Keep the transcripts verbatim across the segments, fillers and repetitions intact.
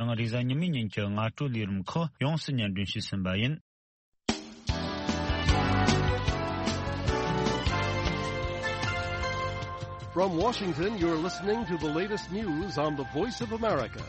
ང་རེས་གཟའ་ཉི་མའི་ཉིན་གྱི་སྔ་དྲོའི་ལས་རིམ་ཁག་ཡོངས་སུ་སྙན་སྒྲོན་ཞུས་ཟིན་པ་ཡིན། From Washington, you're listening to the latest news on the Voice of America.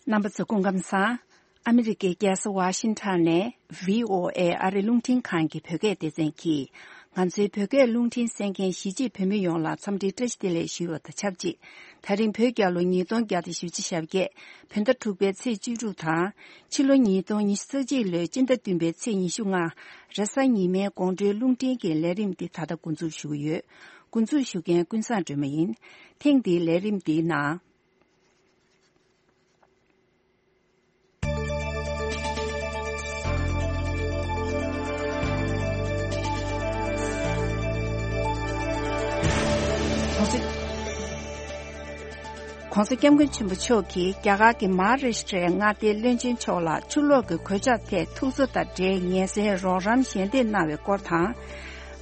རྣམ་པ་ཚོ་སྐུ་ཁམས་བཟང་། ཨ་མི་རི་ཀའི་རྒྱལ་ས་ཝ་ཤིང་ཊོན་ནས་བྷི་ཨོ་ཨེ་ཨ་རི་རླུང་འཕྲིན་ཁང་གི་བོད་སྐད་སྡེ་ཚན་གྱིས། ང་ཚོའི་བོད་སྐད་རླུང་འཕྲིན་གསན་མཁན་གཞིས་བྱེས་བོད་མི་ཡོངས་ལ་འཚམས་འདྲིའི་བཀྲ་ཤིས་བདེ་ལེགས་ཞུ་བ་དང་ཆབས་ཅིག་ད་རིང་བོད་རྒྱལ་ལོ་ཉིས་སྟོང་བརྒྱ་དང་བཞི་བཅུ་ཞེ་བརྒྱད། བོད་ཟླ་དྲུག་པའི་ཚེས་བཅུ་དྲུག་དང་། ཕྱི་ལོ་ཉིས་སྟོང་ཉི་ཤུ་རྩ་གཅིག་ལོའི་སྤྱི་ཟླ་བདུན་པའི་ཚེས་ཉི་ཤུ་ལྔ། རེས་གཟའ་ཉི་མའི་དགོང་དྲོའི་རླུང་འཕྲིན་གྱི་ལས་རིམ་འདི་ད་ལྟ་འགོ་འཛུགས་ཞུ་གི་ཡོད། འགོ་འཛུགས་ཞུ་མཁན་ཀུན་བཟང་སྒྲོལ་མ་ཡིན། ཐེངས་འདིའི་ལས་རིམ་འདིའི་ནང་། གོང་ས་སྐྱབས་མགོན་ཆེན་པོ་མཆོག་གིས་རྒྱ་གར་གྱི་མ་ཧཱ་རཱ་ཤི་ཏྲའི་མངའ་སྡེའི་བློན་ཆེན་མཆོག་ལ་ཆུ་ལོག་གི་གོད་ཆག་ཐད་ཐུགས་གསོ་དང་འབྲེལ་ངལ་སེལ་རོགས་རམ་ཞལ་འདེབས་གནང་བའི་སྐོར་དང་།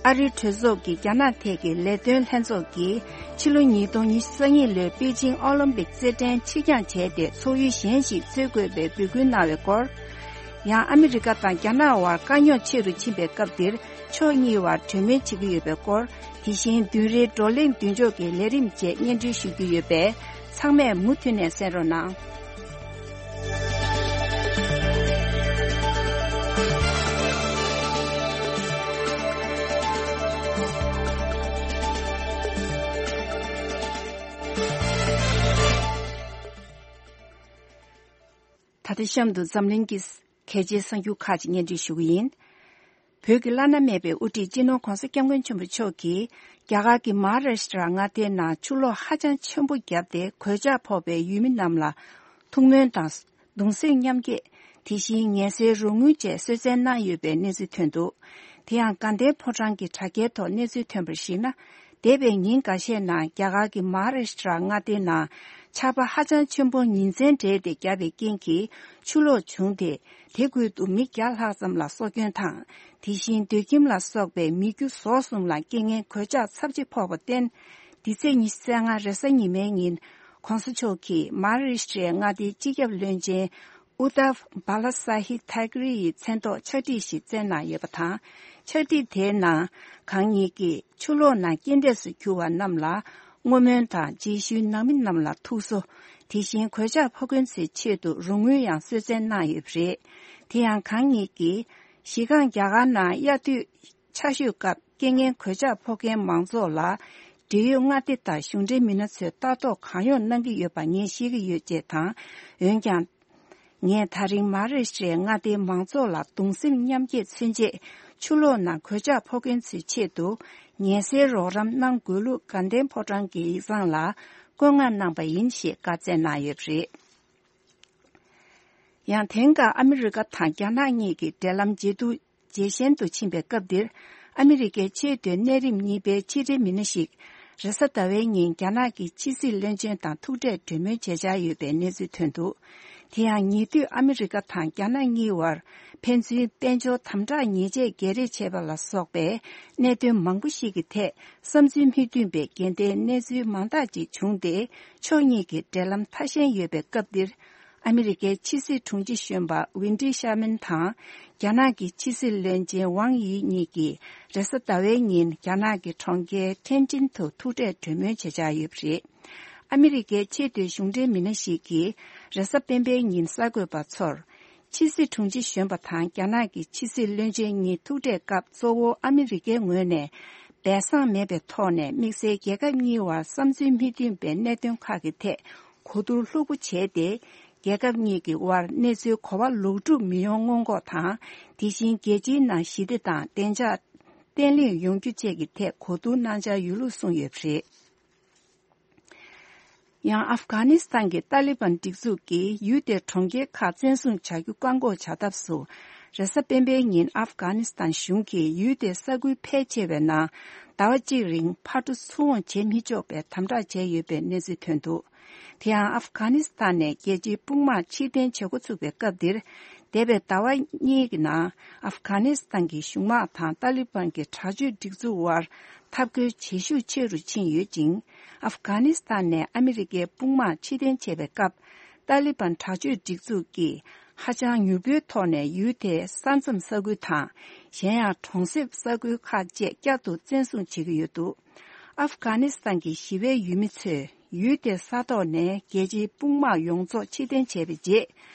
ཨ་རིའི་གྲོས་ཚོགས་ཀྱི་རྒྱ་ནག་ཐད་ཀྱི་ལས་དོན་ལྷན་ཚོགས་ཀྱིས་ཕྱི་ལོ་ཉིས་སྟོང་ཉི་ཤུ་རྩ་གཉིས་ལོའི་པེ་ཅིང་ཨོ་ལིམ་པིག་རྩེད་འགྲན་ཕྱིར་འགྱངས་བྱས་ཏེ་ཚོགས་ཡུལ་གཞན་ཞིག་འཚོལ་དགོས་པའི་འབོད་སྐུལ་གནང་བའི་སྐོར། ཡང་ཨ་མི་རི་ཀ་དང་རྒྱ་ནག་དབར་དཀའ་རྙོག་ཆེ་རུ་ཕྱིན་པའི་སྐབས་འདིར་ཕྱོགས་གཉིས་བར་གྲོས་མོལ་བྱེད་ཀྱི་ཡོད་པའི་སྐོར། དེ་བཞིན་བདུན་རེའི་བགྲོ་གླེང་མདུན་ལྕོག་གི་ལས་རིམ་བཅས་སྙན་སྒྲོན་ཞུ་རྒྱུ་ཡོད་པས། ཚང་མས་མུ་མཐུད་ནས་གསན་རོགས་གནང་། ད་ལྟ་གཤམ་དུ་འཛམ་གླིང་གི་གལ་ཆེའི་གསར་འགྱུར་ཁག་ཅིག་སྙན་སྒྲོན་ཞུ་གི་ཡིན། བོད་ཀྱི་བླ་ན་མེད་པའི་དབུ་ཁྲིད་སྤྱི་ནོར་༧གོང་ས་༧སྐྱབས་མགོན་ཆེན་པོ་མཆོག་གིས་རྒྱ་གར་གྱི་མ་ཧཱ་རཱ་ཤི་ཏྲ་མངའ་སྡེའི་ནང་ཆུ་ལོག་ཧ་ཅང་ཆེན་པོ་བརྒྱབ་སྟེ་གོད་ཆག་ཕོག་པའི་ཡུལ་མི་རྣམས་ལ་ཐུགས་སྨོན་དང་། གདུང་སེམས་མཉམ་སྐྱེད། དེ་བཞིན་ངལ་སེལ་རོགས་དངུལ་བཅས་གསོལ་སྩལ་གནང་ཡོད་པའི་གནས་ཚུལ་ཐོན་འདུག་དེ་ཡང་དགའ་ལྡན་ཕོ་བྲང་གི་དྲ་རྒྱའི་ཐོག་གནས་ཚུལ་ཐོན་པར་གཞིགས་ན། འདས་པའི་ཉིན་འགའ་ཤས་ནང་རྒྱ་གར་གྱི་མ་ཧཱ་རཱ་ཤི་ཏྲ་མངའ་སྡེའི་ནང་ཆར་པ་ཧ་ཅང་ཆེན་པོ་ཉིན་མཚན་སྦྲེལ་ཏེ་བརྒྱབ་པའི་རྐྱེན་གྱིས་ཆུ་ལོག་བྱུང་སྟེ། དེ་ཁུལ་དུ་མི་བརྒྱ་ལྷག་ཙམ་ལ་སྲོག་སྐྱོན་དང་། དེ་བཞིན་སྡོད་ཁྱིམ་ལ་སོགས་པའི་མི་རྒྱུ་ཟོག་གསུམ་ལ་རྐྱེན་ངན་གོད་ཆག་ཚབས་ཆེ་ཕོག་པར་བརྟེན། འདི་ཚེས་ཉི་ཤུ་རྩ་ལྔ་རེས་གཟའ་ཉི་མའི་ཉིན། ྋགོང་ས་མཆོག་གིས་མ་ཧཱ་རཱ་ཤི་ཏྲའི་མངའ་སྡེའི་སྤྱི་ཁྱབ་བློན་ཆེན་ཨུ་དྷབ་བྷ་ལ་ས་ཧི་ཐཱ་ཀི་རེ་ཡི་མཚན་ཐོག་ཕྱག་བྲིས་ཤིག་བསྩལ་གནང་ཡོད་པ་དང་། ཕྱག་བྲིས་དེའི་ནང་། གང་ཉིད་ཀྱིས་ཆུ་ལོག་ནང་རྐྱེན་འདས་སུ་གྱུར་བ་རྣམས་ལ་བསྔོ་སྨོན་དང་། རྗེས་ཤུལ་ནང་མི་རྣམས་ལ་ཐུགས་གསོ། དེ་བཞིན་གོད་ཆག་ཕོག་མཁན་ཚོའི་ཆེད་དུ་རོགས་དངུལ་ཡང་གསོལ་སྩལ་གནང་ཡོད་པ་རེད། དེ་ཡང་གང་ཉིད་ཀྱིས། གཞི་རྐང་རྒྱ་གར་ནང་དབྱར་དུས་ཆར་ཞོད་སྐབས་རྐྱེན་ངན་གོད་ཆག་ཕོག་མཁན་མང་ཚོགས་ལ། འབྲེལ་ཡོད་མངའ་སྡེ་དང་གཞུང་འབྲེལ་མི་སྣ་ཚོས་ལྟ་རྟོག་གང་ཡོང་གནང་གི་ཡོད་པ་ངས་ཤེས་ཀྱི་ཡོད་ཅེས་དང་། འོན་ཀྱང་། ངས་ད་རིང་མ་ཧཱ་རཱ་ཤི་ཏྲའི་མངའ་སྡེའི་མང་ཚོགས་ལ་གདུང་སེམས་མཉམ་སྐྱེད་མཚོན་ཆེད། ཆུ་ལོག་ནང་གོད་ཆག་ཕོག་མཁན་ཚོའི་ཆེད་དུ། ངལ་སེལ་རོགས་རམ་གནང་དགོས་ལུགས་དགའ་ལྡན་ཕོ་བྲང་གི་ཡིག་ཚང་ལ་བཀོད་མངགས་གནང་པ་ཡིན་ཞེས་བཀའ་སྩལ་གནང་ཡོད་པ་རེད། ཡང་དེང་སྐབས་ཨ་མི་རི་ཀ་དང་རྒྱ་ནག་གཉིས་ཀྱི་འབྲེལ་ལམ་ཇེ་སྡུག་ཇེ་ཞན་དུ་ཕྱིན་པའི་སྐབས་འདིར། ཨ་མི་རི་ཀའི་ཆེས་མཐོའི་གནས་རིམ་གཉིས་པའི་ཕྱི་འབྲེལ་མི་སྣ་ཞིག་རེས་གཟའ་ཟླ་བའི་ཉིན་རྒྱ་ནག་གི་ཕྱི་སྲིད་བློན་ཆེན་དང་ཐུག་འཕྲད་གྲོས་མོལ་བྱེད་འཆར་ཡོད་པའི་གནས་ཚུལ་ཐོན་འདུག་དེ་ཡང་ཉེ་དུས་ཨ་མི་རི་ཀ་དང་རྒྱ་ནག་གཉིས་བར་ཕན་ཚུན་དཔལ་འབྱོར་དམ་དྲག་ཉེས་ཆད་བརྒྱད་རེས་བྱས་པ་ལ་སོགས་པའི་གནད་དོན་མང་པོ་ཞིག་གི་ཐད་བསམ་ཚུལ་མི་མཐུན་པའི་འགལ་ཟླའི་གནས་ཚུལ་མང་དག་ཅིག་བྱུང་སྟེ། ཕྱོགས་གཉིས་ཀྱི་འབྲེལ་ལམ་ཐ་ཞན་ཡོད་པའི་སྐབས་འདིར། ཨ་མི་རི་ཀའི་ཕྱི་སྲིད་དྲུང་ཆེ་གཞོན་པ་ཝིན་ཏི་ཤར་མན་དང་། རྒྱ་ནག་གི་ཕྱི་སྲིད་བློན་ཆེན་ཝང་དབྱི་གཉིས་ཀྱིས་རེས་གཟའ་ཟླ་བའི་ཉིན་རྒྱ་ནག་གི་གྲོང་ཁྱེར་ཐེན་ཅིན་དུ་ཐུག་འཕྲད་གྲོས་མོལ་བྱེད་འཆར་ཡོད་པ་རེད། ཨ་མི་རི་ཀའི་ཆེས་མཐོའི་གཞུང་འབྲེལ་མི་སྣ་ཞིག་གིས་རེས་གཟའ་སྤེན་པའི་ཉིན་གསར་འགོད་པ་ཚོར། ཕྱི་སྲིད་དྲུང་ཆེ་གཞོན་པ་དང་རྒྱ་ནག་གི་ཕྱི་སྲིད་བློན་ཆེན་གཉིས་ཐུག་འཕྲད་སྐབས་གཙོ་བོ་ཨ་མི་རི་ཀའི་ངོས་ནས་སྦས་གསང་མེད་པའི་ཐོག་ནས་དམིགས་བསལ་རྒྱལ་ཁབ་གཉིས་བར་བསམ་ཚུལ་མི་མཐུན་པའི་གནད་དོན་ཁག་གི་ཐད་གོ་བསྡུར་ལྷུག་པོ་བྱས་ཏེ། རྒྱལ་ཁབ་གཉིས་ཀྱི་དབར་གནས་ཚུལ་གོ་བ་ལོག་སྒྲུབ་མི་ཡོང་སྔོན་འགོག་དང་། དེ་བཞིན་རྒྱལ་སྤྱིའི་ནང་ཞི་བདེ་དང་བདེ་འཇགས་བརྟན་ལྷིང་ཡོང་རྒྱུ་བཅས་ཀྱི་ཐད་གོ་བསྡུར་གནང་འཆར་ཡོད་ལུགས་གསུངས་ཡོད་པ་རེད། ཡང་ཨབ་གྷ་ནི་སི་ཐན་གྱི་ཏཱ་ལི་བན་སྒྲིག་འཛུགས་ཀྱིས་ཡུལ་དེའི་གྲོང་ཁྱེར་ཁག་བཙན་བཟུང་བྱ་རྒྱུ་བཀག་འགོག་བྱ་ཐབས་སུ། རེས་གཟའ་སྤེན་པའི་ཉིན་ཨབ་གྷ་ནི་སི་ཐན་གཞུང་གིས་ཡུལ་དེའི་ས་ཁུལ་ཕལ་ཆེ་བའི་ནང་ཟླ་བ་གཅིག་རིང་ཕར་འགྲོ་ཚུར་འོང་བྱེད་མི་ཆོག་པའི་དམ་དྲག་བྱས་ཡོད་པའི་གནས་ཚུལ་ཐོན་འདུག་དེ་ཡང་ཨབ་གྷ་ནི་སི་ཐན་ནས་རྒྱལ་སྤྱིའི་དཔུང་དམག་ཕྱིར་འཐེན་བྱེད་འགོ་ཚུགས་པའི་སྐབས་འདིར། འདས་པའི་ཟླ་བ་གཉིས་ཀྱི་ནང་ཨབ་གྷ་ནི་སི་ཐན་གྱི་གཞུང་དམག་དང་ཏཱ་ལི་བན་གྱི་དྲག་སྤྱོད་སྒྲིག་འཛུགས་དབར་ འཐབ་རྒོལ་བྱེད་ཤུགས་ཆེ་རུ་ཕྱིན་ཡོད་ཅིང་། ཨབ་གྷ་ནི་སི་ཐན་ནས་ཨ་མི་རི་ཀའི་དཔུང་དམག་ཕྱིར་འཐེན་བྱས་པའི་སྐབས། ཏཱ་ལི་བན་དྲག་སྤྱོད་སྒྲིག་འཛུགས་ཀྱིས་ཧ་ཅང་མྱུར་པོའི་ཐོག་ནས་ཡུལ་དེའི་ས་མཚམས་ས་ཁུལ་དང་། གཞན་ཡང་གྲོང་གསེབ་ས་ཁུལ་ཁག་བཅས་བསྐྱར་དུ་བཙན་བཟུང་བྱེད་ཀྱི་ཡོད་འདུག་ཨབ་གྷ་ནི་སི་ཐན་གྱི་ཞི་བའི་ཡུལ་མི་ཚོས་ཡུལ་དེའི་ས་ཐོག་ནས་རྒྱལ་སྤྱིའི་དཔུང་དམག་ཡོངས་རྫོགས་ཕྱིར་འཐེན་བྱས་པའི་རྗེས།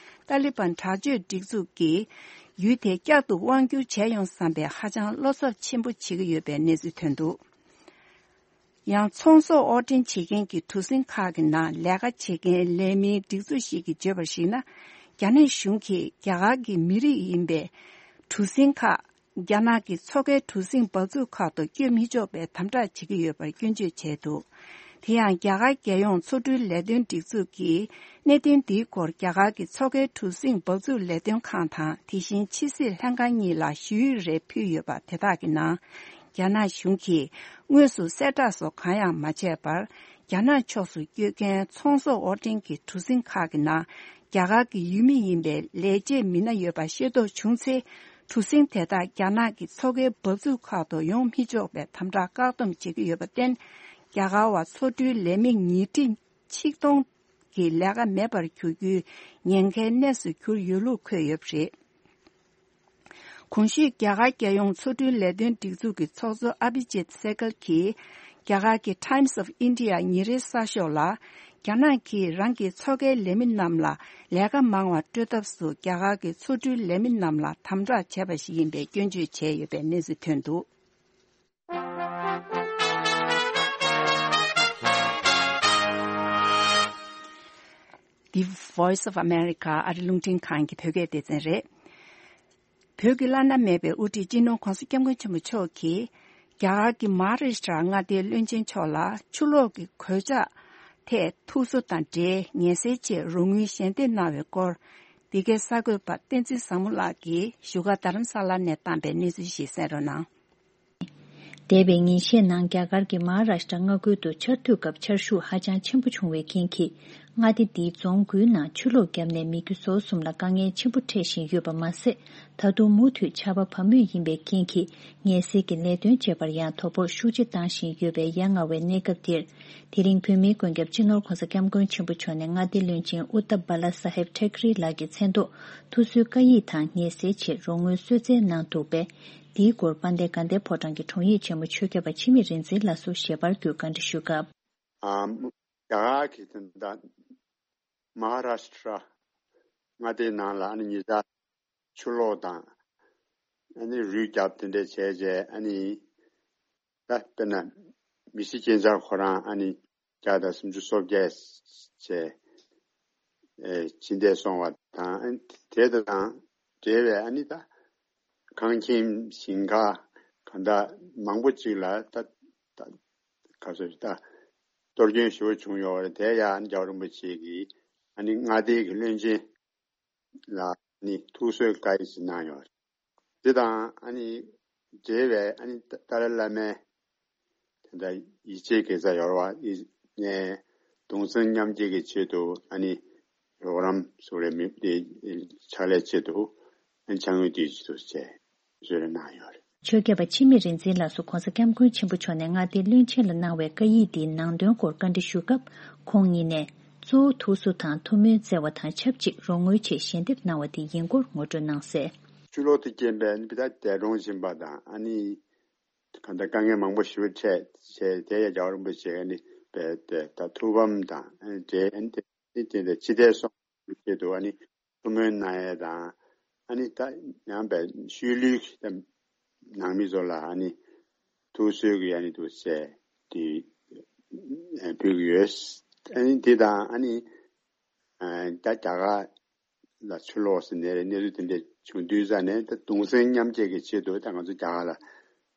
ཏཱ་ལི་བན་དྲག་སྤྱོད་སྒྲིག་འཛུགས་ཀྱིས་ཡུལ་དེ་བསྐྱར་དུ་དབང་བསྒྱུར་བྱས་ཡོང་བསམ་པའི་ཧ་ཅང་བློ་འཚབ་ཆེན་པོ་བྱེད་ཀྱི་ཡོད་པའི་གནས་ཚུལ་ཐོན་འདུག་ཡང་ཚོང་ཟོག་དབོར་འདྲེན་བྱེད་མཁན་གྱི་གྲུ་གཟིངས་ཁག་གི་ནང་ལས་ཀ་བྱེད་མཁན་ལས་མིའི་སྒྲིག་འཛུགས་ཤིག་གིས་བརྗོད་པར་གཞིགས་ན། རྒྱ་ནག་གཞུང་གིས་རྒྱ་གར་གྱི་མི་རིགས་ཡིན་པའི་གྲུ་གཟིངས་ཁག་རྒྱ་ནག་གི་མཚོ་ཁའི་གྲུ་གཟིངས་འབབ་ཚུགས་ཁག་ཏུ་བསྐྱོད་མི་ཆོག་པའི་དམ་དྲག་བྱེད་ཀྱི་ཡོད་པར་སྐྱོན་བརྗོད་བྱས་འདུག་དེ་ཡང་རྒྱ་གར་རྒྱལ་ཡོངས་མཚོ་འགྲུལ་ལས་དོན་སྒྲིག་འཛུགས་ཀྱིས་གནད་དོན་འདིའི་སྐོར་རྒྱ་གར་གྱི་མཚོ་ཁའི་གྲུ་གཟིངས་འབབ་ཚུགས་ལས་དོན་ཁང་དང་དེ་བཞིན་ཕྱི་སྲིད་ལྷན་ཁང་གཉིས་ལ་ཞུ་ཡིག་རེ་ཕུལ་ཡོད་པ་དེ་དག་གི་ནང་། རྒྱ་ནག་གཞུང་གིས་དངོས་སུ་གསལ་བསྒྲགས་སོགས་གང་ཡང་མ་བྱས་པར། རྒྱ་ནག་ཕྱོགས་སུ་བསྐྱོད་མཁན་ཚོང་ཟོག་དབོར་འདྲེན་གྱི་གྲུ་གཟིངས་ཁག་གི་ནང་རྒྱ་གར་གྱི་ཡུལ་མི་ཡིན་པའི་ལས་བྱེད་མི་སྣ་ཡོད་པ་ཤེས་རྟོགས་བྱུང་ཚེ། གྲུ་གཟིངས་དེ་དག་རྒྱ་ནག་གི་མཚོ་ཁའི་འབབ་ཚུགས་ཁག་ཏུ་ཡོང་མི་ཆོག་པའི་དམ་དྲག་བཀག་སྡོམ་བྱེད་ཀྱི་ཡོད་པར་བརྟེན། རྒྱ་གར་བ་མཚོ་འགྲུལ་ལས་མི་ཉིས་ཁྲི་ཆིག་སྟོང་གི་ལས་ཀ་མེད་པར་གྱུར་རྒྱུའི་ཉེན་ཁའི་གནས་སུ་གྱུར་ཡོད་ལུགས་འཁོད་ཡོད་པ་རེད། གོང་ཞུས་རྒྱ་གར་རྒྱལ་ཡོངས་མཚོ་འགྲུལ་ལས་དོན་སྒྲིག་འཛུགས་ཀྱི་ཚོགས་གཙོ་ཨ་བི་ཇིད་སེ་གལ་གྱིས། རྒྱ་གར་གྱི་Times of India ཉིན་རེའི་གསར་ཤོག་ལ། རྒྱ་ནག་གིས་རང་གི་མཚོ་ཁའི་ལས་མི་རྣམས་ལ་ལས་ཀ་མང་བ་སྤྲོད་ཐབས་སུ་རྒྱ་གར་གྱི་མཚོ་འགྲུལ་ལས་མི་རྣམས་ལ་དམ་དྲག་བྱས་པ་ཞིག་ཡིན་པའི་སྐྱོན་བརྗོད་བྱས་ཡོད་པའི་གནས་ཚུལ་ཐོན་འདུག The Voice of America ཨ་རི་རླུང་འཕྲིན་ཁང་གི་བོད་སྐད་སྡེ་ཚན་རེད། བོད་ཀྱི་བླ་ན་མེད་པའི་དབུ་ཁྲིད་སྤྱི་ནོར་༧གོང་ས་༧སྐྱབས་མགོན་ཆེན་པོ་མཆོག་གིས། རྒྱ་གར་གྱི་མ་ཧཱ་རཱ་ཤི་ཏྲ་མངའ་སྡེའི་བློན་ཆེན་མཆོག་ལ་ཆུ་ལོག་གི་གོད་ཆག་ཐད་ཐུགས་གསོ་དང་འབྲེལ་ངལ་སེལ་ཆེད་རོགས་དངུལ་ཞལ་འདེབས་གནང་བའི་སྐོར། འདི་གའི་གསར་འགོད་པ་བསྟན་འཛིན་བཟང་མོ་ལགས་ཀྱིས་བཞུགས་སྒར་རྡ་རམ་ས་ལ་ནས་བཏང་པའི་གནས་ཚུལ་ཞིག་གསན་རོགས་གནང་། འདས་པའི་ཉིན་ཤས་ནང་རྒྱ་གར་གྱི་མ་ཧཱ་རཱ་ཤི་ཏྲ་མངའ་ཁུལ་དུ་ཆར་དུས་སྐབས་ཆར་ཤུགས་ཧ་ཅང་ཆེན་པོ་བྱུང་བའི་རྐྱེན་གྱིས། མངའ་སྡེ་འདིའི་རྫོང་དགུའི་ནང་ཆུ་ལོག་བརྒྱབ་ནས་མི་རྒྱུ་ཟོག་གསུམ་ལ་དཀའ་ངལ་ཆེན་པོ་འཕྲད་བཞིན་ཡོད་པ་མ་ཟད། ད་དུང་མུ་མཐུད་ཆར་པ་བབས་མུས་ཡིན་པའི་རྐྱེན་གྱིས། ངལ་སེལ་གྱི་ལས་དོན་བྱེད་པར་ཡང་དོ་ཕོག་ཤུགས་ཆེ་བཏང་བཞིན་ཡོད་པའི་ཡ་ང་བའི་གནས་སྐབས་འདིར། དེ་རིང་བོད་མིའི་མགོན་སྐྱབས་སྤྱི་ནོར་༧གོང་ས་༧སྐྱབས་མགོན་ཆེན་པོ་མཆོག་ནས་མངའ་སྡེའི་བློན་ཆེན་ཨུ་ཏ་བྷ་ལ་ས་ཧེབ་ཐེ་ཀེ་རི་ལགས་ཀྱི་མཚན་ཐོག་ཐུགས་གསོའི་བཀའ་ཡིག་དང་ངལ་སེལ་ཆེད་རོགས་དངུལ་གསོལ་སྩལ་གནང་འདུག་པས། འདིའི་སྐོར་དཔལ་ལྡན་དགའ་ལྡན་ཕོ་བྲང་གི་དྲུང་ཡིག་ཆེན་མོ་ཆོས་སྐྱབས་པ་འཆི་མེད་རིག་འཛིན་ལགས་སུ་ཞལ་པར་བརྒྱུད་བཀའ་འདྲི་ཞུ་སྐབས། ཨ། རྒྱ་གར་གྱི་དོན་དག་མ་ཧཱ་རཱ་ཤི་ཏྲ་མངའ་སྡེའི་ནང་ལ་ཨ་ནི་ཉེ་ཆར་ཆུ་ལོག་དང་། ཨ་ནི་རུད་བརྒྱབ་དེ་འདྲ་བྱས་རྗེས་ཨ་ནི་ད་དཔེར་ན་མི་སེར་སྐྱེས་འཚར་ཁོ་རང་ཨ་ནི་བརྒྱ་དང་སུམ་ཅུ་སོ་བརྒྱད་བྱས། ཨེ་ཕྱིར་འཐེན་སོང་བ་དང་། ཨ་ནི་དེ་དང་འབྲེལ་བའི་ཨ་ནི་ད་ཁང་ཁྱིམ་ཞིང་ཁ་གང་ལྟར་མང་པོ་ཅིག་ལ་ད་ད་ག་ཚོད་ད་གཏོར་སྐྱོན་ཞེ་པོ་བྱུང་ཡོད་རེད། དེ་ཡང་རྒྱལ་བ་རིན་པོ་ཆེ་གིས་ཨ་ནི་མངའ་སྡེའི་གི་བློན་ཆེན་ལ་ནི་ཐུགས་གསོའི་བཀའ་ཡིག་ཅིག་གནང་ཡོད་རེད། དེ་དང་ཨ་ནི་འབྲེལ་བའི་ཨ་ནི་ཏཱ་ལའི་བླ་མའི་དེ་འདྲ་ཡིད་ཆེས་དགེ་རྩ་ཡོད་རེད་བ། ནས་གདུང་སེམས་མཉམ་སྐྱེད་ཀྱི་ཆེད་དུ་ཨ་ནི་རོགས་རམ་སུ་རེ་མི་དེ་ཕྱག་ལས་ཆེད་དུ་ཨ་ནི་ཕྱག་དངུལ་དེ་ཆེད་དུ་བྱས་གསོལ་རས་གནང་ཡོད་རེད། ཆོས་སྐྱབས་པ་འཆི་མེད་རིག་འཛིན་ལགས་སུ་༧གོང་ས་༧སྐྱབས་མགོན་ཆེན་པོ་མཆོག་ནས་མངའ་སྡེའི་བློན་ཆེན་ལ་གནང་བའི་བཀའ་ཡིག་འདིའི་ནང་དོན་སྐོར་བཀའ་འདྲི་ཞུ་སྐབས། ཁོང་ཉིད་ནས། གཙོ་བོ་ཐུགས་གསོ་དང་ཐུགས་སྨོན་བསྩལ་བ་དང་ཆབས་ཅིག་རོགས་དངུལ་ཆེད་ཞལ་འདེབས་གནང་བ་དེ་ཡིན་སྐོར་ངོ་སྤྲོད་གནང་གསལ། ཆུ་ལོག་དེ་རྐྱེན་པས་ནི་ད་འདས་གྲོངས་ཕྱིན་པ་དང་ཨ་ནི་གང་ལྟར་དཀའ་ངལ་མང་པོ་ཞེ་པོ་འཕྲད་བྱས། དེ་ཡང་རྒྱལ་བ་རིན་པོ་ཆེ་ཨ་ནི་པའི་དེ་ད་ཐུགས་ཕམ་དང་ཨ་ནི་འབྲེལ་ཨ་ནི་དེ་དེ་དེ་ཕྱི་བལྟས་སོང་ཆེད་དུ་ཨ་ནི་ཐུགས་སྨོན་གནང་ཡས་དང་། ཨ་ནི་ད་ཡང་པའི་ཤུལ་ལུས་ཀྱི་ནང་མི་ཚོ་ལ་ཨ་ནི་ཐུགས་གསོའི་གི་ཨ་ནི་འདུག་ཟེར་དེ་ཕུལ་གི་ཡོད། ཨ་ནི་དེ་དང་ཨ་ནི་ད་རྒྱ་གར་ལ་ཆུ་ལོག་ཟེར་ནས་གནས་ཚུལ་དེ་འདྲ་བྱུང་དུས་ཙ་ནས་ད་གདུང་སེམས་མཉམ་སྐྱེད་ཀྱི་ཆེད་དུ་ད་ང་ཚོ་རྒྱ་གར་ལ་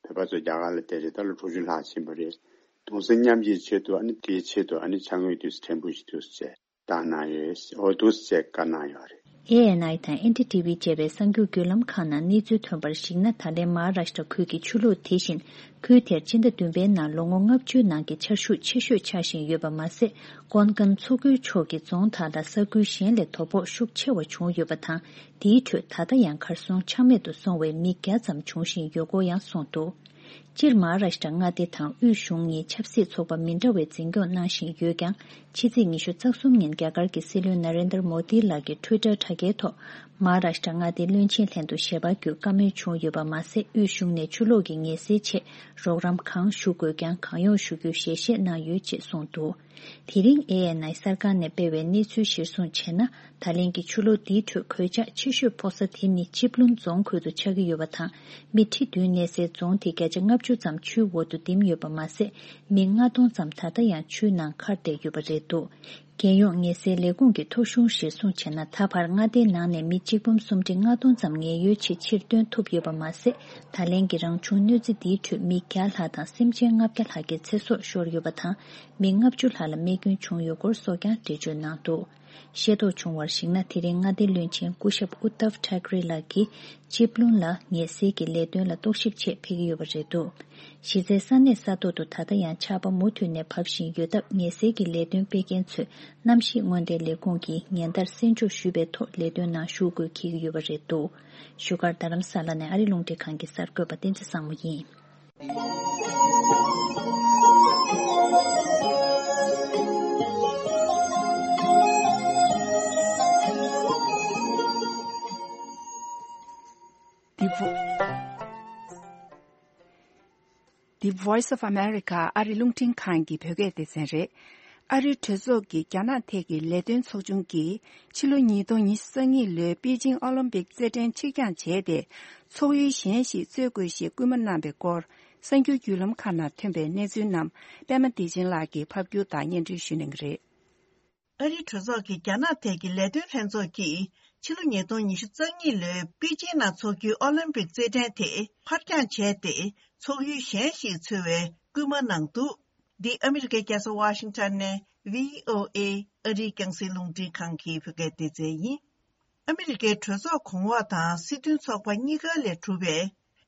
བོད་པ་ཚོ་རྒྱ་གར་ལ་བསྡད་རེད། ད་ལོ་དྲུག་ཅུ་ལྷག་ཕྱིན་པ་རེད། གདུང་སེམས་མཉམ་སྐྱེད་ཆེད་དུ་ཨ་ནི་དེའི་ཆེད་དུ་ཨ་ནི་ཕྱག་དངུལ་དུས་ཕྲན་བུ་ཞིག་དུས་བྱས། བཏང་གནང་ཡོད། འོ་འདུག་སེ་བཀའ་གནང་ཡོད་རེད། ཨེ་ཨེན་ཨའི་དང་ཨེན་ཌི་ཊི་ཝི་བཅས་པའི་གསར་འགྱུར་བརྒྱུད་ལམ་ཁག་ནང་གནས་ཚུལ་ཐོན་པར་གཞིགས་ན། ད་ལན་མ་ཧཱ་རཱ་ཤི་ཏྲ་ཁུལ་གྱི་ཆུ་ལོག་དེ་བཞིན་ཁུལ་དེར་སྤྱི་ཟླ་བདུན་པའི་ནང་ལོ་ངོ་ལྔ་བཅུའི་ནང་གི་ཆར་ཤུགས་ཆེ་ཤོས་ཆགས་བཞིན་ཡོད་པ་མ་ཟད། ཀོན་ཀན་མཚོ་ཁུལ་ཕྱོགས་ཀྱི་རྫོང་དག་ལ་ས་ཁུལ་གཞན་ལས་དོ་ཕོག་ཤུགས་ཆེ་བ་བྱུང་ཡོད་པ་དང་། དེའི་ཁྲོད་ད་ལྟ་ཡང་གར་སོང་ཆ་མེད་དུ་སོང་བའི་མི་བརྒྱ་ཙམ་འབྱུང་བཞིན་ཡོད་སྐོར་ཡང་གསུངས་འདུག་སྤྱིར་མ་ཧཱ་རཱ་ཤི་ཏྲ་མངའ་སྡེ་དང་དབུས་གཞུང་གཉིས་ཆབ་སྲིད་ཚོགས་པ་མི་འདྲ་བའི་འཛིན་སྐྱོང་གནང་བཞིན་ཡོད་ཀྱང་། ཕྱི་ཚེས་ཉི་ཤུ་རྩ་གསུམ་ཉིན་རྒྱ་གར་གྱི་སྲིད་བློན་ན་རེན་དར་མོ་དི་ལགས་ཀྱི་ཊུའི་ཊར་དྲ་རྒྱའི་ཐོག་མ་ཧཱ་རཱ་ཤི་ཏྲ་མངའ་སྡེའི་བློན་ཆེན་ལྷན་དུ་ཞལ་པར་བསྒྱུར་བཀའ་མོལ་བྱུང་ཡོད་པ་མ་ཟད། དབུས་གཞུང་ནས་ཆུ་ལོག་གི་ངལ་སེལ་ཆེད་རོགས་རམ་གང་ཞུ་དགོས་ཀྱང་གང་ཡོང་ཞུ་རྒྱུའི་ཞལ་བཞེས་གནང་ཡོད་ཅེས་གསུངས་འདུག་དེ་རིང་ཨེ་ཨེན་ཨའི་གསར་ཁང་ནས་སྤེལ་བའི་གནས་ཚུལ་གཞིར་བཟུང་བྱས་ན། ད་ལན་གྱི་ཆུ་ལོག་འདིའི་ཁྲོད་གོད་ཆག་ཆེ་ཤོས་ཕོག་ས་དེ་ནི་ཅིབ་ལུན་རྫོང་ཁུལ་དུ་ཆགས་ཀྱི་ཡོད་པ་དང་། མི་ཁྲི་བདུན་གནས་སའི་རྫོང་དེ་བརྒྱ་ཆ་ལྔ་བཅུ་ཙམ་ཆུའི་འོག་ཏུ་ལྡིམ་ཡོད་པ་མ་ཟད། མི་ལྔ་སྟོང་ཙམ་ད་ལྟ་ཡང་ཆུའི་ནང་ཁར་བསྡད་ཡོད་པ་རེད་འདུག་རྒྱལ་ཡོངས་ངལ་སེལ་ལས་ཁུངས་ཀྱི་ཐོ་གཞུང་གཞིར་བཟུང་བྱས་ན། ད་བར་མངའ་སྡེའི་ནང་ནས་མི་གཅིག་འབུམ་སུམ་ཁྲི་ལྔ་སྟོང་ཙམ་ངལ་གཡོལ་ཆེད་ཕྱིར་བཏོན་ཐུབ་ཡོད་པ་མ་ཟད། ད་ལན་གྱི་རང་བྱུང་གནོད་འཚེ་འདིའི་ཁྲོད་མི་བརྒྱ་ལྷག་དང་སེམས་ཅན་ལྔ་བརྒྱ་ལྷག་གི་ཚེ་སྲོག་ཤོར་ཡོད་པ་དང་། མི་ལྔ་བཅུ་ལྷག་ལ་རྨས་སྐྱོན་བྱུང་ཡོད་སྐོར་སོགས་ཀྱང་འགྲེལ་བརྗོད་གནང་འདུག་ཤེས་རྟོགས་བྱུང་བར་གཞིགས་ན། དེ་རིང་མངའ་སྡེའི་བློན་ཆེན་སྐུ་ཞབས་ཨུ་ཏབ་ཐཱ་ཀྲེ་ལགས་ཀྱིས་ཅིབ་ལུན་ལ་ངལ་སེལ་གྱི་ལས་དོན་ལ་རྟོག་ཞིབ་ཆེད་ཕེབས་ཀྱི་ཡོད་པ་རེད་འདུག་གཞི་རྩའི་ས་གནས་ས་ཐོག་ཏུ་ད་ལྟ་ཡང་ཆར་པ་མུ་མཐུད་ནས་བབས་བཞིན་ཡོད་སྟབས། ངལ་སེལ་གྱི་ལས་དོན་སྤེལ་མཁན་ཚོས་གནམ་གཤིས་སྔོན་བརྡའི་ལས་ཁུངས་ཀྱིས་ཉིན་ལྟར་གསན་འཇོག་ཞུས་པའི་ཐོག་ལས་དོན་ནང་ཞུགས་དགོས་འཁེལ་གྱི་ཡོད་པ་རེད་འདུག་བཞུགས་སྒར་རྡ་རམ་ས་ལ་ནས་ཨ་རི་རླུང་འཕྲིན་ཁང་གི་གསར་འགོད་པ་བསྟན་འཛིན་བཟང་མོ་ཡིན། འདི་བོ། The Voice of America ཨ་རི་རླུང་འཕྲིན་ཁང་གི་བོད་སྐད་སྡེ་ཚན་རེད། ཨ་རིའི་གྲོས་ཚོགས་ཀྱི་རྒྱ་ནག་ཐད་ཀྱི་ལས་དོན་ཚོགས་ཆུང་གིས་ཕྱི་ལོ་ཉིས་སྟོང་ཉི་ཤུ་རྩ་གཉིས་ལོའི་པེ་ཅིང་ཨོ་ལིམ་པིག་རྩེད་འགྲན་ཕྱིར་འགྱངས་བྱས་ཏེ། ཚོགས་ཡུལ་གཞན་ཞིག་རྩོད་དགོས་ཞེས་སྐུལ་མ་གནང་བའི་སྐོར། གསར་འགྱུར་བརྒྱུད་ལམ་ཁག་ནང་ཐོན་པའི་གནས་ཚུལ་རྣམས་པད་མ་བདེ་ཆེན་ལགས་ཀྱིས་ཕབ་སྒྱུར་དང་སྙན་སྒྲོན་ཞུ་གནང་གི་རེད། ཨ་རིའི་གྲོས་ཚོགས་ཀྱི་རྒྱ་ནག་ཐད་ཀྱི་ལས་དོན་ལྷན་ཚོགས་ཀྱིས་ཕྱི་ལོ་ཉིས་སྟོང་ཉི་ཤུ་རྩ་གཉིས་ལོའི་པེ་ཅིང་ནང་འཚོགས་རྒྱུའི་ཨོ་ལིམ་པིག་རྩེད་འགྲན་དེ་ཕར་འགྱངས་བྱས་ཏེ། ཚོགས་ཡུལ་གཞན་ཞིག་འཚོལ་བའི་སྐུལ་མ་གནང་འདུག་འདི་ཨ་མི་རི་ཀའི་རྒྱལ་ས་ཝ་ཤིང་ཊོན་ནས་བྷི་ཨོ་ཨེ་ཨ་རིའི་རྒྱང་སྲིང་རླུང་འཕྲིན་ཁང་གི་བོད་སྐད་སྡེ་ཚན་ཡིན། ཨ་མི་རི་ཀའི་གྲོས་ཚོགས་གོང་འོག་དང་སྲིད་དོན་ཚོགས་པ་གཉིས་ཀ་ལས་གྲུབ་པའི་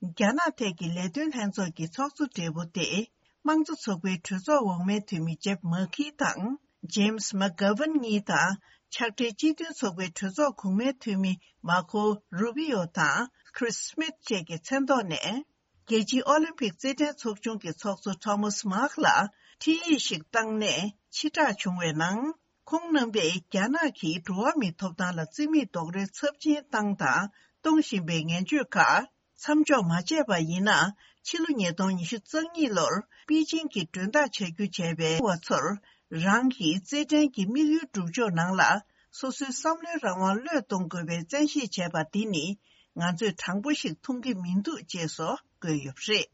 རྒྱ་ནག་ཐད་ཀྱི་ལས་དོན་ལྷན་ཚོགས་ཀྱི་ཚོགས་གཙོ་སྦྲེལ་པོ་དེ། དམངས་གཙོ་ཚོགས་པའི་གྲོས་ཚོགས་འོག་མའི་འཐུས་མི་ཇེབ་མ་ཁི་དང་ཇེམ་སི་མ་གྷ་ཝན་གཉིས་དང་། ཕྱག་སྦྲེལ་སྤྱི་མཐུན་ཚོགས་པའི་གྲོས་ཚོགས་གོང་མའི་འཐུས་མི་མར་ཁོ་རུ་བྷི་ཡོ་དང་ཁྲིས་སི་མིད་བཅས་ཀྱི་མཚན་ཐོག་ནས། རྒྱལ་སྤྱིའི་ཨོ་ལིམ་པིག་རྩེད་འགྲན་ཚོགས་ཆུང་གི་ཚོགས་གཙོ་ཐོ་མཱས་མཱག་ལ་འཕྲིན་ཡིག་ཞིག་བཏང་ནས་ཕྱིར་བསྒྲགས་བྱུང་བའི་ནང་། ཁོང་རྣམ་པས་རྒྱ་ནག་གིས་འགྲོ་བ་མིའི་ཐོབ་ཐང་ལ་བརྩི་མེད་རྡོག་རོལ་ཚབས་ཆེན་བཏང་དང་གཏོང་བཞིན་པའི་ངན་བྱུས་ཁག་མཚམས་འཇོག་མ་བྱས་པ་ཡིན་ན། ཕྱི་ལོ་ཉིས་སྟོང་ཉི་ཤུ་རྩ་གཉིས་ལོར་པེ་ཅིང་གི་མགྲོན་བདག་བྱ་རྒྱུ་བྱས་པའི་བ་ཚོར་རང་གི་རྩེད་འགྲན་གྱི་དམིགས་ཡུལ་སྒྲུབ་ཕྱོགས་ནང་ལ་སོ་སོའི་བསམ་བློའི་རང་དབང་བློས་གཏོང་དགོས་པའི་བཙན་ཤེད་བྱས་པ་འདི་ནི་ང་ཚོས་དྲང་པོ་ཞིག་མཐོང་གི་མི་འདུག་ཅེས་སོགས་བཀོད་ཡོད་པ་རེད།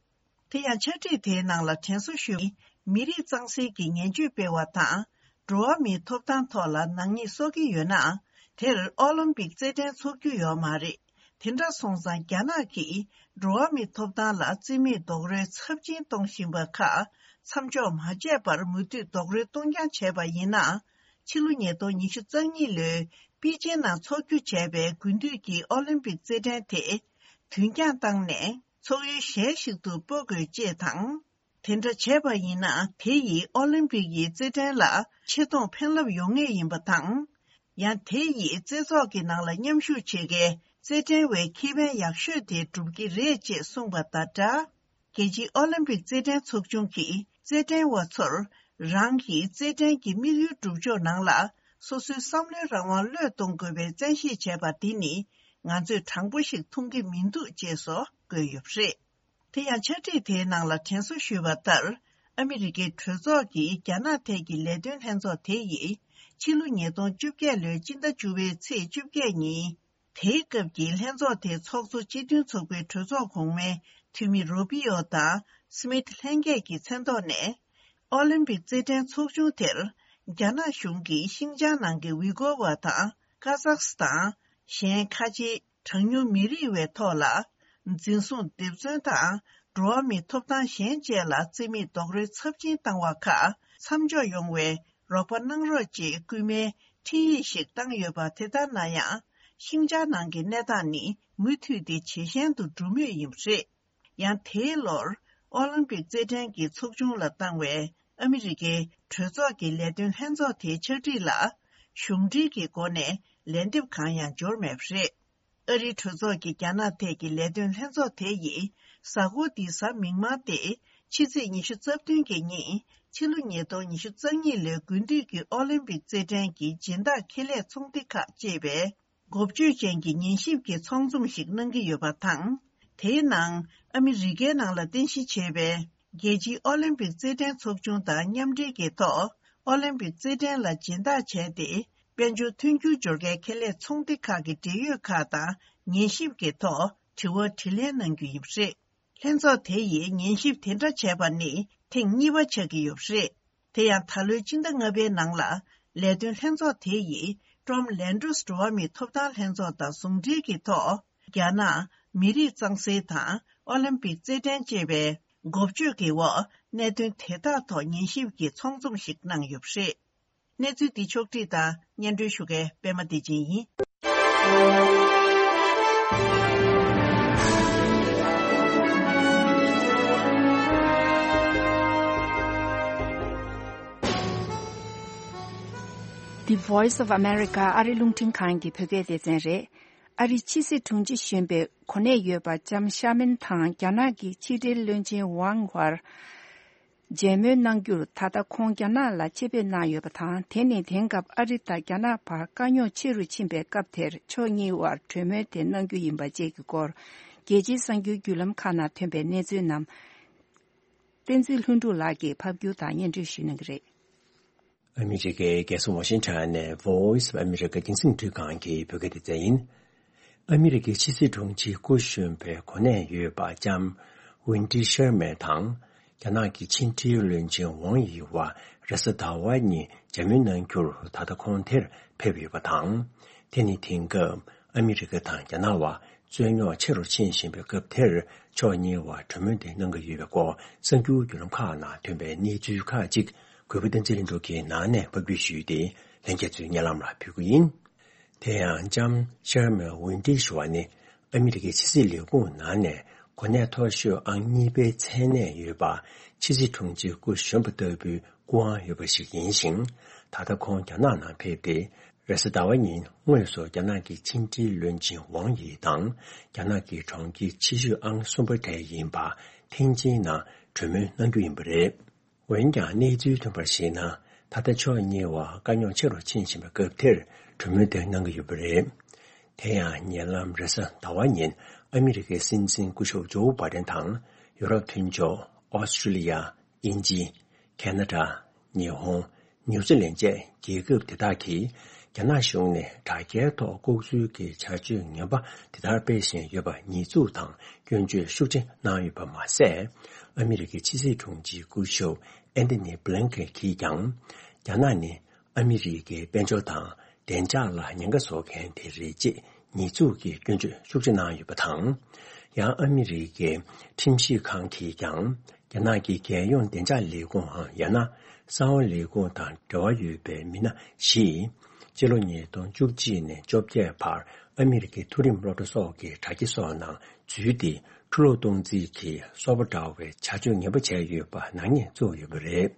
དེ་ཡང་ཕྱག་བྲིས་དེའི་ནང་ལ་དྲན་གསོ་ཞུ། མི་རིགས་གཙང་སེལ་གྱི་ངན་བྱུས་སྤེལ་བ་དང་། འགྲོ་བ་མིའི་ཐོབ་ཐང་ཐོག་ལ་ནག་ཉེས་གསོག་གི་ཡོད་ན། དེར་ཨོ་ལིམ་པིག་རྩེད་འགྲན་འཚོགས་རྒྱུ་ཡོད་མ་རེད། དེ་འདྲ་སོང་ཙང་རྒྱ་ནག་གིས་འགྲོ་བ་མིའི་ཐོབ་ཐང་ལ་བརྩི་མེད་རྡོག་རོལ་ཚབས་ཆེན་གཏོང་བཞིན་པ་ཁག་མཚམས་འཇོག་མ་བྱས་པར་མུ་མཐུད་རྡོག་རོལ་གཏོང་རྐྱང་བྱས་པ་ཡིན་ན། ཕྱི་ལོ་ཉིས་སྟོང་ཉི་ཤུ་རྩ་གཉིས་ལོའི་པེ་ཅིན་ནང་འཚོགས་རྒྱུ་བྱས་པའི་དགུན་དུས་ཀྱི་ཨོ་ལིམ་པིག་རྩེད་འགྲན་དེ་དུས་འགྱངས་བཏང་ནས། ཚོགས་ཡུལ་གཞན་ཞིག་ཏུ་སྤོ་དགོས་ཅེས་དང་། དེ་འདྲ་བྱས་པ་ཡིན་ན། དེ་ཡིས་ཨོ་ལིམ་པིག་ཡི་རྩེད་འགྲན་ལ་ཆེ་མཐོང་ཕན་རླབས་ཡོང་ངེས་ཡིན་པ་དང་། ཡང་དེ་ཡིས་རྩེད་ཚོགས་ཀྱི་ནང་ལ་མཉམ་ཞུགས་བྱེད་མཁན་རྩེད་འགྲན་བའི་ཁེ་ཕན་ཡག་ཤོས་དེ་སྒྲུབ་ཀྱི་རེད་ཅེས་གསུངས་པ་དང་སྦྲགས། རྒྱལ་སྤྱིའི་ཨོ་ལིམ་པིག་རྩེད་འགྲན་ཚོགས་ཆུང་གིས་རྩེད་འགྲན་བ་ཚོར་རང་གི་རྩེད་འགྲན་གྱི་དམིགས་ཡུལ་སྒྲུབ་ཕྱོགས་ནང་ལ་སོ་སོའི་བསམ་བློའི་རང་དབང་བློས་གཏོང་དགོས་པའི་བཙན་ཤེད་བྱས་པ་འདི་ནི་ང་ཚོས་དྲང་པོ་ཞིག་མཐོང་གི་མི་འདུག་ཅེས་སོགས་བཀོད་ཡོད་པ་རེད། དེ་ཡང་ཕྱག་བྲིས་དེའི་ནང་ལ་དྲན་གསོ་ཞུས་པ་ལྟར། ཨ་མི་རི་ཀའི་གྲོས་ཚོགས་ཀྱི་རྒྱ་ནག་ཐད་ཀྱི་ལས་དོན་ལྷན་ཚོགས་དེ་ཡིས་ཕྱི་ལོ་ཉིས་སྟོང་བཅོ་བརྒྱད་ལོའི་སྤྱི་ཟླ་བཅུ་པའི་ཚེས་བཅོ་བརྒྱད་ཉིན། དེའི་སྐབས་ཀྱི་ལྷན་ཚོགས་དེའི་ཚོགས་གཙོ་སྤྱི་མཐུན་ཚོགས་པའི་གྲོས་ཚོགས་གོང་མའི་འཐུས་མི་རུ་པི་ཡོ་དང་སི་མིད་ལྷན་རྒྱས་ཀྱི་མཚན་ཐོག་ནས། ཨོ་ལིམ་པིག་རྩེད་འགྲན་ཚོགས་ཆུང་དེར་རྒྱ་ནག་གཞུང་གིས་ཤིང་ཅང་ནང་གི་ཝི་གོ་བ་དང་ཀ་ཟག་སི་ཐན། གཞན་ཁ་ཆེའི་གྲངས་ཉུང་མི་རིགས་བའི་ཐོག་ལ་འཛིན་བཟུང་། སྡེབ་བཙོན་དང་འགྲོ་བ་མིའི་ཐོབ་ཐང་གཞན་བཅས་ལ་བརྩི་མེད་རྡོག་རོལ་ཚབས་ཆེན་བཏང་བ་ཁག་མཚམས་འཇོག་ཡོང་བའི་རོགས་པ་གནང་རོགས་ཅེས་སྐུལ་མའི་འཕྲིན་ཡིག་ཞིག་བཏང་ཡོད་པ། དེ་ལྟར་ན་ཡང་། ཤིང་ཅང་ནང་གི་གནས་སྟངས་ནི་མུ་མཐུད་དེ་ཇེ་ཞན་དུ་འགྲོ་མུས་ཡིན་པ་རེད། ཡང་དེའི་ལོར་ཨོ་ལིམ་པིག་རྩེད་འགྲན་གྱི་ཚོགས་ཆུང་ལ་བཏང་བའི་ཨ་མི་རི་ཀའི་གྲོས་ཚོགས་ཀྱི་ལས་དོན་ལྷན་ཚོགས་དེའི་ཕྱག་བྲིས་ལ་གཞུང་འབྲེལ་གྱི་སྒོ་ནས་ལན་འདེབས་གང་ཡང་འབྱོར་མེད་པ་རེད། ཨ་རིའི་གྲོས་ཚོགས་ཀྱི་རྒྱ་ནག་ཐད་ཀྱི་ལས་དོན་ལྷན་ཚོགས་དེ་ཡིས་གཟའ་འཁོར་འདིའི་གཟའ་མིག་དམར་སྟེ་ཕྱི་ཚེས་ཉི་ཤུ་རྩ་བདུན་གྱི་ཉིན་ཕྱི་ལོ་ཉིས་སྟོང་ཉི་ཤུ་རྩ་གཉིས་ལོའི་དགུན་དུས་ཀྱི་ཨོ་ལིམ་པིག་རྩེད་འགྲན་གྱི་སྦྱིན་བདག་ཁེ་ལས་ཚོང་སྡེ་ཁག་ཅེས་པའི་འགོ་བརྗོད་ཅན་གྱི་ཉན་ཞིབ་ཀྱི་ཚོགས་འཛོམས་ཤིག་གནང་གི་ཡོད་པ་དང་། དེའི་ནང་ཨ་མི་རི་ཀའི་ནང་ལ་རྟེན་གཞི་བྱས་པའི་རྒྱལ་སྤྱིའི་ཨོ་ལིམ་པིག་རྩེད་འགྲན་ཚོགས་ཆུང་དང་མཉམ་འབྲེལ་གྱི་ཐོག་ཨོ་ལིམ་པིག་རྩེད་འགྲན་ལ་སྦྱིན་བདག་བྱས་ཏེ། དཔལ་འབྱོར་ཐོན་རྒྱུ་འབྱོར་མཁན་ཁེ་ལས་ཚོང་སྡེ་ཁག་གི་འབྲེལ་ཡོད་ཁག་དང་ཉན་ཞིབ་ཀྱི་ཐོག་དྲི་བ་དྲིས་ལན་གནང་རྒྱུ་ཡིན་པ་རེད། ལྷན་ཚོགས་དེ་ཡིས་ཉན་ཞིབ་དེ་འདྲ་བྱས་པ་ནི་ཐེངས་གཉིས་པ་ཆགས་ཀྱི་ཡོད་པ་རེད། དེ་ཡང་ད་ལོའི་སྤྱི་ཟླ་ལྔ་པའི་ནང་ལ་ལས་དོན་ལྷན་ཚོགས་དེ་ཡིས་ཀྲོམ་ལན་ཌོས་འགྲོ་བ་མིའི་ཐོབ་ཐང་ལྷན་ཚོགས་དང་ཟུང་འབྲེལ་གྱི་ཐོག་རྒྱ་ནག་མི་རིགས་གཙང་སེལ་དང་ཨོ་ལིམ་པིག་རྩེད་འགྲན་ཅེས་པའི་འགོ་བརྗོད་ཀྱི་འོག་གནད་དོན་དེ་དག་ཐོག་ཉན་ཞིབ་ཀྱི་ཚོགས་འཛོམས་ཤིག་གནང་ཡོད་པ་རེད། གནས་ཚུལ་འདི་ཕྱོགས་བསྒྲིགས་དང་སྙན་སྒྲོན་ཞུ་མཁན་པད་མ་བདེ་ཆེན་ཡིན། The Voice of America ཨ་རི་རླུང་འཕྲིན་ཁང་གི་བོད་སྐད་སྡེ་ཚན་རེད། ཨ་རིའི་ཕྱི་སྲིད་དྲུང་ཆེ་གཞོན་པའི་གོ་གནས་ཡོད་པ་ལྕམ་ཤར་མན་དང་རྒྱ་ནག་གི་ཕྱི་འབྲེལ་བློན་ཆེན་ཝང་དབར་མཇལ་མོལ་གནང་རྒྱུར་ད་ལྟ་ཁོང་རྒྱ་ནག་ལ་ཆེད་ཕེབས་གནང་ཡོད་པ་དང་། དེ་ནི་དེང་སྐབས་ཨ་རི་དང་རྒྱ་ནག་བར་དཀའ་རྙོག་ཆེ་རུ་ཕྱིན་པའི་སྐབས་དེར་ཕྱོགས་གཉིས་དབར་གྲོས་མོལ་དེ་གནང་རྒྱུ་ཡིན་པ་བཅས་ཀྱི་སྐོར། རྒྱལ་སྤྱིའི་གསར་འགྱུར་བརྒྱུད་ལམ་ཁག་ནང་ཐོན་པའི་གནས་ཚུལ་རྣམས། བསྟན་འཛིན་ལྷུན་གྲུབ་ལགས་ཀྱིས་ཕབ་སྒྱུར་དང་སྙན་སྒྲོན་ཞུ་གནང་གི་རེད། ཨ་མི་རི་ཀའི་རྒྱལ་ས་ཝ་ཤིང་ཊོན་ནས་Voice of America རྒྱང་སྲིང་འཕྲུལ་ཁང་གི་བོད་སྐད་སྡེ་ཚན་ཡིན། ཨ་མི་རི་ཀའི་ཕྱི་སྲིད་དྲུང་ཆེའི་སྐུ་གཞོན་པའི་གོ་གནས་ཡོད་པ་ལྕམ་ཝིན་ཏི་ཤར་མན་དང་། རྒྱ་ནག་གི་ཕྱི་འབྲེལ་བློན་ཆེན་ཝང་ཡི་བར་རེས་གཟའ་ཟླ་བ་ཉིན་མཇལ་མོལ་གནང་རྒྱུར་ད་ལྟ་ཁོང་དེར་ཕེབས་ཡོད་པ་དང་། དེ་ནི་དེང་སྐབས་ཨ་མི་རི་ཀ་དང་རྒྱ་ནག་བར་རྩོད་རྙོག་ཆེ་རུ་ཕྱིན་བཞིན་པའི་སྐབས་དེར་ཕྱོགས་གཉིས་བར་གྲོས་མོལ་དེ་གནང་གི་ཡོད་པའི་སྐོར་གསར་འགྱུར་བརྒྱུད་ལམ་ཁག་ནང་ཐོན་པའི་གནས་ཚུལ་ཁག་ཅིག་གུས་པ་བསྟན་འཛིན་ལྷུན་གྲུབ་ཀྱིས་ནང་ནས་ཕབ་སྒྱུར་ཞུས་ཏེ་ལྷན་རྒྱས་ཚོའི་སྙན་ལམ་ལ་ཕུལ་གྱི་ཡིན། དེ་ཡང་ལྕམ་ཤར་མན་ཝིན་ཏི་ཞུ་བ་ནི་ཨ་མི་རི་ཀའི་ཕྱི་སྲིད་ལས་ཁུངས་ནང་ནས་གོ་གནས་མཐོ་ཤོས་ཨང་གཉིས་པའི་མཚན་གནས་ཡོད་པ་ཕྱི་སྲིད་དྲུང་ཆེ་སྐུ་གཞོན་པ་ལྟ་བུའི་སྐུ་དབང་ཡོད་པ་ཞིག་ཡིན་ཞིང་། ད་ལྟ་ཁོང་རྒྱ་ནག་ནང་ཕེབས་ཏེ། རེས་གཟའ་ཟླ་བ་ཉིན་དངོས་སུ་རྒྱ་ནག་གི་ཕྱི་འབྲེལ་བློན་ཆེན་ཝང་ཡི་དང་རྒྱ་ནག་གི་གྲོང་ཁྱེར་ཆེ་ཤོས་ཨང་གསུམ་པ་དེ་ཡིན་པ་ཐེན་ཅིན་ནང་གྲོས་མོལ་གནང་རྒྱུ་ཡིན་པ་རེད། འོན་ཀྱང་གནས་ཚུལ་ཐོན་པར་གཞིགས་ན། ད་ལྟ་ཕྱོགས་གཉིས་བར་དཀའ་རྙོག་ཆེ་རུ་ཕྱིན་བཞིན་པའི་སྐབས་དེར་གྲོས་མོལ་དེ་གནང་གི་ཡོད་པ་རེད། དེ་ཡང་ཉེ་ལམ་རེས་གཟའ་ཟླ་བ་ཉིན་ཨ་མི་རི་ཀའི་སྲིད་འཛིན་སྐུ་ཞབས་ཇོ་བྷ་དན་དང་ཡུ་རོབ་མཐུན་ཕྱོགས་ཨོ་སི་ཀྲི་ལི་ཡ། དབྱིན་ཇི། ཁེ་ན་ཌ། ཉི་ཧོང་། ནིའུ་ཛི་ལན་བཅས་རྒྱལ་ཁབ་དེ་དག་གིས་རྒྱ་ནག་གཞུང་ནས་དྲ་རྒྱའི་ཐོག་ལྐོག་འཛུལ་གྱི་བྱ་སྤྱོད་ངན་པ་དེ་ལྟར་སྤེལ་བཞིན་ཡོད་པ་ཉེས་འཛུགས་དང་སྐྱོན་བརྗོད་ཤུགས་ཆེ་གནང་ཡོད་པ་མ་ཟད། ཨ་མི་རི་ཀའི་ཕྱི་སྲིད་དྲུང་ཆེ་སྐུ་ཞབས་ཨན་ཐོ་ནི་བྷི་ལིན་ཀེན་གྱིས་ཀྱང་། རྒྱ་ནག་ནི་ཨ་མི་རི་ཀའི་དཔལ་འབྱོར་དང་བདེ་འཇགས་ལ་ཉེན་ཁ་བཟོ་མཁན་དེ་རེད་ཅེས་ཉེས་འཛུགས་ཀྱི་སྐྱོན་བརྗོད་ཤུགས་ཆེ་གནང་ཡོད་པ་དང་། ཡང་ཨ་མི་རི་ཀའི་ཁྲིམས་ཞིབ་ཁང་གིས་ཀྱང་། རྒྱ་ནག་གི་རྒྱལ་ཡོངས་བདེ་འཇགས་ལས་ཁུངས་འམ་ཡང་ན་གསང་བ་ལས་ཁུངས་དང་འབྲེལ་བ་ཡོད་པའི་མི་སྣ་བཞིས། སྤྱི་ལོ་ཉིས་སྟོང་བཅུ་གཅིག་ནས་བཅོ་བརྒྱད་བར་ཨ་མི་རི་ཀའི་མཐོ་རིམ་སློབ་གྲྭ་སོགས་ཀྱི་དྲ་རྒྱ་སོགས་ནང་འཛུལ་ཏེ་ཁྲུ་གློག་གཏོང་རྩིས་ཀྱི་སོགས་པ་འདྲ་བའི་བྱ་སྤྱོད་ངན་པ་བྱས་ཡོད་པ་ནག་ཉེས་བཙུགས་ཡོད་པ་རེད།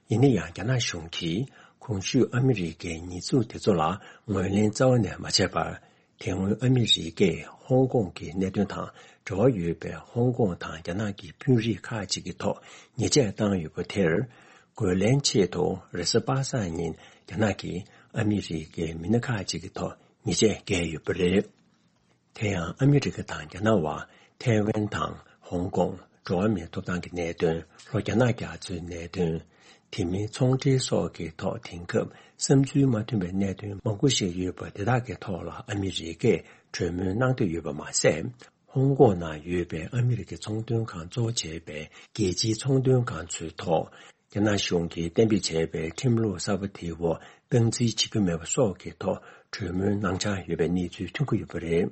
ཡིན་ན་ཡང་རྒྱ་ནག་གཞུང་གིས་གོང་ཞུས་ཨ་མི་རི་ཀའི་ཉེས་འཛུགས་དེ་ཚོ་ལ་ངོས་ལེན་རྩ་བ་ནས་མ་བྱས་པར། དེ་སྔོན་ཨ་མི་རི་ཀས་ཧོང་ཀོང་གི་གནད་དོན་དང་འབྲེལ་བ་ཡོད་པའི་ཧོང་ཀོང་དང་རྒྱ་ནག་གི་དཔོན་རིགས་ཁག་ཅིག་གི་ཐོག་ཉེས་ཆད་བཏང་ཡོད་པ་དེར། རྒོལ་ལན་ཆེད་དུ་རེས་གཟའ་པ་སངས་ཉིན་རྒྱ་ནག་གིས་ཨ་མི་རི་ཀའི་མི་སྣ་ཁག་ཅིག་གི་ཐོག་ཉེས་ཆད་བཀལ་ཡོད་པ་རེད། དེ་ཡང་ཨ་མི་རི་ཀ་དང་རྒྱ་ནག་བར་ཐའེ་ཝན་དང་ཧོང་ཀོང་། འགྲོ་བ་མིའི་ཐོབ་ཐང་གི་གནད་དོན། ལྷོ་རྒྱ་ནག་རྒྱ་མཚོའི་གནད་དོན། དེ་མིན་ཚོང་འབྲེལ་སོགས་ཀྱི་ཐོག་དེང་སྐབས་བསམ་ཚུལ་མ་མཐུན་པའི་གནད་དོན་མང་པོ་ཞིག་ཡོད་པ་དེ་དག་གི་ཐོག་ལ་ཨ་མི་རི་ཀས་གྲོས་མོལ་གནང་འདོད་ཡོད་པ་མ་ཟད། ཧོང་ཀོང་ནང་ཡོད་པའི་ཨ་མི་རི་ཀའི་ཚོང་དོན་ཁང་གཙོ་བོ་བྱས་པའི་རྒྱལ་སྤྱིའི་ཚོང་དོན་ཁང་ཚོའི་ཐོག་རྒྱ་ནག་གཞུང་གིས་གཏན་འབེབས་བྱས་པའི་ཁྲིམས་ལུགས་གསར་པ་དེའི་འོག་སྟངས་འཛིན་བྱེད་རྒྱུ་མེད་པ་སོགས་ཀྱི་ཐོག་གྲོས་མོལ་གནང་འཆར་ཡོད་པའི་གནས་ཚུལ་ཐོན་གྱི་ཡོད་པ་རེད།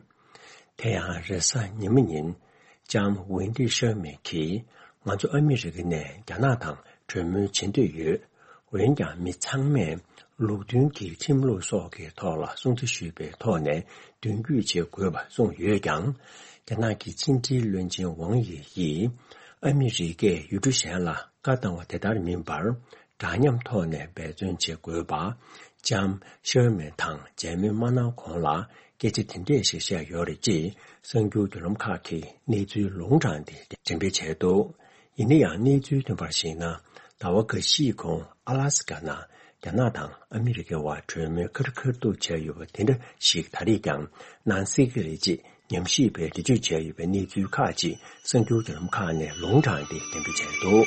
དེ་ཡང་རེས་གཟའ་ཉི་མ་ཉིན། ལྕམ་ཝེན་ཏི་ཤར་མན་གྱིས། ང་ཚོ་ཨ་མི་རི་ཀ་ནས་རྒྱ་ནག་དང་གྲོས་མོལ་བྱེད་འདོད་ཡོད། འོན་ཀྱང་མི་ཚང་མས་ལུགས་མཐུན་གྱི་ཁྲིམས་ལུགས་སོགས་ཀྱི་ཐོག་ལ་སྲུང་བརྩི་ཞུས་པའི་ཐོག་ནས་མདུན་སྐྱོད་བྱེད་དགོས་པ་གསུངས་ཡོད་ཀྱང་། རྒྱ་ནག་གི་ཕྱི་འབྲེལ་བློན་ཆེན་ཝང་ཡི་ཡིས། ཨ་མི་རི་ཀས་ཡུལ་གྲུ་གཞན་ལ་བཀའ་བཏང་བ་དེ་ལྟར་མིན་པར། འདྲ་མཉམ་ཐོག་ནས་འབད་བརྩོན་བྱེད་དགོས་པ། ལྕམ་ཤར་མན་དང་མཇལ་མོལ་མ་གནང་གོང་ལ། སྐད་ཆ་དེ་འདྲས་ཤིག་བཤད་ཡོད་རེད་ཅེས་གསར་འགྱུར་བརྒྱུད་ལམ་ཁག་གིས་གནས་ཚུལ་ལུང་དྲངས་ཏེ་འགྲེམས་སྤེལ་བྱས་འདུག་ཡིན་ན་ཡང་གནས་ཚུལ་ཐོན་པར་གཞིགས་ན། ཟླ་བ་འགའ་ཤས་གོང་ཨ་ལ་སི་ཀ་ནང་རྒྱ་ནག་དང་ཨ་མི་རི་ཀའི་བར་གྲོས་མོལ་ཁ་རུ་ཁ་ཐུག་བྱས་ཡོད་པ་དེ་འདྲ་ཞིག་ད་རེས་ཀྱང་གནང་སྲིད་ཀྱི་རེད་ཅེས་ཉམས་ཞིབ་པས་འགྲེལ་བརྗོད་བྱས་ཡོད་པའི་གནས་ཚུལ་ཁག་ཅིག་གསར་འགྱུར་བརྒྱུད་ལམ་ཁག་ནས་ལུང་དྲངས་ཏེ་འགྲེམས་སྤེལ་བྱས་འདུག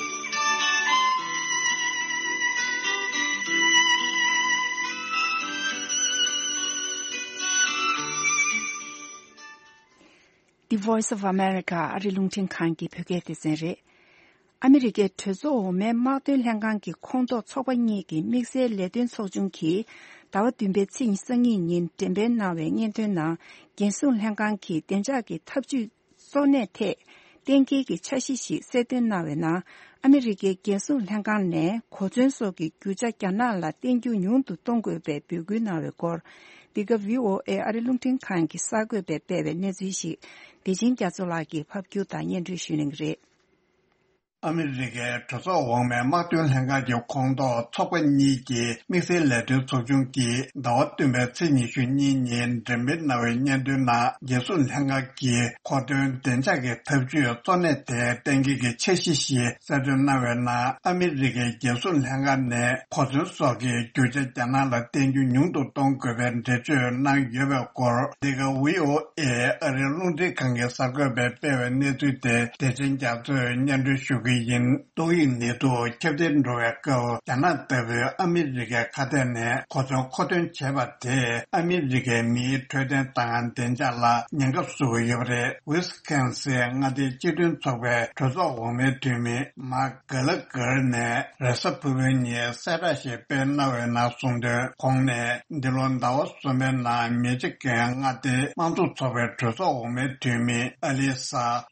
The Voice of America ཨ་རི་རླུང་འཕྲིན་ཁང་གི་བོད་སྐད་སྡེ་ཚན་རེད། ཨ་མི་རི་ཀའི་གྲོས་ཚོགས་འོག་མའི་དམག་དོན་ལྷན་ཁང་གི་ཁོངས་གཏོགས་ཚོགས་པ་གཉིས་ཀྱི་དམིགས་བསལ་ལས་དོན་ཚོགས་ཆུང་གིས་ཟླ་བ་བདུན་པའི་ཚེས་ཉི་ཤུ་རྩ་གཉིས་ཉིན་འགྲེམས་སྤེལ་གནང་བའི་སྙན་ཐོའི་ནང་། རྒྱལ་སྲུང་ལྷན་ཁང་གིས་བདེ་འཇགས་ཀྱི་འཐབ་ཇུས་གཙོ་གནད་ཐད་གཏན་འཁེལ་གྱི་འཆར་གཞི་ཞིག་གསལ་སྟོན་གནང་བའི་ནང་། ཨ་མི་རི་ཀའི་རྒྱལ་སྲུང་ལྷན་ཁང་ནས་གོ་མཚོན་སོགས་ཀྱི་རྒྱུ་ཆ་རྒྱ་ནག་ལ་བསྟན་རྒྱུ་ཉུང་དུ་གཏོང་དགོས་པའི་འབོད་སྐུལ་གནང་བའི་སྐོར། འདི་ག་བྷི་ཨོ་ཨེ་ཨ་རི་རླུང་འཕྲིན་ཁང་གི་གསར་འགོད་པས་སྤེལ་བའི་གནས་ཚུལ་ཞིག་བདེ་ཆེན་རྒྱ་མཚོ་ལགས་ཀྱིས་ཕབ་སྒྱུར་དང་སྙན་སྒྲོན་ཞུ་གནང་གི་རེད། ཨ་མི་རི་ཀའི་གྲོས་ཚོགས་འོག་མའི་དམག་དོན་ལྷན་ཁང་གི་ཁོངས་གཏོགས་ཚོགས་པ་གཉིས་ཀྱི་དམིགས་བསལ་ལས་དོན་ཚོགས་ཆུང་གིས་ཟླ་བ་བདུན་པའི་ཚེས་ཉི་ཤུ་གཉིས་ཉིན་འགྲེམས་སྤེལ་གནང་བའི་སྙན་ཐོའི་ནང་། རྒྱལ་སྲུང་ལྷན་ཁང་གིས་མཁོ་འདོན་བདེ་འཇགས་ཀྱི་འཐབ་ཇུས་གཙོ་གནད་ཐད་གཏན་འཁེལ་གྱི་འཆར་གཞི་ཞིག་གསལ་སྟོན་གནང་བའི་ནང་། ཨ་མི་རི་ཀའི་རྒྱལ་སྲུང་ལྷན་ཁང་ནས་གོ་མཚོན་སོགས་ཀྱི་རྒྱུ་ཆ་རྒྱ་ནག་ལ་བསྟན་རྒྱུ་ཉུང་དུ་གཏོང་དགོས་པའི་འགྲེལ་བརྗོད་གནང་ཡོད་པའི་སྐོར། འདི་ག་བྷི་ཨོ་ཨེ་ཨ་རིའི་རླུང་འཕྲིན་ཁང་གི་གསར་འགོད་པས་སྤེལ་བའི་གནས་ཚུལ་དེ་བདེ་ཆེན་རྒྱ་མཚོས་སྙན་སྒྲོན་ཞུ་གི་ཡིན། ཏོག་དབྱིབས་ནད་དུག་ཁྱབ་གདལ་འགྲོ་བའི་སྐབས། རྒྱ་ནག་ལྟ་བུའི་ཨ་མི་རི་ཀའི་ཁ་གཏད་ནས་གོ་མཚོན་མཁོ་འདོན་བྱས་པ་དེས་ཨ་མི་རི་ཀའི་མིའི་འཕྲོད་བསྟེན་དང་བདེ་འཇགས་ལ་ཉེན་ཁ་བཟོ་གི་ཡོད་པ་རེད། ཝི་སི་ཀོན་སིན་མངའ་སྡེའི་སྤྱི་མཐུན་ཚོགས་པའི་གྲོས་ཚོགས་འོག་མའི་འཐུས་མི་མཱག་གྷ་ལ་གྷར་ནས་རེས་གཟའ་ཕུར་བུའི་ཉིན་གསལ་བསྒྲགས་ཤིག་སྤེལ་གནང་བའི་ནང་གསུངས་དོན། ཁོང་ནས་འདི་ལོ་ཟླ་བ་གསུམ་པའི་ནང་མི་ཆི་གན་མངའ་སྡེའི་དམངས་གཙོ་ཚོགས་པའི་གྲོས་ཚོགས་འོག་མའི་འཐུས་མི་ཨ་ལི་ས་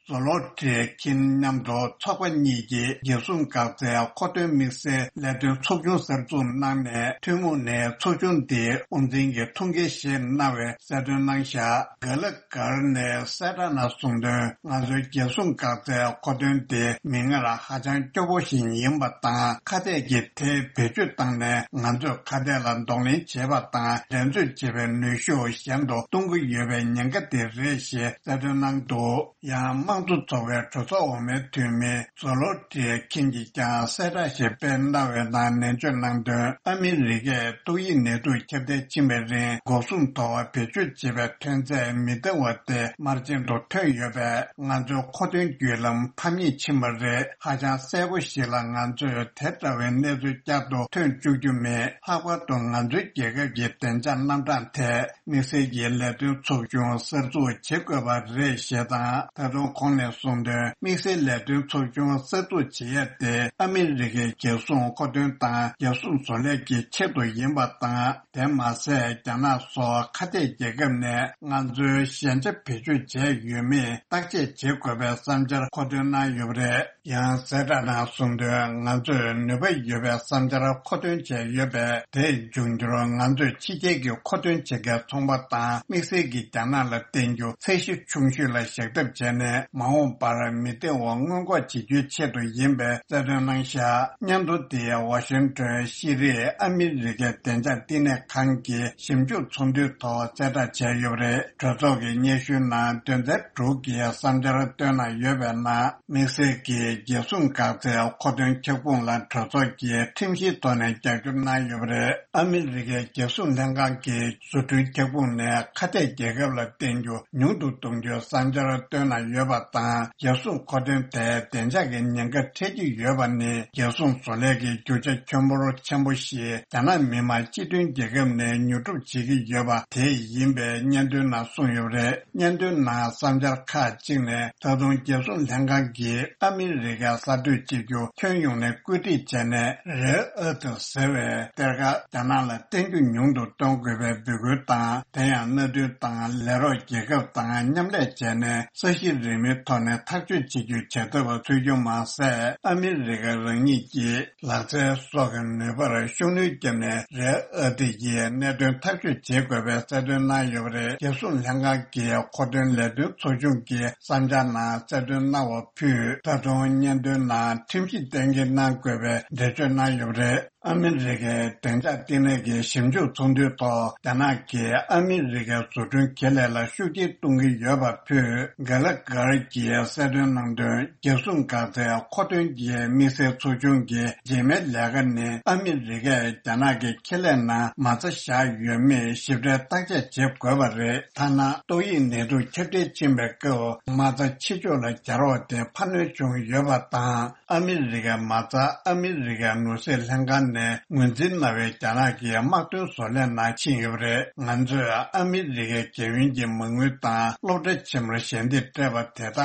ཛོ་ལོ་ཏྲི་ཁིན་མཉམ་དུ་ཚོགས་པ་གཉིས་ཀྱིས་རྒྱལ་སྲུང་འགག་རྩའི་མཁོ་འདོན་དམིགས་བསལ་ལས་དོན་ཚོགས་ཆུང་གསར་འཛུགས་གནང་ནས། ཐུན་མོང་ནས་ཚོགས་ཆུང་འདིའི་དབུ་འཛིན་གྱི་ཐུགས་འགན་བཞེས་གནང་བའི་གསལ་སྟོན་གནང་བཞག་གྷ་ལ་གྷར་ནས་གསལ་བསྒྲགས་ནང་གསུངས་དོན། ང་ཚོའི་རྒྱལ་སྲུང་འགག་རྩའི་མཁོ་འདོན་དེ་མིག་སྔར་ཧ་ཅང་སྐྱོ་པོ་ཞིག་ཡིན་པ་དང་། ཁ་གཏད་ཀྱིས་དེ་བེད་སྤྱོད་བཏང་ནས་ང་ཚོས་ཁ་གཏད་ལ་གདོང་ལེན་བྱེད་པ་དང་འགྲན་རྩོད་བྱེད་པའི་ནུས་ཤུགས་ཞན་དུ་གཏོང་གི་ཡོད་པའི་ཉེན་ཁ་དེ་རེད་ཞེས་གསལ་སྟོན་གནང་འདུག་ཡང་དམངས་གཙོ་ཚོགས་པའི་གྲོས་ཚོགས་འོག་མའི་འཐུས་མི་ཛོ་ལོ་ཏྲི་ཁིན་གྱིས་ཀྱང་གསལ་བསྒྲགས་ཤིག་སྤེལ་གནང་བའི་ནང་ནན་བརྗོད་གནང་དོན། ཨ་མི་རི་ཀས་ཏོག་དབྱིབས་ནད་དུག་ཁྱབ་གདལ་ཕྱིན་པའི་རིང་འགོག་སྲུང་ཐོག་བེད་སྤྱོད་བྱེད་པའི་ཐོན་རྫས་མི་བདེ་བ་དེ་དམར་རྗེན་དུ་ཐོན་ཡོད་པས། ང་ཚོའི་མཁོ་འདོན་བརྒྱུད་ལམ་ཕམ་ཉེས་ཕྱིན་པ་རེད། ཧ་ཅང་གསལ་པོ་ཞིག་ལ་ང་ཚོས་དེ་འདྲ་བའི་གནས་ཚུལ་བསྐྱར་དུ་ཐོན་བཅུག་རྒྱུ་མེད། ལྷག་པར་དུ་ང་ཚོའི་རྒྱལ་ཁབ་ཀྱི་བདེ་འཇགས་རྣམ་གྲངས་ཐད། དམིགས་བསལ་གྱི་ལས་དོན་ཚོགས་ཆུང་གསར་འཛུགས་བྱེད་དགོས་པ་རེད་ཞེས་དང་། ད་དུང་ཁོང་ནས་གསུངས་དོན། དམིགས་བསལ་ལས་དོན་ཚོགས་ཆུང་གསར་འཛུགས་བྱེད་ཡ་དེ་ཨ་མི་རི་ཀའི་རྒྱལ་སྲུང་མཁོ་འདོན་དང་རྒྱལ་སྲུང་བཟོ་ལས་ཀྱི་ཆེད་དུ་ཡིན་པ་དང་། དེ་མ་ཟད་རྒྱ་ནག་སོགས་ཁ་གཏད་རྒྱལ་ཁབ་ནས་ང་ཚོའི་ཞན་ཆ་བེད་སྤྱོད་བྱས་ཡོད་མེད་བརྟག་དཔྱད་བྱེད་དགོས་པའི་བསམ་འཆར་མཁོ་འདོན་གནང་ཡོད་པ་རེད། ཡང་གསལ་བསྒྲགས་ནང་གསུངས་དོན། ང་ཚོས་ནུས་པ་ཡོད་པའི་བསམ་འཆར་མཁོ་འདོན་བྱས་ཡོད་པས། དེས་འབྱུང་འགྱུར་ང་ཚོས་ཕྱི་རྒྱལ་གྱི་མཁོ་འདོན་བྱེད་མཁན་ཚོང་པ་དང་དམིགས་བསལ་གྱིས་རྒྱ་ནག་ལ་བརྟེན་རྒྱུ་ཚད་གཞི་ཆུང་ཤོས་ལ་བཞག་ཐབས་བྱས་ནས། མ་འོངས་པར་མི་བདེ་བ་སྔོན་འགོག་བྱེད་རྒྱུའི་ཆེད་དུ་ཡིན་པའི་གསལ་སྟོན་གནང་བཞག་སྙན་ཐོ་དེ་ཝ་ཤིང་ཊོན་ཤེས་རིག་ཨ་མི་རི་ཀའི་བདེ་འཇགས་བསྟི་གནས་ཁང་གི་ཞིབ་འཇུག་ཚོགས་འདུའི་ཐོག་གསལ་བསྒྲགས་བྱས་ཡོད་པ་རེད། གྲོས་ཚོགས་ཀྱི་སྙན་ཞུའི་ནང་དོན་ཚན་དྲུག་གི་བསམ་འཆར་བཏོན་གནང་ཡོད་པའི་ནང་། དམིགས་བསལ་གྱིས་རྒྱལ་སྲུང་འགག་རྩའི་མཁོ་འདོན་ཁྱབ་ཁོངས་ལ་གྲོས་ཚོགས་ཀྱིས་ཁྲིམས་གཞིའི་ཐོག་ནས་རྒྱབ་སྐྱོར་གནང་ཡོད་པ་རེད། ཨ་མི་རི་ཀའི་རྒྱལ་སྲུང་ལྷན་ཁང་གི་བཟོ་སྐྲུན་ཁྱབ་ཁོངས་ནས་ཁ་གཏད་རྒྱལ་ཁབ་ལ་བརྟེན་རྒྱུ་ཉུང་དུ་གཏོང་རྒྱུའི་བསམ་འཆར་བཏོན་གནང་ཡོད་པ་དང་། རྒྱལ་སྲུང་མཁོ་འདོན་ཐད་བདེ་འཇགས་ཀྱི་ཉེན་ཁ་འཕྲད་ཀྱི་ཡོད་པ་ནི་རྒྱལ་སྲུང་བཟོ་ལས་ཀྱི་རྒྱུ་ཆ་ཁྱོན་འབོར་ཆེན་པོ་ཞིག་རྒྱ་ནག་མི་དམངས་སྤྱི་མཐུན་རྒྱལ་ཁབ་ནས་ཉོ་སྒྲུབ་བྱེད་ཀྱི་ཡོད་པ་དེ་ཡིན་པའི་སྙན་ཐོའི་ནང་གསུངས་ཡོད་པ་རེད། སྙན་ཐོའི་ནང་བསམ་འཆར་ཁག་ཅིག་ནས། ད་དུང་རྒྱལ་སྲུང་ལྷན་ཁང་གིས་ཨ་མི་རི་ཀའི་གསར་གཏོད་བྱེད་རྒྱུ་ཁྱོན་ཡོངས་ནས་བཀོད་སྒྲིག་བྱས་ནས། རེར་ཨར་ཐི་ཟེར་བའི་གཏེར་ཁ་རྒྱ་ནག་ལ་བརྟེན་རྒྱུ་ཉུང་དུ་གཏོང་དགོས་པའི་འབོད་སྐུལ་དང་། དེ་ཡང་མནའ་མཐུན་དང་ལས་རོགས་རྒྱལ་ཁབ་དང་མཉམ་ལས་བྱས་ནས། ས་གཞི་རིལ་མོའི་ཐོག་ནས་ཐག་གཅོད་བྱེད་རྒྱུའི་བྱ་ཐབས་འཚོལ་རྒྱུ་མ་ཟད། ཨ་མི་རི་ཀ་རང་ཉིད་ཀྱི་ལག་རྩལ་སོགས་ཀྱི་ནུས་པར་ཤུགས་སྣོན་བརྒྱབ་ནས། རེར་ཨར་ཐི་ཡི་གནད་དོན་ཐག་གཅོད་བྱེད་དགོས་པའི་གསལ་སྟོན་གནང་ཡོད་པ་རེད། རྒྱལ་སྲུང་ལྷན་ཁང་གི་མཁོ་འདོན་ལས་དོན་ཚོགས་ཆུང་གི་བསམ་འཆར་ནང་གསལ་སྟོན་གནང་བ་ཕུད། ད་དུང་སྙན་ཐོའི་ནང་ཁྲིམས་གཞི་གཏན་འཁེལ་གནང་དགོས་པའི་འགྲེལ་བརྗོད་གནང་ཡོད་པ་རེད། ཨ་མི་རི་ཀའི་བདེ་འཇགས་བསྟི་གནས་ཀྱི་ཞིབ་འཇུག་ཚོགས་འདུའི་ཐོག་རྒྱ་ནག་གིས་ཨ་མི་རི་ཀའི་བཟོ་སྐྲུན་ཁེ་ལས་ལ་ཤུགས་རྐྱེན་གཏོང་གི་ཡོད་པ་ཕུད། གྷ་ལ་གྷར་གྱིས་གསལ་སྟོན་གནང་དོན། རྒྱལ་སྲུང་འགག་རྩའི་མཁོ་འདོན་གྱི་དམིགས་བསལ་ཚོགས་ཆུང་གི་རྗེས་མའི་ལས་ཀ་ནི། ཨ་མི་རི་ཀས་རྒྱ་ནག་གི་ཁེ་ལས་ནང་མ་རྩ་བཞག་ཡོད་མེད་ཞིབ་ཕྲའི་བརྟག་དཔྱད་བྱེད་དགོས་པ་རེད། ཐ་ན་ཏོག་དབྱིབས་ནད་དུག་ཁྱབ་གདལ་ཕྱིན་པའི་སྐབས་མ་རྩ་ཕྱི་ཕྱོགས་ལ་བརྒྱབ་རོགས་དེ་འཕར་སྣོན་བྱུང་ཡོད་པ་དང་། ཨ་མི་རི་ཀའི་མ་རྩ་ཨ་མི་རི་ཀའི་ནོར་སྲིད་ལྷན་ཁང་ནས་ངོས་འཛིན་གནང་བའི་རྒྱ་ནག་གི་དམག་དོན་བཟོ་ལས་ནང་ཕྱིན་ཡོད་པ་རེད། ང་ཚོས་ཨ་མི་རི་ཀའི་རྒྱལ་ཡོངས་ཀྱི་མ་དངུལ་དང་སློབ་གྲྭ་ཆེན་མོར་ཞལ་འདེབས་སྤྲད་པ་དེ་དག་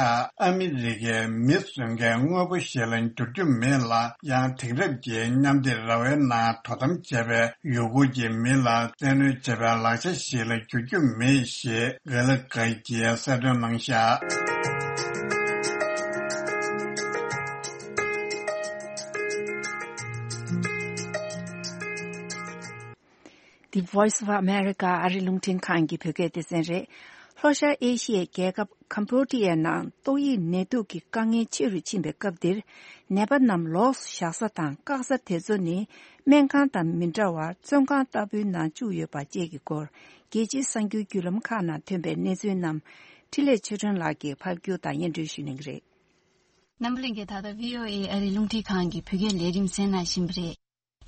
ཨ་མི་རི་ཀའི་མི་བཟོ་མཁན་དངོས་པོ་ཞིག་ལ་འགྱུར་རྒྱུ་མེད་ལ། ཡང་དེང་རབས་ཀྱི་མཉམ་སྡེབ་ར་བའི་ནང་དོ་དམ་བྱས་པའི་ཡུལ་སྐོར་གྱི་མི་ལ་བཙན་གནོན་བྱས་པའི་ལག་ཆ་ཞིག་ལ་འགྱུར་རྒྱུ་མེད་ཞེས་གྷ་ལ་གྷར་གྱིས་གསལ་སྟོན་གནང་བཞག The Voice of America ཨ་རི་རླུང་འཕྲིན་ཁང་གི་བོད་སྐད་སྡེ་ཚན་རེད། ལྷོ་ཤར་ཨེ་ཤི་ཡའི་རྒྱལ་ཁབ་ཀམ་བྷོ་ཌི་ཡའི་ནང་ཏོག་དབྱིབས་ནད་དུག་གི་དཀའ་ངལ་ཆེ་རུ་ཕྱིན་པའི་སྐབས་འདིར། ནད་པ་རྣམས་ལོགས་སུ་བཞག་ས་དང་བཀག་ས་དེ་ཚོ་ནི། སྨན་ཁང་དང་མི་འདྲ་བར་བཙོན་ཁང་ལྟ་བུའི་ནང་བཅུག་ཡོད་པ་བཅས་ཀྱི་སྐོར། རྒྱལ་སྤྱིའི་གསར་འགྱུར་བརྒྱུད་ལམ་ཁག་ནང་ཐོན་པའི་གནས་ཚུལ་རྣམས། འཕྲིན་ལས་ཆོས་སྒྲོན་ལགས་ཀྱིས་ཕབ་སྒྱུར་དང་སྙན་སྒྲོན་ཞུ་གནང་གི་རེད། རྣམ་པ་ལྷན་རྒྱས། ད་ལྟ་བྷི་ཨོ་ཨེ་ཨ་རིའི་རླུང་འཕྲིན་ཁང་གི་བོད་སྐད་ལས་རིམ་གསན་གནང་བཞིན་པ་རེད།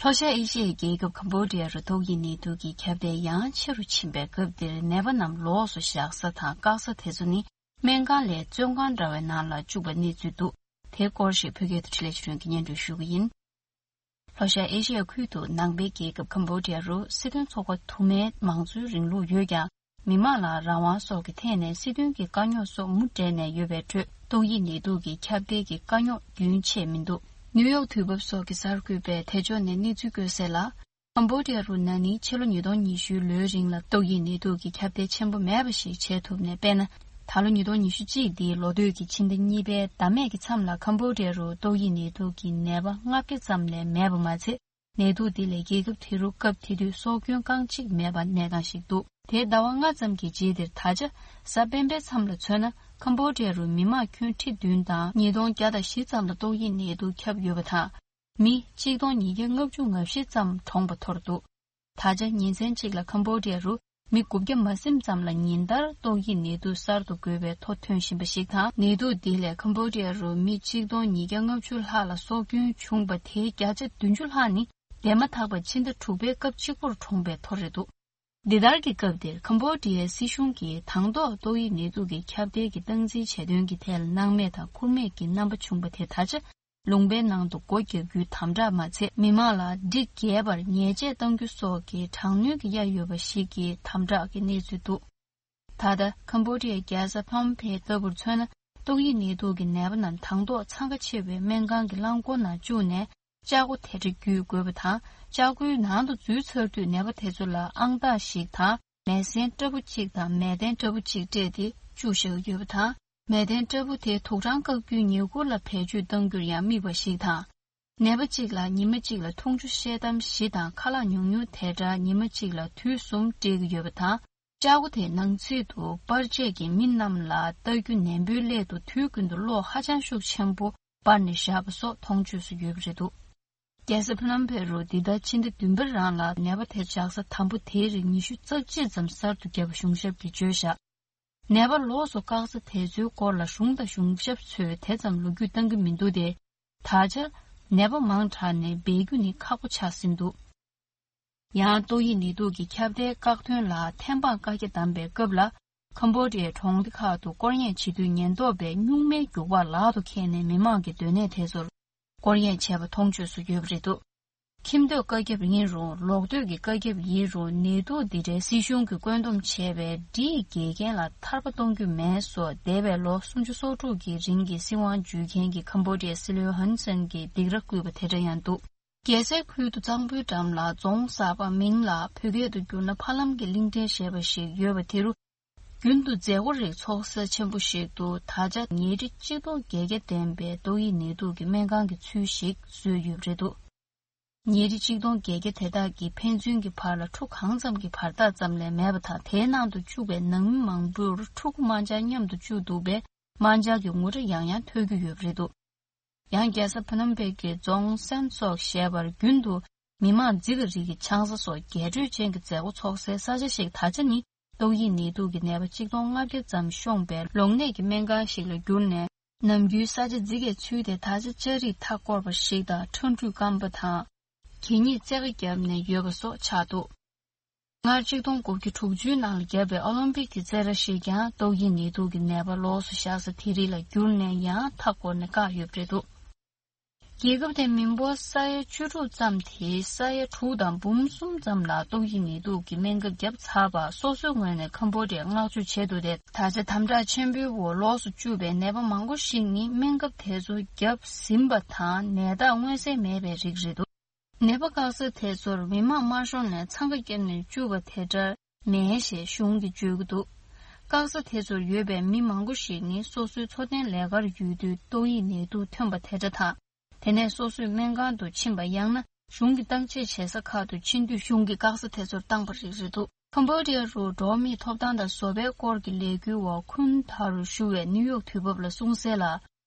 ལྷོ་ཤར་ཨེ་ཤི་ཡའི་རྒྱལ་ཁབ་ཀམ་བྷོ་ཌི་ཡ་རུ་ཏོག་དབྱིབས་ནད་དུག་གི་ཁྱབ་གདལ་ཡང་ཆེ་རུ་ཕྱིན་པའི་སྐབས་འདིར། ནད་པ་རྣམས་ལོགས་སུ་བཞག་ས་དང་བཀག་ས་དེ་ཚོ་ནི། སྨན་ཁང་ལས་བཙོན་ཁང་འདྲ་བའི་ནང་ལ་བཅུག་པའི་གནས་ཚུལ་འདུག་དེའི་སྐོར་ཞིག་བོད་སྐད་དུ་འཕྲིན་ལས་ཆོས་སྒྲོན་གྱིས་སྙན་སྒྲོན་ཞུ་གི་ཡིན། ལྷོ་ཤར་ཨེ་ཤི་ཡ་ཁུལ་དུ་ནང་པའི་རྒྱལ་ཁབ་ཀམ་བྷོ་ཌི་ཡ་རུ་སྲིད་དོན་ཚོགས་པ་དུ་མའི་མང་གཙོའི་རིང་ལུགས་ཡོད་ཀྱང་། མི་མང་ལ་རང་དབང་སོགས་ཀྱི་ཐད་ནས་སྲིད་དོན་གྱི་དཀའ་རྙོག་སོགས་མུ་འབྲེལ་ནས་ཡོད་པའི་ཁྲོད། ཏོག་དབྱིབས་ནད་དུག་གི་ཁྱབ་གདལ་གྱི་དཀའ་རྙོག་རྒྱུན་ཆད་མི་འདུག་ནིའུ་ཡོག་དུས་བབ་སོགས་ཀྱི་གསར་འགོད་པས་དེ་ཕྱོགས་ནས་གནས་ཚུལ་བཀོད་གསལ་ལ། ཀམ་བྷོ་ཌི་ཡ་རུ་ན་ནིང་ཕྱི་ལོ་ཉིས་སྟོང་ཉི་ཤུའི་ལོའི་རིང་ལ་ཏོག་དབྱིབས་ནད་དུག་གི་ཁྱབ་གདལ་ཆེན་པོ་མེད་པ་ཞིག་བྱེད་ཐུབ་ནས། དཔེར་ན། ད་ལོ་ཉིས་སྟོང་ཉི་ཤུ་གཅིག་འདིའི་ལོ་སྟོད་ཀྱི་ཕྱི་ཟླ་གཉིས་པའི་ཟླ་སྨད་ཀྱི་མཚམས་ལ་ཀམ་བྷོ་ཌི་ཡ་རུ་ཏོག་དབྱིབས་ནད་དུག་གི་ནད་པ་ལྔ་བརྒྱ་ཙམ་ལས་མེད་པ་མ་ཚད། ནད་དུག་འདི་ལས་རྒྱལ་ཁབ་དེ་རུ་སྐབས་དེ་དུས་སྲོག་སྐྱོན་རྐང་གཅིག་མེད་པ་གནས་སྟངས་ཤིག་འདུག་དེའི་ཟླ་བ་ལྔ་ཙམ་གྱི་རྗེས་དེར། ད་ཆ་གཟའ་སྤེན་པའི་མཚམས་ལ་མཚོན་ན། ཀམ་བྷོ་ཌི་ཡ་རུ་མི་མང་ཁྱོན་ཁྲི་བདུན་དང་ཉིས་སྟོང་བརྒྱ་དང་བཞི་ཙམ་ལ་ཏོག་དབྱིབས་ནད་དུག་ཁྱབ་ཡོད་པ་དང་། མི་གཅིག་སྟོང་ཉིས་བརྒྱ་ལྔ་བཅུ་ང་བཞི་ཙམ་གྲོངས་པ་ཐོར་འདུག་ད་ཆ་ཉིན་མཚན་གཅིག་ལ་ཀམ་བྷོ་ཌི་ཡ་རུ་མི་དགུ་བརྒྱ་མ་ཟིན་ཙམ་ལ་ཉིན་ལྟར་ཏོག་དབྱིབས་ནད་དུག་གསར་དུ་འགོས་པའི་ཐོ་ཐོན་བཞིན་པ་ཞིག་དང་། ནད་དུག་འདི་ལས་ཀམ་བྷོ་ཌི་ཡ་རུ་མི་གཅིག་སྟོང་ཉིས་བརྒྱ་ལྔ་བཅུ་ལྷག་ལ་སྲོག་སྐྱོན་བྱུང་བ། དེའི་བརྒྱ་ཆ་བདུན་ཅུ་ལྷག་ནི་འདས་མ་ཐག་པ་ཕྱི་ཟླ་དྲུག་པའི་སྐབས་གཅིག་པོར་གྲོངས་པའི་ཐོ་རེད་འདུག་འདི་ལྟར་གྱི་སྐབས་འདིར་ཀམ་བྷོ་ཌི་ཡའི་སྲིད་གཞུང་གིས་དང་ཐོག་ཏོག་དབྱིབས་ནད་དུག་གི་ཁྱབ་གདལ་གྱི་སྟངས་འཛིན་བྱེད་དོན་གྱི་ཐད་ལ་སྣང་མེད་དང་ཁུར་མེད་ཀྱི་རྣམ་པ་བྱུང་བ་དེ། ད་ཆ་ལུང་པའི་ནང་དུ་སྒོ་རྒྱག་རྒྱུའི་དམ་དྲག་མ་ཚད། མི་མང་ལ་སྒྲིག་འགལ་བར་ཉེས་ཆད་གཏང་རྒྱུ་སོགས་ཀྱི་དྲག་གནོན་གྱི་གཡའ་ཡོད་པ་ཞིག་གི་དམ་དྲག་གི་གནས་ཚུལ་འདུག་ད་ལྟ་ཀམ་བྷོ་ཌི་ཡའི་རྒྱལ་ས་ཕ་ནམ་ཕེ་ལྟ་བུར་མཚོན་ན། ཏོག་དབྱིབས་ནད་དུག་གི་ནད་པ་རྣམས་དང་ཐོག་འཚང་ཁ་ཆེ་བའི་སྨན་ཁང་གི་རླངས་འཁོར་ནང་བཅུག་ནས། ལྕགས་སྒོ་དེ་འདྲ་བརྒྱུད་དགོས་པ་དང་། ལྕགས་སྒོའི་ནང་དུ་འཛུལ་ཚར་དུས་ནད་པ་དེ་ཚོ་ལ་ཨང་རྟགས་ཤིག་དང་། མལ་གཟན་ཕྲ་བོ་གཅིག་དང་མལ་གདན་ཕྲ་བོ་གཅིག་སྤྲད་དེ་བཅུག་བཞག་ཡོད་པ་དང་། མལ་གདན་ཕྲ་བོ་དེ་དུག་སྦྲང་བཀག་རྒྱུའི་ཉེ་འཁོར་ལ་བེད་སྤྱོད་གཏང་རྒྱུར་ཡང་དམིགས་པ་ཞིག་དང་། ནད་པ་གཅིག་ལ་ཉི་མ་གཅིག་ལ་འཐུང་ཆུ་ཤེལ་དམ་བཞི་དང་ཁ་ལག་ཉུང་ཉུང་དེ་འདྲ་ཉི་མ་གཅིག་ལ་དུས་གསུམ་སྤྲད་ཀྱི་ཡོད་པ་དང་། ལྕགས་སྒོ་དེའི་ནང་ཚུད་དུ་པར་ཆས་ཀྱིས་མི་རྣམས་ལ་ལྟ་རྒྱུ་ནན་པོའི་སླད་དུ། དུས་ཀུན་ཏུ་གློག་ཧ་ཅང་ཤུགས་ཆེན་པོ་སྤར་ནས་བཞག་པ་སོགས་མཐོང་ཆོས་སུ་ཡོད་པ་རེད་འདུག་རྒྱལ་ས་ཕ་ནམ་ཕེ་རུ་འདི་ཟླ་ཕྱི་ཟླ་བདུན་པའི་རང་ལ་ནད་པ་དེ་བཞག་ས་དང་པོ་དེའི་རིང་ཉི་ཤུ་རྩ་གཅིག་ཙམ་གསར་དུ་བརྒྱབ་པ་གཞུང་ཞབས་ཀྱིས་བརྗོད་བཞག་ནད་པ་ལོགས་སུ་བཀག་ས་དེ་ཚོའི་སྐོར་ལ་གཞུང་དང་གཞུང་ཞབས་ཚོས་དེ་ཙམ་ལོ་རྒྱུས་བཏང་གི་མི་འདུག་སྟེ། ད་ཆ་ནད་པ་མང་དྲགས་ནས་སྦས་རྒྱུ་ནི་ཁག་པོ་ཆགས་ཟིན་འདུག་ཡང་ཏོག་དབྱིབས་ནད་དུག་གི་ཁྱབ་གདལ་བཀག་སྡོམ་ལ་ཐེམ་སྤང་བཀའ་རྒྱ་བསྡམས་པའི་སྐབས་ལ། ཀམ་བྷོ་ཌི་ཡའི་གྲོང་སྡེ་ཁག་ཏུ་སྐོར་གཡེང་བྱེད་དུས་ཉེན་རྟོག་པས་སྨྱུག་མའི་རྒྱུག་པ་ལག་ཏུ་འཁྱེར་ནས་མི་མང་གི་སྡོད་གནས་དེ་ཚོར་སྐོར་གཡེང་བྱས་པ་མཐོང་ཆོས་སུ་ཡོད་པ་རེད་འདུག་ཁྱིམ་སྡོད་བཀའ་ཁྱབ་ཡིན་རུང་། ལོག་སྡོད་ཀྱི་བཀའ་ཁྱབ་ཡིན་རུང་། ནད་དུག་འདི་འདྲའི་སྲིད་གཞུང་གིས་བཀོད་འདོམས་བྱས་པའི་སྒྲིག་འགལ་རྐྱེན་ལ་ཐར་པ་གཏོང་རྒྱུ་མེད་སོགས། འདས་པའི་ལོ་སུམ་ཅུ་སོ་དྲུག་གི་རིང་གི་སྲིད་དབང་འཇུས་མཁན་གྱི་ཀམ་བྷོ་ཌི་ཡའི་སྲིད་བློན་ཧུན་སེན་གྱིས་སྡིགས་ར་བསྐུལ་བ་དེ་འདྲ་ཡང་འདུག་རྒྱལ་སའི་ཁུལ་དུ་གཙང་པོའི་འགྲམ་ལ་རྫོང་གསར་པ། མིང་ལ་བོད་སྐད་དུ་བསྒྱུར་ན་ཕ་ལམ་གྱི་གླིང་ཕྲན་ཞེས་པ་ཞིག་ཡོད་པ་དེ་རུ། རྒྱུན་དུ་མཛད་སྒོ་རིགས་ཚོགས་ས་ཆེན་པོ་ཞིག་ཏུ། ད་ཆ་ཉལ་ཁྲི་གཅིག་སྟོང་བརྒྱད་བརྒྱ་ལྡན་པའི་ཏོག་དབྱིབས་ནད་དུག་གི་སྨན་ཁང་གི་ཚུལ་ཞིག་བཟོས་ཡོད་པ་རེད་འདུག་ཉལ་ཁྲི་གཅིག་སྟོང་བརྒྱད་བརྒྱ་དེ་དག་གི་ཕན་ཚུན་གྱི་བར་ལ་ཁྲུ་གང་ཙམ་གྱི་བར་ཐག་ཙམ་ལས་མེད་པ་དང་། དེའི་ནང་དུ་བཅུག་པའི་ནང་མི་མང་པོར་ཕྲུ་གུ་དམར་འབྱར་མཉམ་དུ་བཅུག་འདུག་པས། དམར་འབྱར་གྱི་ངུ་སྒྲ་ཡང་ཡང་ཐོས་རྒྱུ་ཡོད་པ་རེད་འདུག་ཡང་རྒྱལ་ས་ཕ་ནམ་ཕེ་གི་རྫོང་སན་སོག་ཞེས་པར་རྒྱུན་དུ་ མི་མང་རྫི་ག་རིགས་ཀྱི་ཆང་ས་སོགས་རྒྱས་སྤྲོས་ཅན་གྱི་མཛད་སྒོ་ཚོགས་སའི་ས་ཆ་ཞིག་ད་ཆ་ནི་ཏོག་དབྱིབས་ནད་དུག་གི་ནད་པ་གཅིག་སྟོང་ལྔ་བརྒྱ་ཙམ་ཤོང་པའི་ལོག་གནས་ཀྱི་སྨན་ཁང་ཞིག་ལ་གྱུར་ནས། ནམ་རྒྱུན་ས་ཆ་རྫི་གའི་ཚུལ་དེ་ད་ཆ་ལྕགས་རིགས་མཐའ་བསྐོར་བ་ཞིག་དང་ཁྲ་འབྲུག་སྐམ་པ་དང་། གད་སྙིགས་རྩེ་ག་བརྒྱབ་ནས་ཡོད་པ་སོགས་ཆགས་འདུག་སྔར་གཅིག་སྟོང་དགུ་བརྒྱ་དྲུག་ཅུའི་ནང་ལ་བརྒྱབ་པའི་ཨོ་ལིམ་པིག་གི་རྩེད་ར་ཞིག་ཀྱང་ཏོག་དབྱིབས་ནད་དུག་གི་ནད་པ་ལོགས་སུ་བཞག་ས་དེ་རིགས་ལ་གྱུར་ནས་ཡང་མཐའ་བསྐོར་ནས་བཀག་ཡོད་པ་རེད་འདུག་རྒྱལ་ཁབ་དེའི་མི་འབོར་ས་ཡ་བཅུ་དྲུག་ཙམ་དེའི་ས་ཡ་དྲུག་དང་འབུམ་གསུམ་ཙམ་ལ་ཏོག་དབྱིབས་ནད་དུག་གི་སྨན་ཁབ་བརྒྱབ་ཚར་བར་སོ་སོའི་ངོས་ནས་ཁམ་བྷོ་ཌི་ཡར་མངགས་བཅོལ་བྱས་འདུག་སྟེ། ད་ཆ་དམ་དྲག་ཆེན་པོའི་འོག་ལོགས་སུ་བཅུག་པའི་ནད་པ་མང་པོ་ཞིག་ནི་སྨན་ཁབ་དེ་ཚོ་བརྒྱབ་ཟིན་པ་དང་ནད་རྟགས་མངོན་གསལ་མེད་པའི་རིགས་རེད་འདུག་ནད་པ་བཀག་ས་དེ་ཚོར་མི་མང་དམར་ཤོག་ནས་འཚང་ཁ་བརྒྱབ་ནས་བཅུག་པ་དེ་འདྲ་མེད་ཞེས་གཞུང་གིས་བརྗོད་ཀྱི་འདུག་བཀག་ས་དེ་ཚོར་ཡོད་པའི་མི་མང་པོ་ཞིག་ནི་སོ་སོའི་འཚོ་རྟེན་ལས་ཀར་ཡོད་དུས་ཏོག་དབྱིབས་ནད་དུག་ཐོན་པ་དེ་འདྲ་དང་། དེ་ནས་སོ་སོས་སྨན་ཁང་དུ་ཕྱིན་པ་ཡང་ན་གཞུང་གིས་བརྟག་དཔྱད་བྱེད་ས་ཁག་ཏུ་ཕྱིན་དུས་གཞུང་གིས་བཀག་ས་དེ་ཚོར་བཏང་པ་རིགས་རེད་འདུག་ཁམ་བྷོ་ཌི་ཡ་རུ་འགྲོ་བ་མིའི་ཐོབ་ཐང་དང་བཟོ་པའི་སྐོར་གྱི་ལས་འགུལ་བ་ཁུན་ཐ་རུ་ཞུ་བས་ནིའུ་ཡོག་དུས་བབ་ལ་གསུངས་གསལ་ལ།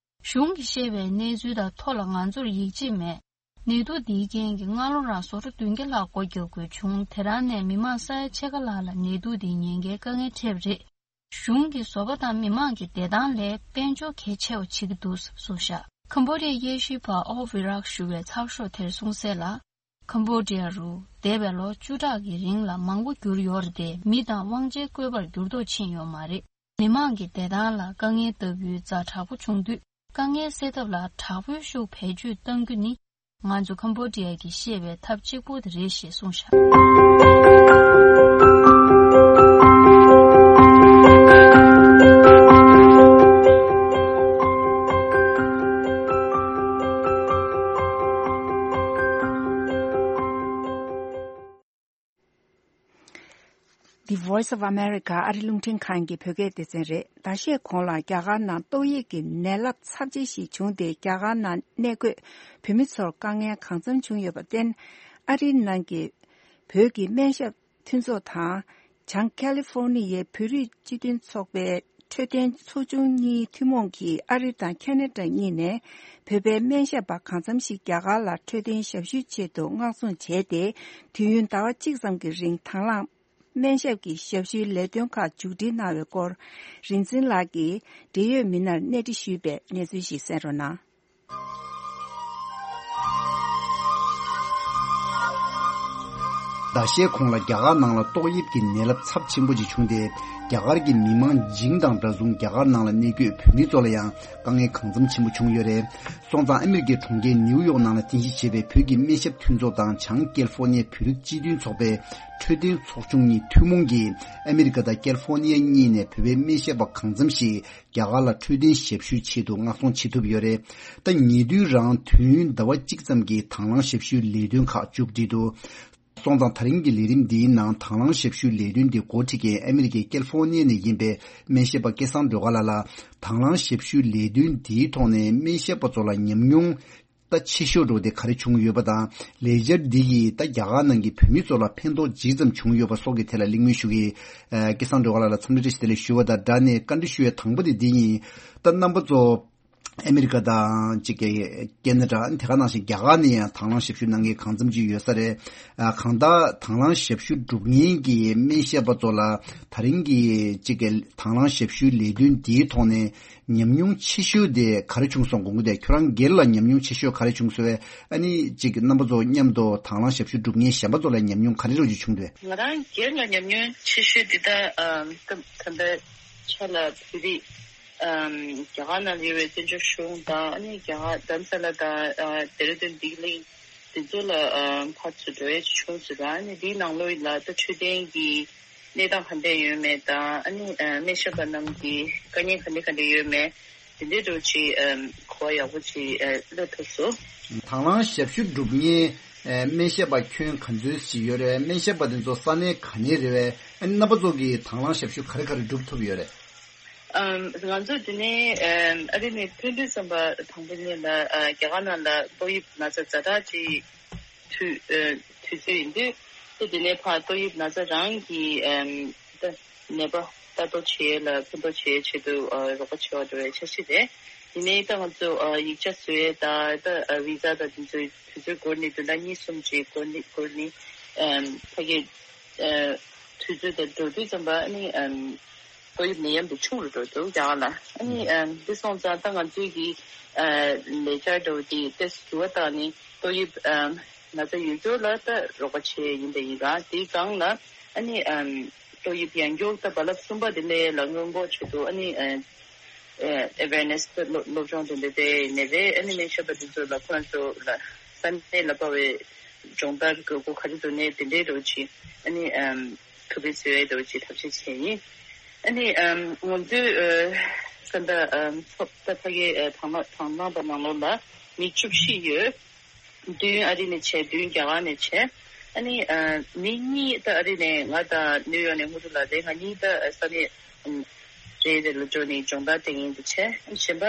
གཞུང་གིས་བཤད་པའི་གནས་ཚུལ་དང་ཐོག་ལ་ང་ཚོར་ཡིད་ཆེས་མེད། ནད་དུག་འདིའི་རྐྱེན་གྱིས་སྔ་ལོ་རང་བཟོ་གྲྭ་བདུན་བརྒྱ་ལྷག་སྒོ་རྒྱག་དགོས་བྱུང་། དེ་རང་ནས་མི་མང་ས་ཡ་ཕྱེད་ཀ་ལྷག་ལ་ནད་དུག་འདིའི་ཉེན་ཁའི་དཀའ་ངལ་འཕྲད་པ་རེད། གཞུང་གིས་བཟོ་པ་དང་མི་མང་གི་བདེ་ཐང་ལས་དཔལ་འབྱོར་གལ་ཆེ་བ་བྱེད་ཀྱི་འདུག་གསུངས་བཞག་ཁམ་བྷོ་ཌི་ཡའི་དབྱེ་ཞིབ་པ་ཨོ་ཝི་རག་ཞུ་བས་ཚགས་ཤོག་དེར་གསུངས་གསལ་ལ། ཁམ་བྷོ་ཌི་ཡ་རུ་འདས་པའི་ལོ་བཅུ་ཕྲག་གི་རིང་ལ་མང་པོ་འགྱུར་ཡོད་རེད་དེ། མི་དང་དབང་ཆའི་བཀོད་པར་འགྱུར་ལྡོག་ཕྱིན་ཡོད་མ་རེད། མི་མང་གི་བདེ་ཐང་ལ་དཀའ་ངལ་ལྟ་བུའི་ཛ་དྲག་པོ་བྱུང་དུས། དཀའ་ངལ་སེལ་ཐབས་ལ་དྲག་པོའི་ཤུགས་བེད་སྤྱོད་གཏང་རྒྱུ་ནི། ང་ཚོ་ཁམ་བྷོ་ཌི་ཡ་གིས་ཤེས་པའི་ཐབས་གཅིག་པུ་དེ་རེད་ཞེས་གསུངས་བཞག The Voice of America ཨ་རི་རླུང་འཕྲིན་ཁང་གི་བོད་སྐད་སྡེ་ཚན་རེད། ཟླ་ཤས་གོང་ལ་རྒྱ་གར་ནང་ཏོག་དབྱིབས་ཀྱི་ནད་རླབས་ཚབས་ཆེ་ཞིག་བྱུང་སྟེ། རྒྱ་གར་ནང་གནས་འཁོད་བོད་མི་ཚོར་དཀའ་ངལ་གང་འཚམ་བྱུང་ཡོད་པར་བརྟེན། ཨ་རིའི་ནང་གི་བོད་ཀྱི་སྨན་ཞབས་མཐུན་ཚོགས་དང་། བྱང་ཀ་ལི་ཧྥོར་ནི་ཡའི་བོད་རིགས་སྤྱི་མཐུན་ཚོགས་པའི་འཕྲོད་བསྟེན་ཚོགས་ཆུང་གཉིས་ཐུན་མོང་གིས་ཨ་རི་དང་ཁ་ན་ཌ་གཉིས་ནས་བོད་པའི་སྨན་ཞབས་པ་གང་འཚམ་ཞིག་རྒྱ་གར་ལ་འཕྲོད་བསྟེན་ཞབས་ཞུའི་ཆེད་དུ་མངགས་ཟིན་བྱས་ཏེ། དུས་ཡུན་ཟླ་བ་གཅིག་ཙམ་གྱི་རིང་དང་བླངས་སྨན་ཞབས་ཀྱི་ཞབས་ཞུའི་ལས་དོན་ཁག་མཇུག་སྒྲིལ་གནང་བའི་སྐོར། རིག་འཛིན་ལགས་ཀྱིས་འབྲེལ་ཡོད་མི་སྣར་གནས་འདྲི་ཞུས་པའི་གནས་ཚུལ་ཞིག་གསན་རོགས་གནང་། ཟླ་ཤས་གོང་ལ་རྒྱ་གར་ནང་ལ་ཏོག་དབྱིབས་ཀྱི་ནད་རླབས་ཚབས་ཆེན་པོ་ཅིག་བྱུང་སྟེ། རྒྱ་གར་གྱི་མི་མང་བྱིངས་དང་འདྲ་མཚུངས་རྒྱ་གར་ནང་ལ་གནས་འཁོད་བོད་མི་ཚོ་ལ་ཡང་དཀའ་ངལ་གང་འཚམ་ཆེན་པོ་བྱུང་ཡོད་རེད། སོང་ཙང་ཨ་མི་རི་ཀའི་གྲོང་ཁྱེར་ནིའུ་ཡོག་ནང་ལ་རྟེན་གཞི་བྱས་པའི་བོད་ཀྱི་སྨན་ཞབས་མཐུན་ཚོགས་དང་བྱང་ཀལ་ཧྥོར་ནི་ཡའི་བོད་རིགས་སྤྱི་མཐུན་ཚོགས་པའི་འཕྲོད་བསྟེན་ཚོགས་ཆུང་གཉིས་ཐུན་མོང་གིས་ཨ་མི་རི་ཀ་དང་ཀལ་ཧྥོར་ནི་ཡ་གཉིས་ནས་བོད་པའི་སྨན་ཞབས་པ་གང་འཚམ་ཞིག་རྒྱ་གར་ལ་འཕྲོད་བསྟེན་ཞབས་ཞུའི་ཆེད་དུ་མངགས་གཏོང་བྱེད་ཐུབ་ཡོད་རེད། ད་ཉེ་དུས་རང་དུས་ཡུན་ཟླ་བ་གཅིག་ཙམ་གྱི་དང་བླངས་ཞབས་ཞུའི་ལས་དོན་ཁག་མཇུག་བསྒྲིལ་འདུག་སོང་ཙང་ད་རིང་གི་ལས་རིམ་འདིའི་ནང་དང་བླངས་ཞབས་ཞུའི་ལས་དོན་འདི་འགོ་ཁྲིད་མཁན་ཨ་མི་རི་ཀའི་ཀལ་ཧྥོར་ནི་ཡ་ནས་ཡིན་པའི་སྨན་ཞབས་པ་སྐལ་བཟང་སྒྲོལ་དཀར་ལགས་ལ། དང་བླངས་ཞབས་ཞུའི་ལས་དོན་འདིའི་ཐོག་ནས་སྨན་ཞབས་པ་ཚོ་ལ་ཉམས་མྱོང་ད་ཆེ་ཤོས་འགྲོ་དེ་ག་རེ་བྱུང་ཡོད་པ་དང་། ལས་འཆར་འདི་གིས་ད་རྒྱ་གར་ནང་གི་བོད་མི་ཚོ་ལ་ཕན་ཐོགས་ཇི་ཙམ་བྱུང་ཡོད་པ་སོགས་ཀྱི་ཐད་ལ་གླེང་མོལ་ཞུ་གི། ཨ། སྐལ་བཟང་སྒྲོལ་དཀར་ལགས་ལ་འཚམས་འདྲི་བཀྲ་ཤིས་བདེ་ལེགས་ཞུ་བ་དང་སྦྲགས་ནས་བཀའ་འདྲི་ཞུ་བའི་དང་པོ་དེ་འདི་ཡིན། ད་རྣམ་པ་ཚོ་ཨ་མི་རི་ཀ་དང་གཅིག་གི་ཁེ་ན་ཌ། དེ་ག་ནང་བཞིན་རྒྱ་གར་ནས་ཡང་དང་བླངས་ཞབས་ཞུ་གནང་མཁན་གང་འཚམ་ཅིག་ཡོད་ས་རེད། ཨ། གང་ལྟར་དང་བླངས་ཞབས་ཞུ་སྒྲུབ་མཁན་གྱི་སྨན་ཞབས་པ་ཚོ་ལ་ད་རིང་གི་གཅིག་གི་དང་བླངས་ཞབས་ཞུའི་ལས་དོན་འདིའི་ཐོག་ནས་ཉམས་མྱོང་ཆེ་ཤོས་དེ་ག་རེ་བྱུང་སོང་དགོངས་ཀྱི་འདུག་ཁྱོད་རང་སྒེར་ལ་ཉམས་མྱོང་ཆེ་ཤོས་ག་རེ་བྱུང་སོང་བས། ཨ་ནི་གཅིག་རྣམ་པ་ཚོ་མཉམ་དུ་དང་བླངས་ཞབས་ཞུ་སྒྲུབ་མཁན་གཞན་པ་ཚོ་ལ་ཉམས་མྱོང་ག་རེ་རོགས་ཀྱི་བྱུང་འདུག་ང་རང་སྒེར་ལ་ཉམས་མྱོང་ཆེ་ཤོས་འདི་ད་ཨམ་ད་ད་ལྟ་ཆ་ལ་བོད་རིགས་ཨམ་རྒྱ་གར་ནང་ཡོད་པའི་བཙན་བྱོལ་གཞུང་དང་། ཨ་ནི་རྒྱ་གར་རྡ་རམ་ས་ལ་དང་ཨ་ཌེ་ར་ཌུན་ལྡི་ལི་དེ་ཚོ་ལ་ཨམ་ཕར་ཚུར་འགྲོ་ཡས་བྱུང་ཟེར་བ། ཨ་ནི་འདིའི་ནང་ལོགས་ལ་ད་འཕྲོད་བསྟེན་གྱི་གནས་སྟངས་ག་འདྲ་ཡོད་མེད་དང་། ཨ་ནི་ཨ་སྨན་ཞབས་པ་རྣམས་ཀྱི་དཀའ་ངལ་ག་འདྲ་ག་འདྲ་ཡོད་མེད་དེ་འདྲའི་འདྲ་བོ་ཅིག་ཨ་གོ་བ་ཡག་པོ་ཅིག་ཨ་སླེབས་ཐུབ་སོང་། དང་བླངས་ཞབས་ཞུ་སྒྲུབ་མཁན་ཨ་སྨན་ཞབས་པ་ཁྱོན་ག་ཚོད་ཅིག་ཡོད་རེད། སྨན་ཞབས་པ་དེ་ཚོ་ས་གནས་ག་ནས་རེད་པས། ཨ་ནི་རྣམ་པ་ཚོ་གིས་དང་བླངས་ཞབས་ཞུ་ག་རེ་ག་རེ་སྒྲུབ་ཐུབ་ཡོད་རེད། ཨམ་ང་ཚོ་འདི་ནས་ཨམ་ཨ་རི་ནས་ཕེབས་དུས་ཙམ་པ་དང་པོ་ཉིད་ལ་ཨ་རྒྱ་གར་ནང་ལ་ཏོག་དབྱིབས་ན་ཚ་ཛ་དྲག་ཅིག་དུས་ཨ་དུས་ཚོད་ཡིན་དུས། ད་དེ་ནས་ཕར་ཏོག་དབྱིབས་ན་ཚ་རང་གི་ཨམ་ད་ནད་པ་ལྟ་རྟོག་བྱེད་ཡས་ལ་ཕན་ཐོགས་བྱེད་ཡས་ཆེད་དུ་ཨ་རོགས་པ་བྱེད་པ་འགྲོ་བའི་འཆར་གཞི་རེད། ནས་ད་ང་ཚོ་ཨ་ཡིག་ཆ་བཟོ་ཡས་ད་ད་ཨ་བི་ཟ་དང་དེ་ཚོའི་དུས་ཚོད་འགོར་ནས་བདུན་ཕྲག་གཉིས་གསུམ་ཅིག་འགོར་ནས་འགོར་ནས་ཨམ་ཕ་གི་ཨ་དུས་ཚོད་དང་འགྲོ་དུས་ཙམ་པ་ཨ་ནི་ཨམ་ཏོག་དབྱིབས་ནད་ཡམས་དེ་ཆུང་རུ་འགྲོ་འདུག་རྒྱ་གར་ལ། ཨ་ནི་ཨམ་འདི་སོང་ཙང་ད་ང་ཚོའི་གི་ཨ་ལས་འཆར་འདྲ་བོ་དེ་ཏོག་ཙམ་འགྱུར་བ་བཏང་ནས་ཏོག་དབྱིབས་ཨམ་ན་ཚ་ཡོད་མཁན་ལ་ད་རོགས་པ་བྱེད་ཡིན་པ་ཡིན་ར། དེའི་སྒང་ལ་ཨ་ནི་ཨམ་ཏོག་དབྱིབས་ཡང་མགྱོགས་ད་རྦ་རླབས་གསུམ་པ་དེ་སླེབས་ལ་སྔོན་འགོག་ཆེད་དུ་ཨ་ནི་ཨ་ཨ་ཨེ་ཝེར་ནེ་སི་སློབ་སློབ་སྦྱོང་དེ་འདྲ་དེ་ནས་རེད། ཨ་ནི་སྨན་ཞབས་པ་དེ་ཚོ་ལ་ཁོ་རང་ཚོ་ལ་ས་གནས་ལ་དཔའ་བའི་སྦྱོང་བརྡར་དགོས་མཁོ་ག་རེ་འདུག་ནས་དེ་འདྲའི་རོགས་ཅིག་ཨ་ནི་ཨམ་ཐུགས་ཕན་གསོས་ཡས་རོགས་ཅིག་ཐབས་ཤེས་བྱས་ཡིན། ཨ་ནི་ཨམ་ང་ཚོའི་ཨ་ས་མཐའ་ཨམ་ཚོགས་ད་ཕ་གི་ཨ་དང་བླངས་དང་བླངས་པ་ནང་ལོགས་ལ་མི་བཅུ་བཞི་ཡོད། བདུན་ཨ་རི་ནས་བྱས། བདུན་རྒྱ་གར་ནས་བྱས། ཨ་ནི་ཨ་མི་གཉིས་ད་ཨ་རི་ནས་ང་དང་ནིའུ་ཡོག་ནས་དངོས་གྲུབ་ལགས་རེད། ང་གཉིས་ད་ཨ་ས་གནས་ཨམ་རེ་རེ་ལ་འགྲོ་ནས་སྦྱོང་བརྡར་སྤྲད་མཁན་དེ་བྱས། ཨ་ནི་གཞན་པ་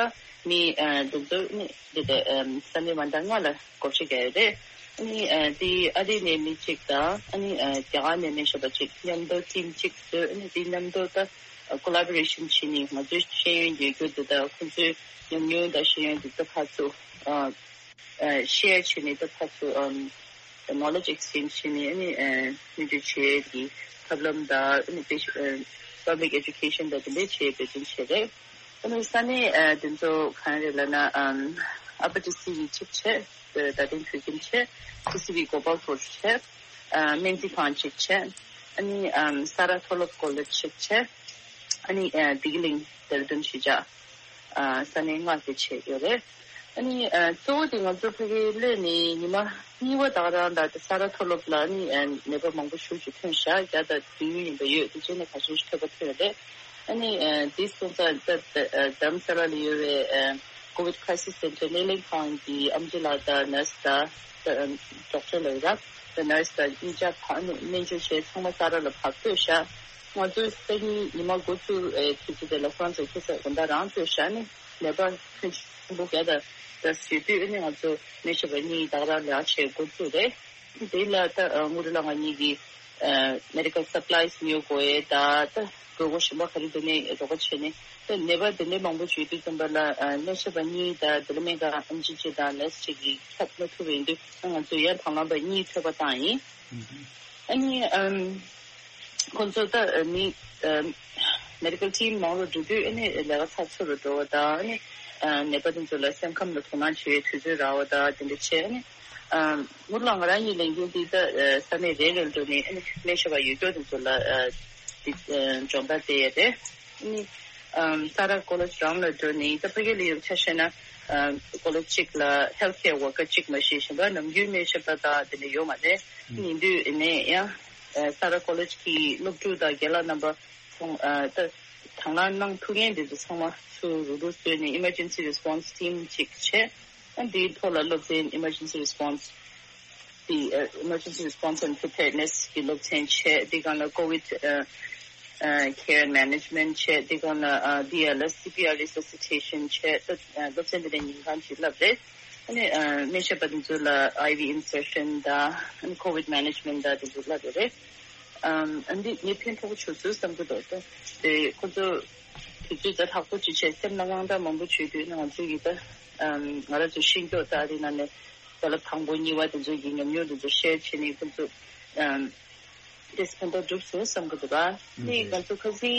མི་ཨ་དེ་ཚོ་ནི་འདི་ད་ཨམ་ས་གནས་མ་འདྲ་ལྔ་ལ་སྒོ་ཕྱེ་བརྒྱབ་ཡོད་རེད། ཨ་ནི་ཨ་དེ་ཨ་རི་ནས་མི་གཅིག་དང་ཨ་ནི་ཨ་རྒྱ་གར་ནས་སྨན་ཞབས་པ་གཅིག་མཉམ་དུ་ཊིམ་གཅིག་བཟོས། ཨ་ནི་དེ་མཉམ་དུ་ད་ཀོ་ལ་བོ་རེ་ཤན་བྱས་ནས་ང་ཚོའི་ཤེས་ཡོན་ཡོད་རྒྱུ་དེ་དང་ཁོང་ཚོའི་ཉམས་མྱོང་དང་ཤེས་ཡོན་དེ་ཚོ་ཕར་ཚུར་ཨ། ཨ་ཤེར་བྱས་ནས་ད་ཕར་ཚུར་ཨམ་ནོ་ལེཇ་ཨེག་སི་ཅེན་ཇི་བྱས་ནས་ཨ་ནི་ཨ་སྨན་བཅོས་བྱེད་ཡས་ཀྱི་ཐབས་ལམ་དང་ཨ་ནི་པེ་ཤ་ཨ་པབ་ལིག་ཨེ་ཌུ་ཀེ་ཤན་དང་དེ་འདྲའི་བྱེད་ཡས་འབད་བརྩོན་བྱས་རེད། ཨ་ནི་ས་གནས་ཨ་དེ་ཚོ་གང་རེད་ལབ་ན་ཨམ་ཨ་པར་ཊི་སི་ཝི་གཅིག་བྱས། ཨ་རྡ་སྟེང་བོད་ཁྱིམ་བྱས། ཊི་སི་ཝི་གོ་པལ་པུར་བྱས། ཨ་སྨན་རྩིས་ཁང་གཅིག་བྱས། ཨ་ནི་ཨམ་ས་ར་མཐོ་སློབ་ཀོ་ལེཇ་གཅིག་བྱས། ཨ་ནི་ཨ་བདེ་སྐྱིད་གླིང་དེ་ར་དོན་གཞིས་ཆགས་ཨ་ས་གནས་ལྔ་དེ་བྱས་ཡོད་རེད། ཨ་ནི་ཨ་གཙོ་བོ་དེ་ང་ཚོ་ཕ་གིར་སླེབས་ནས་ཉི་མ་གཉིས་པ་དག་རང་ལ་དེ་ས་ར་མཐོ་སློབ་ལ་ཨ་ནི་ཨ་ནད་པ་མང་པོ་ཞེ་ཅིག་ཐོན་ཤག་བརྒྱ་དང་བདུན་ཡིན་པ་ཡོད། དེ་རྗེས་ནས་ག་ཚོད་ཅིག་ཐོན་པ་ཐོན་རེད། ཨ་ནི་ཨ་དེ་སོང་ཙང་ད་ད་ཨ་རྡ་རམ་ས་ལ་ལ་ཡོད་པའི་ཨ་ཀོ་ཝིཌ་ཁ་རའི་སིས་སེན་ཊར་སྣེ་ལེན་ཁང་གི་ཨེམ་ཆི་ལགས་དང་ནར་སི་དང་ད་ཨ་ཌོག་ཊར་ལབ་ཡོད་ར། ད་ནར་སི་དང་གཉིས་ཆ་ཕར་ཨ་ནི་སྨན་བཅོས་བྱས་ཚང་མ་ས་ར་ལ་ཕར་སྤོས་ཤག་ང་ཚོའི་སང་ཉིན་ཉི་མ་འགོ་བཙུགས་ཨེ་དུས་ཚོད་དེ་ལ་ཁོ་རང་ཚོ་ཁ་སང་དགོང་དག་རང་སྤོས་ཤག་ནི་ནད་པ་ཕོན་ཆེན་པོ་བརྒྱ་དང་ད་ཟེར་དུས་ཨ་ནི་ང་ཚོ་སྨན་ཞབས་པ་གཉིས་དག་རང་ལས་ཀ་བྱེད་འགོ་བཙུགས་རེད། དེ་ལ་ད་ཨ་དངུལ་ལགས་ང་གཉིས་ཀྱིས་ཨ་མེ་ཌི་ཀལ་སབ་ལའི་སི་ཉོ་དགོས་ཡས་ད་ད་དགོས་མཁོ་གཞན་པ་ག་རེ་འདུག་ནས་རོགས་པ་བྱས་ནས་ད་ནད་པ་དེ་འདྲའི་མང་པོ་བྱུང་དུས་ཙམ་པ་ལ་ཨ་སྨན་ཞབས་པ་གཉིས་དང་དེ་ལ་སྨན་ཁང་ཨེམ་ཆི་གཅིག་དང་ནར་སི་གཅིག་གིས་ཁྱབ་མ་ཐུབ་པ་ཡིན་དུས་ང་ཚོས་ཡང་དང་བླངས་པ་གཉིས་ཐོན་པ་བཏང་ཡིན། ཨ་ནི་ཨམ་ཁོང་ཚོ་ད་མི་ཨམ་མེ་ཌི་ཀལ་ཊིམ་མང་རུ་འགྲོ་དུས་ཨ་ནི་ལས་ཀ་ཚགས་ཚུད་རུ་འགྲོ་བ་དང་ཨ་ནི་ཨ་ནད་པ་དེ་ཚོ་ལ་སེམས་ཁམས་ལ་དོ་སྣང་བྱེད་པའི་དུས་ཚོད་རག་པ་དང་དེ་འདྲ་བྱས། ཨ་ནི་ཨམ་དངུལ་ལགས་ང་རང་གཉིས་ལས་འགུལ་འདི་ད་ཨ་ས་གནས་རེ་རེར་འགྲོ་ནས་ཨ་ནི་སྨན་ཞབས་པ་ཡོད་སྐྱོ་དེ་ཚོ་ལ་ཨ་འདི་ཨ་སྦྱོང་བརྡར་སྤྲད་ཡས་རེད། ཨ་ནི་ཨམ་ས་ར་ཀོ་ལེཇ་རང་ལ་འགྲོ་ནས་ད་ཕ་གི་ལ་ཡོད་ཆ་བཞག་ན་ཨ་ཀོ་ལེཇ་གཅིག་ལ་ཧེལ་ཐི་ཀེར་ཝར་ཀར་གཅིག་མ་གཏོགས་གཞན་པ་ནམ་རྒྱུན་སྨན་ཞབས་པ་དང་དེ་འདྲ་ཡོད་མ་རེད། ཨ་ནི་ཡིན་དུས་ཨ་ནི་ཡང་ཨ་ས་ར་ཀོ་ལེཇ་གི་སློབ་ཕྲུག་དང་རྒན་ལགས་རྣམ་པ་ཚང་ཨ་ད་དང་བླངས་གནང་ཐུབ་མཁན་དེ་ཚོ་ཚང་མ་ཚུར་རུག་རུག་བཟོས་ནས་ཨི་མར་ཇེན་སི་རེ་སི་པོན་སི་ཊིམ་གཅིག་བྱས། ཨ་འདིའི་ཐོག་ལ་སློབ་ཚན་ཨི་མར་ཇེན་སི་རེ་སི་པོན་སི་དེ་ཨ་Emergency Response and Preparedness གི་སློབ་ཚན་བྱས། དེ་སྒང་ལ་COVID ཨ་ཨ་Care and Management བྱས། དེ་སྒང་ལ་ཨ་བི་ཨེལ་ཨེས་སི་པི་ཨར་རི་སི་སི་ཊེ་ཤན་བྱས། ད་ཨ་སློབ་ཚན་དེ་འདྲ་ཉིན་གང་ཅིག་བསླབས་རེད། ཨ་ནི་ཨ་སྨན་ཞབས་པ་དེ་ཚོ་ལ་ཨའི་ཝི་ཨིན་སར་ཤན་དང་ཨ་ནི་COVID Management དང་དེ་ཚོ་བསླབས་ཡོད་རེད། ཨམ་ཨ་འདི་ངས་ཕན་ཐོགས་པོ་བྱུང་ཚུལ་བསམ་གྱི་འདུག་ད་དེ་ཁོ་ཚོ་དུས་ཚོད་ད་ལྷག་པོ་ཅིག་བྱས་སེམས་ལ་དངངས་སྐྲག་མང་པོ་བྱུང་དུས་ནི་ང་ཚོ་ཡི་ད་ཨམ་ང་རང་ཚོ་ཤེས་མཁན་ད་ཨ་རི་ནང་ནས་རྦ་རླབས་དང་པོ་གཉིས་པ་དེ་ཚོ་གི་ཉམས་མྱོང་དེ་ཚོ་ཤེར་བྱས་ནས་ཁོ་ཚོ་ཨམ་དེ་ཕན་ཐོགས་འགྲུབ་སོང་བསམ་གྱི་འདུག་ག་ནི་ང་ཚོ་ཁ་སང་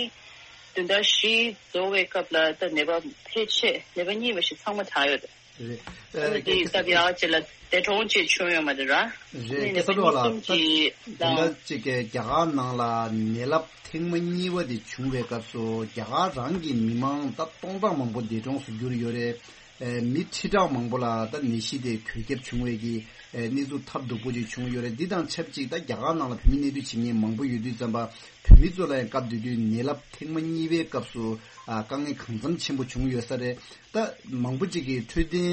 བདུན་ཕྲག་བཞི་རྫོགས་པའི་སྐབས་ལ་ད་ནད་པ་ཕལ་ཆེར་ནད་པ་གཉིས་པ་ཞིག་ཚང་མ་དྲག་ཡོད་རེད། རེད། ཨ་ནི་དེ་སྐབས་ཡག་ཅིག་ལ་འདས་གྲོངས་ཅིག་བྱུང་ཡོད་མ་རེད་ར། རེད། ནི་སྐལ་བཟང་ལགས་ལ་ད་གསུམ་གྱི་དེ་འདྲ་ལ་ཅིག་གི་རྒྱ་གར་ནང་ལ་ནད་རླབས་ཐེངས་མ་གཉིས་པ་དེ་བྱུང་བའི་སྐབས་སུ་རྒྱ་གར་རང་གི་མི་མང་ད་སྟོང་ཕྲག་མང་པོ་འདས་གྲོངས་སུ་གྱུར་ཡོད་རེད། ཨེ་མི་ཁྲི་ཕྲག་མང་པོ་ལ་ད་ནད་གཞི་དེ་འགོས་ཁྱབ་བྱུང་བའི་གི་ཨེ་གནས་ཚུལ་ཐབས་སྡུག་པོ་ཅིག་བྱུང་ཡོད་རེད། འདི་དང་ཆབས་ཅིག་ད་རྒྱ་གར་ནང་ལ་བོད་མི་གནས་སྡོད་བྱེད་མཁན་མང་པོ་ཡོད་དུས་ཙམ་པ་བོད་མི་ཚོ་ལ་ཡང་སྐབས་དེ་དུས་ནད་རླབས་ཐེངས་མ་གཉིས་པའི་སྐབས་སུ་ཨ་དཀའ་ངལ་གང་འཚམ་ཆེན་པོ་བྱུང་ཡོད་ས་རེད། ད་མང་པོ་ཅིག་གིས་འཕྲོད་བསྟེན་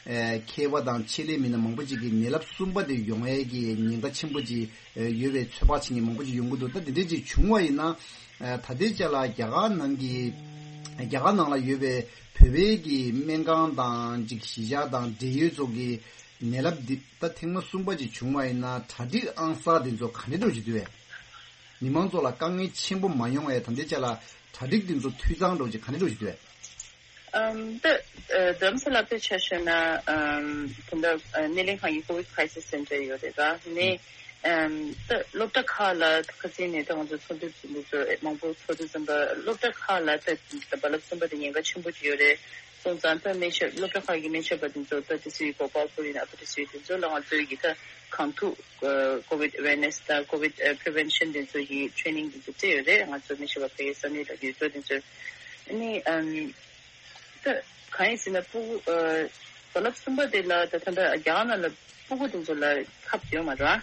ཨེ་མཁས་པ་དང་ཆེད་ལས་མི་སྣ་མང་པོ་ཅིག་གིས་ནད་རླབས་གསུམ་པ་དེ་ཡོང་ཡས་ཀྱི་ཉེན་ཁ་ཆེན་པོ་ཅིག་ཨེ་ཡོད་པའི་ཚོད་དཔག་བྱེད་མཁན་མང་པོ་ཅིག་ཡོང་གི་འདུག་ད་དེ་འདྲས་ཅིག་བྱུང་བ་ཡིན་ན་ཨེ་ད་ལྟའི་ཆ་ལ་རྒྱ་གར་ནང་གི་རྒྱ་གར་ནང་ལ་ཡོད་པའི་བོད་པའི་གི་སྨན་ཁང་དང་ཅིག་གཞིས་ཆགས་དང་འབྲེལ་ཡོད་ཚོ་གི་ནད་རླབས་འདི་ད་ཐེངས་མ་གསུམ་པ་ཅིག་བྱུང་བ་ཡིན་ན་གྲ་སྒྲིག་ཨང་གསར་དེ་ཚོ་ག་འདྲས་འགྲོ་བཞིན་འདུག་བས། མི་མང་ཚོ་ལ་དཀའ་ངལ་ཆེན་པོ་མ་ཡོང་བའི་ད་ལྟའི་ཆ་ལ་གྲ་སྒྲིག་དེ་ཚོ་འཐུས་ཚང་འགྲོ་ཅིག་ག་འདྲས་འགྲོ་བཞིན་འདུག་བས། ཨམ་ད་རྡ་རམ་ས་ལ་དཔེ་ཆ་བཞག་ན་ཨམ་ད་ལྟ་སྣེ་ལེན་ཁང་གི་ཀོ་ཝིད་ཁྲའི་སིས་སེན་ཊར་ཡོད་རེད་ར། ནས་ཨམ་ད་སློབ་གྲྭ་ཁག་ལ་ཁ་སང་ནས་ད་ང་ཚོ་ཚོགས་འདུ་ཚོགས་འདུ་ཚོ་མང་པོ་ཚོགས་དུས་ཙམ་པ་སློབ་གྲྭ་ཁག་ལ་ད་རྦ་རླབས་གསུམ་པ་དེ་ཉེན་ཁ་ཆེན་པོ་ཅིག་ཡོད་རེད། སོང་ཙང་ད་སྨན་ཞབས་སློབ་གྲྭ་ཁག་གི་སྨན་ཞབས་པ་དེ་ཚོ་ད་དེ་ཚོའི་གོ་སྐབས་ཁོ་རེ་ན་ཨ་ཕ་དེ་ཚོའི་དེ་ཚོ་ལ་ང་ཚོའི་གི་ད་གང་ཐུབ་ཀོ་ཝིད་ཨ་ཝེར་ནེ་སི་དང་ཀོ་ཝིད་པི་རི་ཝེན་ཤན་དེ་ཚོ་གི་ཊི་རེ་ནིང་དེ་ཚོ་སྤྲད་ཡོད་རེད། ང་ཚོ་སྨན་ཞབས་པ་ཕ་གི་ས་གནས་ལ་ཡོད་ཚོ་དེ་ཚོ་ཨ་ནི་ཨམ། ད་གང་ཡིན་ཟེར་ན་སྤུ་གུ་ཨ་རྦ་རླབས་གསུམ་པ་དེ་ལ་ད་ད་ལྟ་རྒྱ་གར་ནང་ལ་སྤུ་གུ་དེ་ཚོ་ལ་ཁབ་ཡོད་མ་རེད།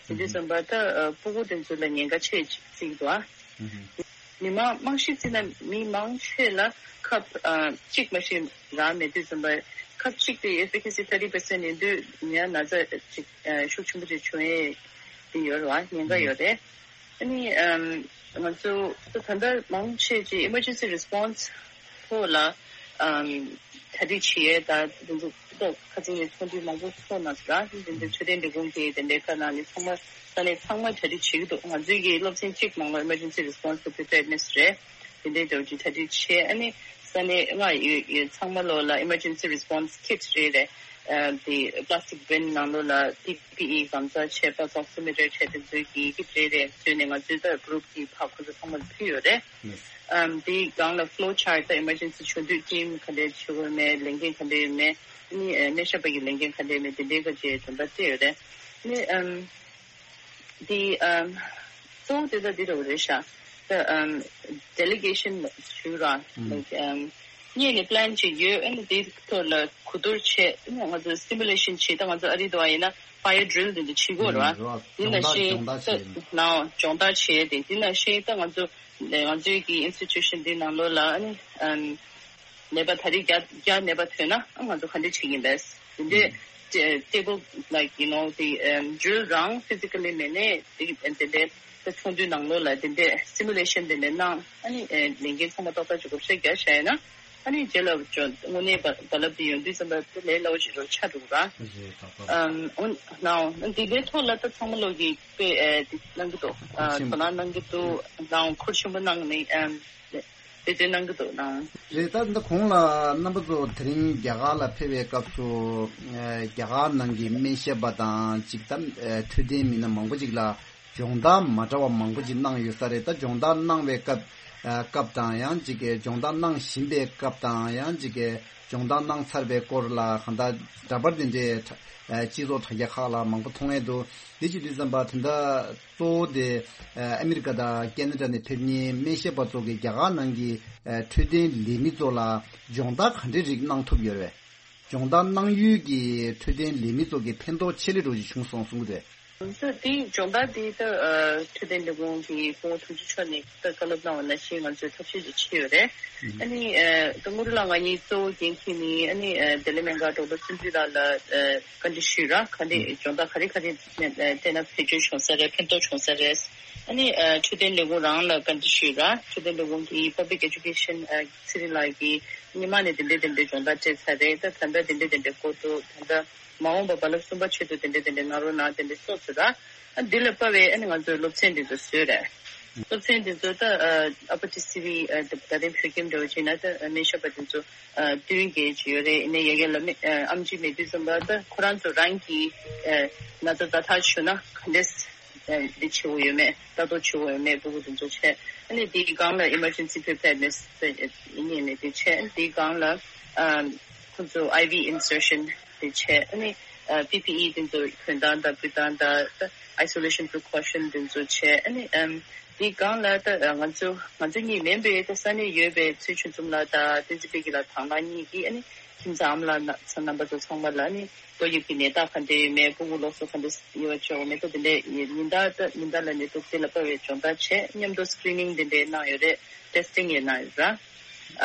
དེ་དུས་ཙམ་པ་ད་ཨ་སྤུ་གུ་དེ་ཚོ་ལ་ཉེན་ཁ་ཆེ་ཅིག་བརྩི་གི་འདུག་ཨ། མི་མང་རྨང་གཞི་བརྩིས་ན་མི་མང་ཆེ་ལ་ཁབ་ཨ་གཅིག་མ་གཏོགས་རག་མེད་དུས་ཙམ་པ་ཁབ་གཅིག་དེ་ཨེ་ཕི་ཀེ་སི་ཐར་ཊི་པར་སེན་ཊི་ཡིན་དུས་ཉ་ན་ཚ་ཅིག་ཨ་ཤུགས་ཆེན་པོ་ཅིག་བྱུང་ཡས་དེ་ཡོད་རེད་བ། ཉེན་ཁ་ཡོད་རེད། ཨ་ནི་ཨམ་ང་ཚོ་ད་ད་ལྟ་མང་ཆེ་ཅིག་ཨི་མར་ཇེན་སི་རི་སི་པོན་སི་ཐོག་ལ་ཨམ་གྲ་སྒྲིག་བྱེད་ཡས་ད་དེ་ཚོ་ད་ཁ་སང་ནས་ཚོགས་འདུ་མང་པོ་ཚོགས་གནང་སོང་ར། དེ་འདྲ་འཕྲོད་བསྟེན་ལས་ཁུངས་ཀྱི་དེ་འདྲའི་ཁ་ནང་ནས་ཚང་མ་ས་གནས་ཚང་མ་གྲ་སྒྲིག་བྱེད་ཀྱི་འདུག་ང་ཚོའི་གི་སློབ་ཚན་གཅིག་ནང་ལ་ཨི་མར་ཇེན་སི་རི་སི་པོན་སི་པི་རི་པེར་ནེ་སི་རེད། དེ་འདྲའི་འདྲ་བོ་ཅིག་གྲ་སྒྲིག་བྱས། ཨ་ནི་ས་གནས་ལྔ་ཡོད་ཡོད་ཚང་མ་ལོག་ལ་ཨི་མར་ཇེན་སི་རི་སི་པོན་སི་ཁིཊ་རེ་རེ་ཨ་དེ་པ་ལ་སི་ཊིག་བིན་ནང་ལོགས་ལ་པི་པི་ཨི་གང་ཟག་བྱས་པ་ཨོག་སི་མི་ཊར་བྱས་དེ་ཚོའི་གི་ཁིཊ་རེ་རེ་བཟོས་ནས་ང་ཚོའི་ད་གུ་རུབ་ཀྱི་ཕར་ཁོ་ཚོ་ཚང་མ་ལ་ཕུལ་ཡོད་རེད། ཨམ་དེའི་སྒང་ལ་ཕི་ལོ་ཆར་ཊི་ད་ཨི་མར་ཇེན་སི་བྱུང་དུས་ཊིམ་ག་འདྲས་བྱེད་དགོས་མེད། ལས་འགན་ག་འདྲས་ཡོད་མེད། ཨ་ནི་ཨ་སྨན་ཞབས་པ་གི་ལས་འགན་ག་འདྲས་མེད་དེ་འདྲའི་ག་ཅེས་དོན་དག་སྤྲད་ཡོད་རེད། ཨ་ནི་ཨམ་དེ་ཨམ་གཙོ་བོ་དེ་ད་འདི་འདྲ་བོ་རེད་ཤག་ད་ཨམ་ཌེ་ལི་གེ་ཤན་ཞུ་ར་ལའིཀ་ཨམ་སྔོན་ནས་པི་ལན་ཅིག་ཡོད། ཨ་ནི་དེའི་ཐོག་ལ་གོ་བསྡུར་བྱས། ཨ་ནི་ང་ཚོ་སི་མུ་ལེ་ཤན་བྱས། ད་ང་ཚོ་ཨ་རི་འདྲ་བ་ཡིན་ན་ཕ་ཡར་ཌི་རིལ་དེ་འདྲ་བྱེད་ཀྱི་ཡོད་རེད་བ། དེ་ནང་བཞིན་ད་ནའོ་སྦྱོང་བརྡར་བྱས་ཏེ་དེ་ནང་བཞིན་ད་ང་ཚོ་ང་ཚོའི་གི་ཨིན་སི་ཊི་ཊུ་ཤན་འདི་ནང་ལོགས་ལ་ཨ་ནི་ཨམ་ནད་པ་ད་རེས་བརྒྱ་བརྒྱ་ནད་པ་ཐོན་ན་ཨ་ང་ཚོ་ག་འདྲ་བྱེད་ཀྱི་ཡིན་པས། དེ་འདྲའི་ཊེ་ཊེ་བལ་ལའིཀ་ཡུ་ནོ་དེ་ཨམ་ཌི་རིལ་རང་ཕི་ཛི་ཀ་ལི་མེད་ནས་དེ་དེ་འདྲའི་ད་ཚོགས་འདུའི་ནང་ལོགས་ལ་དེ་འདྲའི་སི་མུ་ལེ་ཤན་དེ་འདྲ་གནང་། ཨ་ནི་ཨེ་ལས་འགན་ཚང་མ་ཏག་ཏག་ཅིག་བགོ་བཤའ་རྒྱག་བཞག་ཡིན་ན། ཨ་ནི་རྗེས་ལ་ཅོ་དངོས་གནས་རྦ་རྦ་རླབས་དེ་ཡོང་དུས་ཙམ་པ་དེ་ལས་སླ་བོ་ཅིག་རུ་ཆགས་འགྲོ་གི་ར། ཨམ་འོ་ནའོ་འདི་འདྲའི་ཐོག་ལ་ད་ཚང་མ་ལོག་གིས་དཔེ་ཨེ་འདི་གནང་གི་འདུག་ཨ་དོ་སྣང་གནང་གི་འདུག་ནའོ་ཁུར་ཆེན་པོ་གནང་ནས་ཨམ་འབད་བརྩོན་གནང་གི་འདུག་ནའོ། རེད། ད་འདི་གོང་ལ་རྣམ་པ་ཚོ་དེ་རིང་རྒྱ་གར་ལ་ཕེབས་པའི་སྐབས་སུ་ཨེ་རྒྱ་གར་ནང་གི་སྨན་ཞབས་པ་དང་ཅིག་ད་ཨེ་འཕྲོད་བསྟེན་མི་སྣ་མང་པོ་ཅིག་ལ་སྦྱོང་བརྡར་མ་འདྲ་བ་མང་པོ་ཅིག་གནང་ཡོད་ས་རེད། ད་སྦྱོང་བརྡར་གནང་བའི་སྐབས་ཨ་སྐབས་དང་ཡང་ཅིག་གི་སྦྱོང་བརྡར་གནང་བཞིན་པའི་སྐབས་དང་ཡང་ཅིག་གི་སྦྱོང་བརྡར་གནང་ཚར་བའི་སྐོར་ལ་གང་ལྟར་འདྲ་པར་དེ་འདྲའི་ཨ་སྤྱི་ཚོགས་དྲ་རྒྱ་ཁག་ལ་མང་པོ་མཐོང་ཡས་འདུག་འདི་བྱེད་དུས་ཙམ་པ་དེ་འདྲ་གཙོ་བོ་དེ་ཨ་ཨ་མི་རི་ཀ་དང་ཁེ་ན་ཌ་ནས་ཕེབས་མཁན་སྨན་ཞབས་པ་ཚོ་གིས་རྒྱ་གར་ནང་གི་ཨ་འཕྲོད་བསྟེན་ལས་མི་ཚོ་ལ་སྦྱོང་བརྡར་ག་འདྲའི་རིགས་གནང་ཐུབ་ཡོད་རེད། སྦྱོང་བརྡར་གནང་ཡུལ་གྱི་འཕྲོད་བསྟེན་ལས་མི་ཚོ་གི་ཕན་ཐོགས་ཆེ་ལེ་འགྲོ་ཞིག་བྱུང་སོང་གསུང་གི་རེད། ད་དེའི་སྦྱོང་བརྡར་དེ་ད་ཨ་འཕྲོད་བསྟེན་ལས་ཁུངས་ཀྱི་སྐུ་ངོ་དྲུང་ཆེ་མཆོག་ནས་ད་བཀའ་སློབ་གནང་བ་ནང་བཞིན་ང་ཚོས་ཐབས་ཤེས་ཅིག་བྱས་ཡོད་རེད། ཨ་ནི་ཨ་ད་དངུལ་ལགས་ང་གཉིས་གཙོ་བོ་འགན་འཁྱེར་ནས་ཨ་ནི་ཨ་འབྲེལ་ཡོད་སྨན་ཁང་ཌོག་ཊར་བསམ་འགྲུབ་ལགས་ལ་ཨ་བཀའ་འདྲི་ཞུས་ར། ག་འདྲ་སྦྱོང་བརྡར་ག་རེ་ག་རེ་སྤྲད་ན་བེད་སྤྱོད་བྱུང་ས་རེད། ཕན་ཐོགས་བྱུང་ས་རེད། ཨ་ནི་ཨ་འཕྲོད་བསྟེན་ལས་ཁུངས་རང་ལ་བཀའ་འདྲི་ཞུས་ར། འཕྲོད་བསྟེན་ལས་ཁུངས་ཀྱི་པབ་ལིག་ཨེ་ཌུ་ཀེ་ཤན་ཨ་ཚེ་རིང་ལགས་ཀྱིས་སྔོན་མ་ནས་དེ་འདྲའི་དེ་འདྲའི་སྦྱོང་བརྡར་སྤྲད་ཚར་རེད། ད་ད་ལྟ་དེ་འདྲའི་དེ་འདྲའི་སྐོར་འདུག་ད་ལྟ་མ་འོངས་པ་རྦ་རླབས་གསུམ་པ་ཆེད་དུ་དེ་འདྲའི་དེ་འདྲའི་གནང་རོགས་གནང་དེ་འདྲའི་སོགས་ཚོ་ར། ཨ་འདི་ལ་དཔག་པའི་ཨ་ནི་ང་ཚོས་སློབ་ཚན་འདི་ཚོ་བཟོས་རེད། སློབ་ཚན་འདི་ཚོ་ད་ཨ་ཨ་པ་ཊི་སི་བི་ཨ་ད་ད་རིང་བོད་ཁྱིམ་འདྲ་བོ་བྱས་ན་ད་ཨ་སྨན་ཞབས་པ་འདི་ཚོ་ཨ་བདུན་བརྒྱད་ཅིག་ཡོད་རེད། ཡིན་ནའི་ཡ་གི་ལ་མི་ཨ་ཨེམ་ཆི་མེད་དུས་ཙམ་པ་ད་ཁོ་རང་ཚོ་རང་གིས་ཨ་ན་ཚ་བརྡ་ཐག་ཞུ་ན་ག་འདྲས་ཨ་འདི་བྱེད་དགོས་ཡོད་མེད། ལྟ་རྟོག་བྱེད་དགོས་ཡོད་མེད། སྤུ་གུ་འདི་ཚོ་བྱས། ཨ་ནི་དེའི་སྒང་ལ་ཨི་མར་ཇེན་སི་པི་རི་པེར་ནེ་སི་ཡིན་ནའི་མེད་དེ་བྱས། ཨ་ནི་དེའི་སྒང་ལ་ཨ་ཁོ་ཚོ་ཨའི་ཝི་ཨིན་སར་ཤན་དེ་བྱས། ཨ་ནི་ཨ་པི་པི་ཨི་དེ་ཚོ་གྱོན་སྟངས་དང་ཕུད་སྟངས་དང་ཨའི་སོ་ལེ་ཤན་པི་རི་ཀོ་ཤན་དེ་ཚོ་བྱས། ཨ་ནི་ཨམ་དེའི་སྒང་ལ་ད་ང་ཚོ་ང་ཚོ་གཉིས་མིན་པའི་ད་ས་གནས་ཡོད་པའི་ཚེ་ཆོས་འཛོམས་ལགས་དང་བསྟན་འཛིན་དཔལ་སྐྱིད་ལགས་དང་ལགས་གཉིས་ཀྱིས་ཨ་ནི་ཁྱིམ་ཚང་ཨ་མ་ལགས་ཚང་རྣམ་པ་ཚོ་ཚང་མ་ལ་ཨ་ནི་ཏོག་དབྱིབས་ཀྱི་ནད་རྟགས་ག་འདྲ་ཡོད་མེད། སྤུ་གུ་ལོགས་སུ་ག་འདྲ་ཡོད་པ་བྱས་འོ་མེད་ད་དེ་འདྲའི་ཉིན་ལྟར་ད་ཉིན་ལྟར་ལ་ནད་དུག་དེ་ལ་དཔག་པའི་སྦྱོང་བརྡར་བྱས། མཉམ་དུ་སི་ཀི་རི་ནིང་དེ་འདྲའི་གནང་ཡོད་རེད། ཊེ་སི་ཊིང་ཡང་གནང་ཡོད་ར།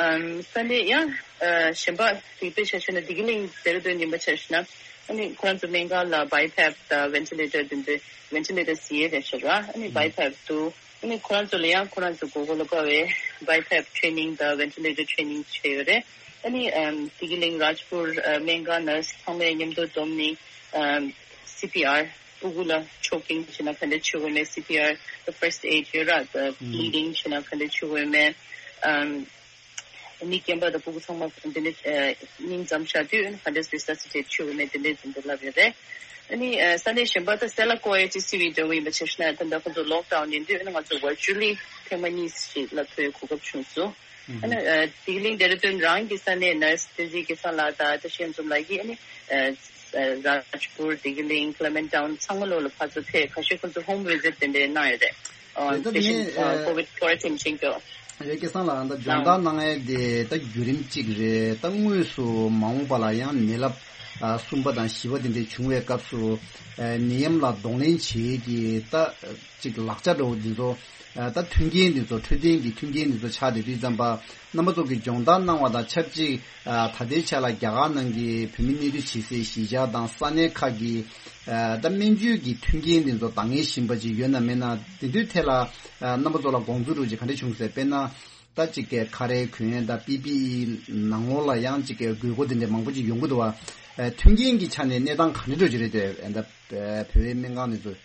ཨམ་ས་གནས་ཡང་ཨ་གཞན་པ་དེ་དཔེ་ཆ་བཞག་ན་བདེ་སྐྱིད་གླིང་ཟེར་དོན་ཡིན་པ་ཆ་བཞག་ན་ཨ་ནི་ཁོ་རང་ཚོ་སྨན་ཁང་ལ་བའི་ཕེབ་དང་ཝེན་ཊི་ལེ་ཊར་དེ་ཚོ་ཝེན་ཊི་ལེ་ཊར་ཟེར་ཡས་རེད་ཤག་ར། ཨ་ནི་བའི་ཕེབ་འདུག་ཨ་ནི་ཁོ་རང་ཚོ་ལ་ཡང་ཁོ་རང་ཚོ་མགོ་སྐོར་ལ་དཔའ་བའི་བའི་ཕེབ་ཊི་རེ་ནིང་དང་ཝེན་ཊི་ལེ་ཊར་ཊི་རེ་ནིང་བྱས་ཡོད་རེད། ཨ་ནི་ཨམ་བདེ་སྐྱིད་གླིང་རཱཇ་པུར་ཨ་སྨན་ཁང་ནར་སི་ཚང་མས་མཉམ་དུ་བསྡོམས་ནས་ཨམ་སི་པི་ཨར་སྤུ་གུ་ལ་ཆོ་ཀིང་བྱས་ན་ག་འདྲ་བྱེད་དགོས་མེད། སི་པི་ཨར་ཕར་སི་ཊི་ཨེ་ཌི་ཡོད་ར། ད་བྷི་ལི་ཌིང་བྱས་ན་ག་འདྲ་བྱེད་དགོས་མེད། ཨམ། མི་རྒན་པ་དང་ཕྲུ་གུ་ཚང་མ་འདི་ནས་ཨ་སྙིང་འཛོམས་བཞག་དུས་ཨ་ནི་ག་འདྲས་རི་སེ་སི་ཊེ་ཊི་བྱེད་དགོས་མེད་དེ་འདྲས་འཛིན་དུ་ལབ་ཡོད་རེད། ཨ་ནི་ཨ་ས་གནས་གཞན་པ་ད་སེ་ལ་ཀོ་ཨེ་ཅི་སི་བི་འདྲ་བོ་ཡིན་པ་བྱས་ན་ད་ལྟ་ཁོ་ཚོ་ལོག་ཌའོན་ཡིན་དུས་ཨ་ནི་ང་ཚོ་ཝར་ཅུ་ལི་ཐེངས་མ་གཉིས་ཤིག་ལ་ཐོན་གོ་སྐབས་བྱུང་སོང་། ཨ་ནི་ཨ་ལྡི་ལི་ལྡེ་ར་ལྡུན་རང་གི་ས་གནས་ནར་སི་བསྟན་འཛིན་སྐལ་བཟང་ལགས་དང་བཀྲ་ཤིས་ཡང་འཛོམས་ལགས་ཀྱིས་ཨ་ནི་ཨ་རཱཇ་པུར་ལྡི་ལི་ཀླེ་མེན་ཊའུན་ཚང་མ་ལོག་ལ་ཕར་ཚུར་ཕེབས་ཁ་ཤས་ཁོ་ཚོ་ཧོམ་བི་ཛིཊ་དེ་འདྲས་གནང་ཡོད་རེད། ཨ་རེད་ད་དེ་བཞིན་དེ་ནས་ཨ་ཨ་ཀོ་ཝིཌ་ཀོ་རེན་ཊིན་བྱེད་མཁན། རེད་སྐལ་བཟང་ལགས་ད་སྦྱོང་བརྡར་གནང་ཡས་དེ་ད་བརྒྱུད་རིམ་གཅིག་རེད། ད་དངོས་སུ་མ་འོངས་པ་ལ་ཡང་ནད་རླབས་ཨ་གསུམ་པ་དང་བཞི་པ་དེ་འདྲས་བྱུང་བའི་སྐབས་སུ་ཨ་ནད་ཡམས་ལ་གདོང་ལེན་བྱེད་ཀྱི་ད་ཅིག་ལག་ཆ་འདྲ་བོ་འདི་ཚོ་ཨ་ད་མཐུན་རྐྱེན་འདི་ཚོ་འཕྲོད་བསྟེན་གྱི་མཐུན་རྐྱེན་འདི་ཚོ་ཆགས་བསྡད་དུས་ཙམ་པ་རྣམ་པ་ཚོ་གིས་སྦྱོང་བརྡར་གནང་བ་དང་ཆབས་ཅིག་ཨ་ད་ལྟའི་ཆ་ལ་རྒྱ་གར་ནང་གི་བོད་མི་གནས་སྡོད་བྱེད་སའི་གཞིས་ཆགས་དང་ས་གནས་ཁག་གི་ཨ་ད་སྨན་བཅོས་ཀྱི་མཐུན་རྐྱེན་འདི་ཚོ་འདང་ངེས་བཞིན་པ་ཅིག་ཡོད་ན་མེད་ན་དེ་ཚོའི་ཐད་ལ་ཨ་རྣམ་པ་ཚོ་ལ་དགོངས་ཚུལ་འདྲ་བོ་ཅིག་ག་འདྲ་བྱུང་ཟེར། དཔེར་ན་ད་ཅིག་གི་ཁ་རས་གོན་ཡས་དང་པི་པི་ཨི་ནང་ལོགས་ལ་ཡང་ཅིག་གི་དགོས་མཁོ་དེ་འདྲ་མང་པོ་ཅིག་ཡོང་གི་འདུག་བ། ཨ་མཐུན་རྐྱེན་གྱི་ཆ་ནས་གནས་སྟངས་ག་འདྲ་འདྲ་བོ་ཅིག་རེད་དེ་ཨ་ད་བོད་པའི་སྨན་ཁང་འདི་ཚོ།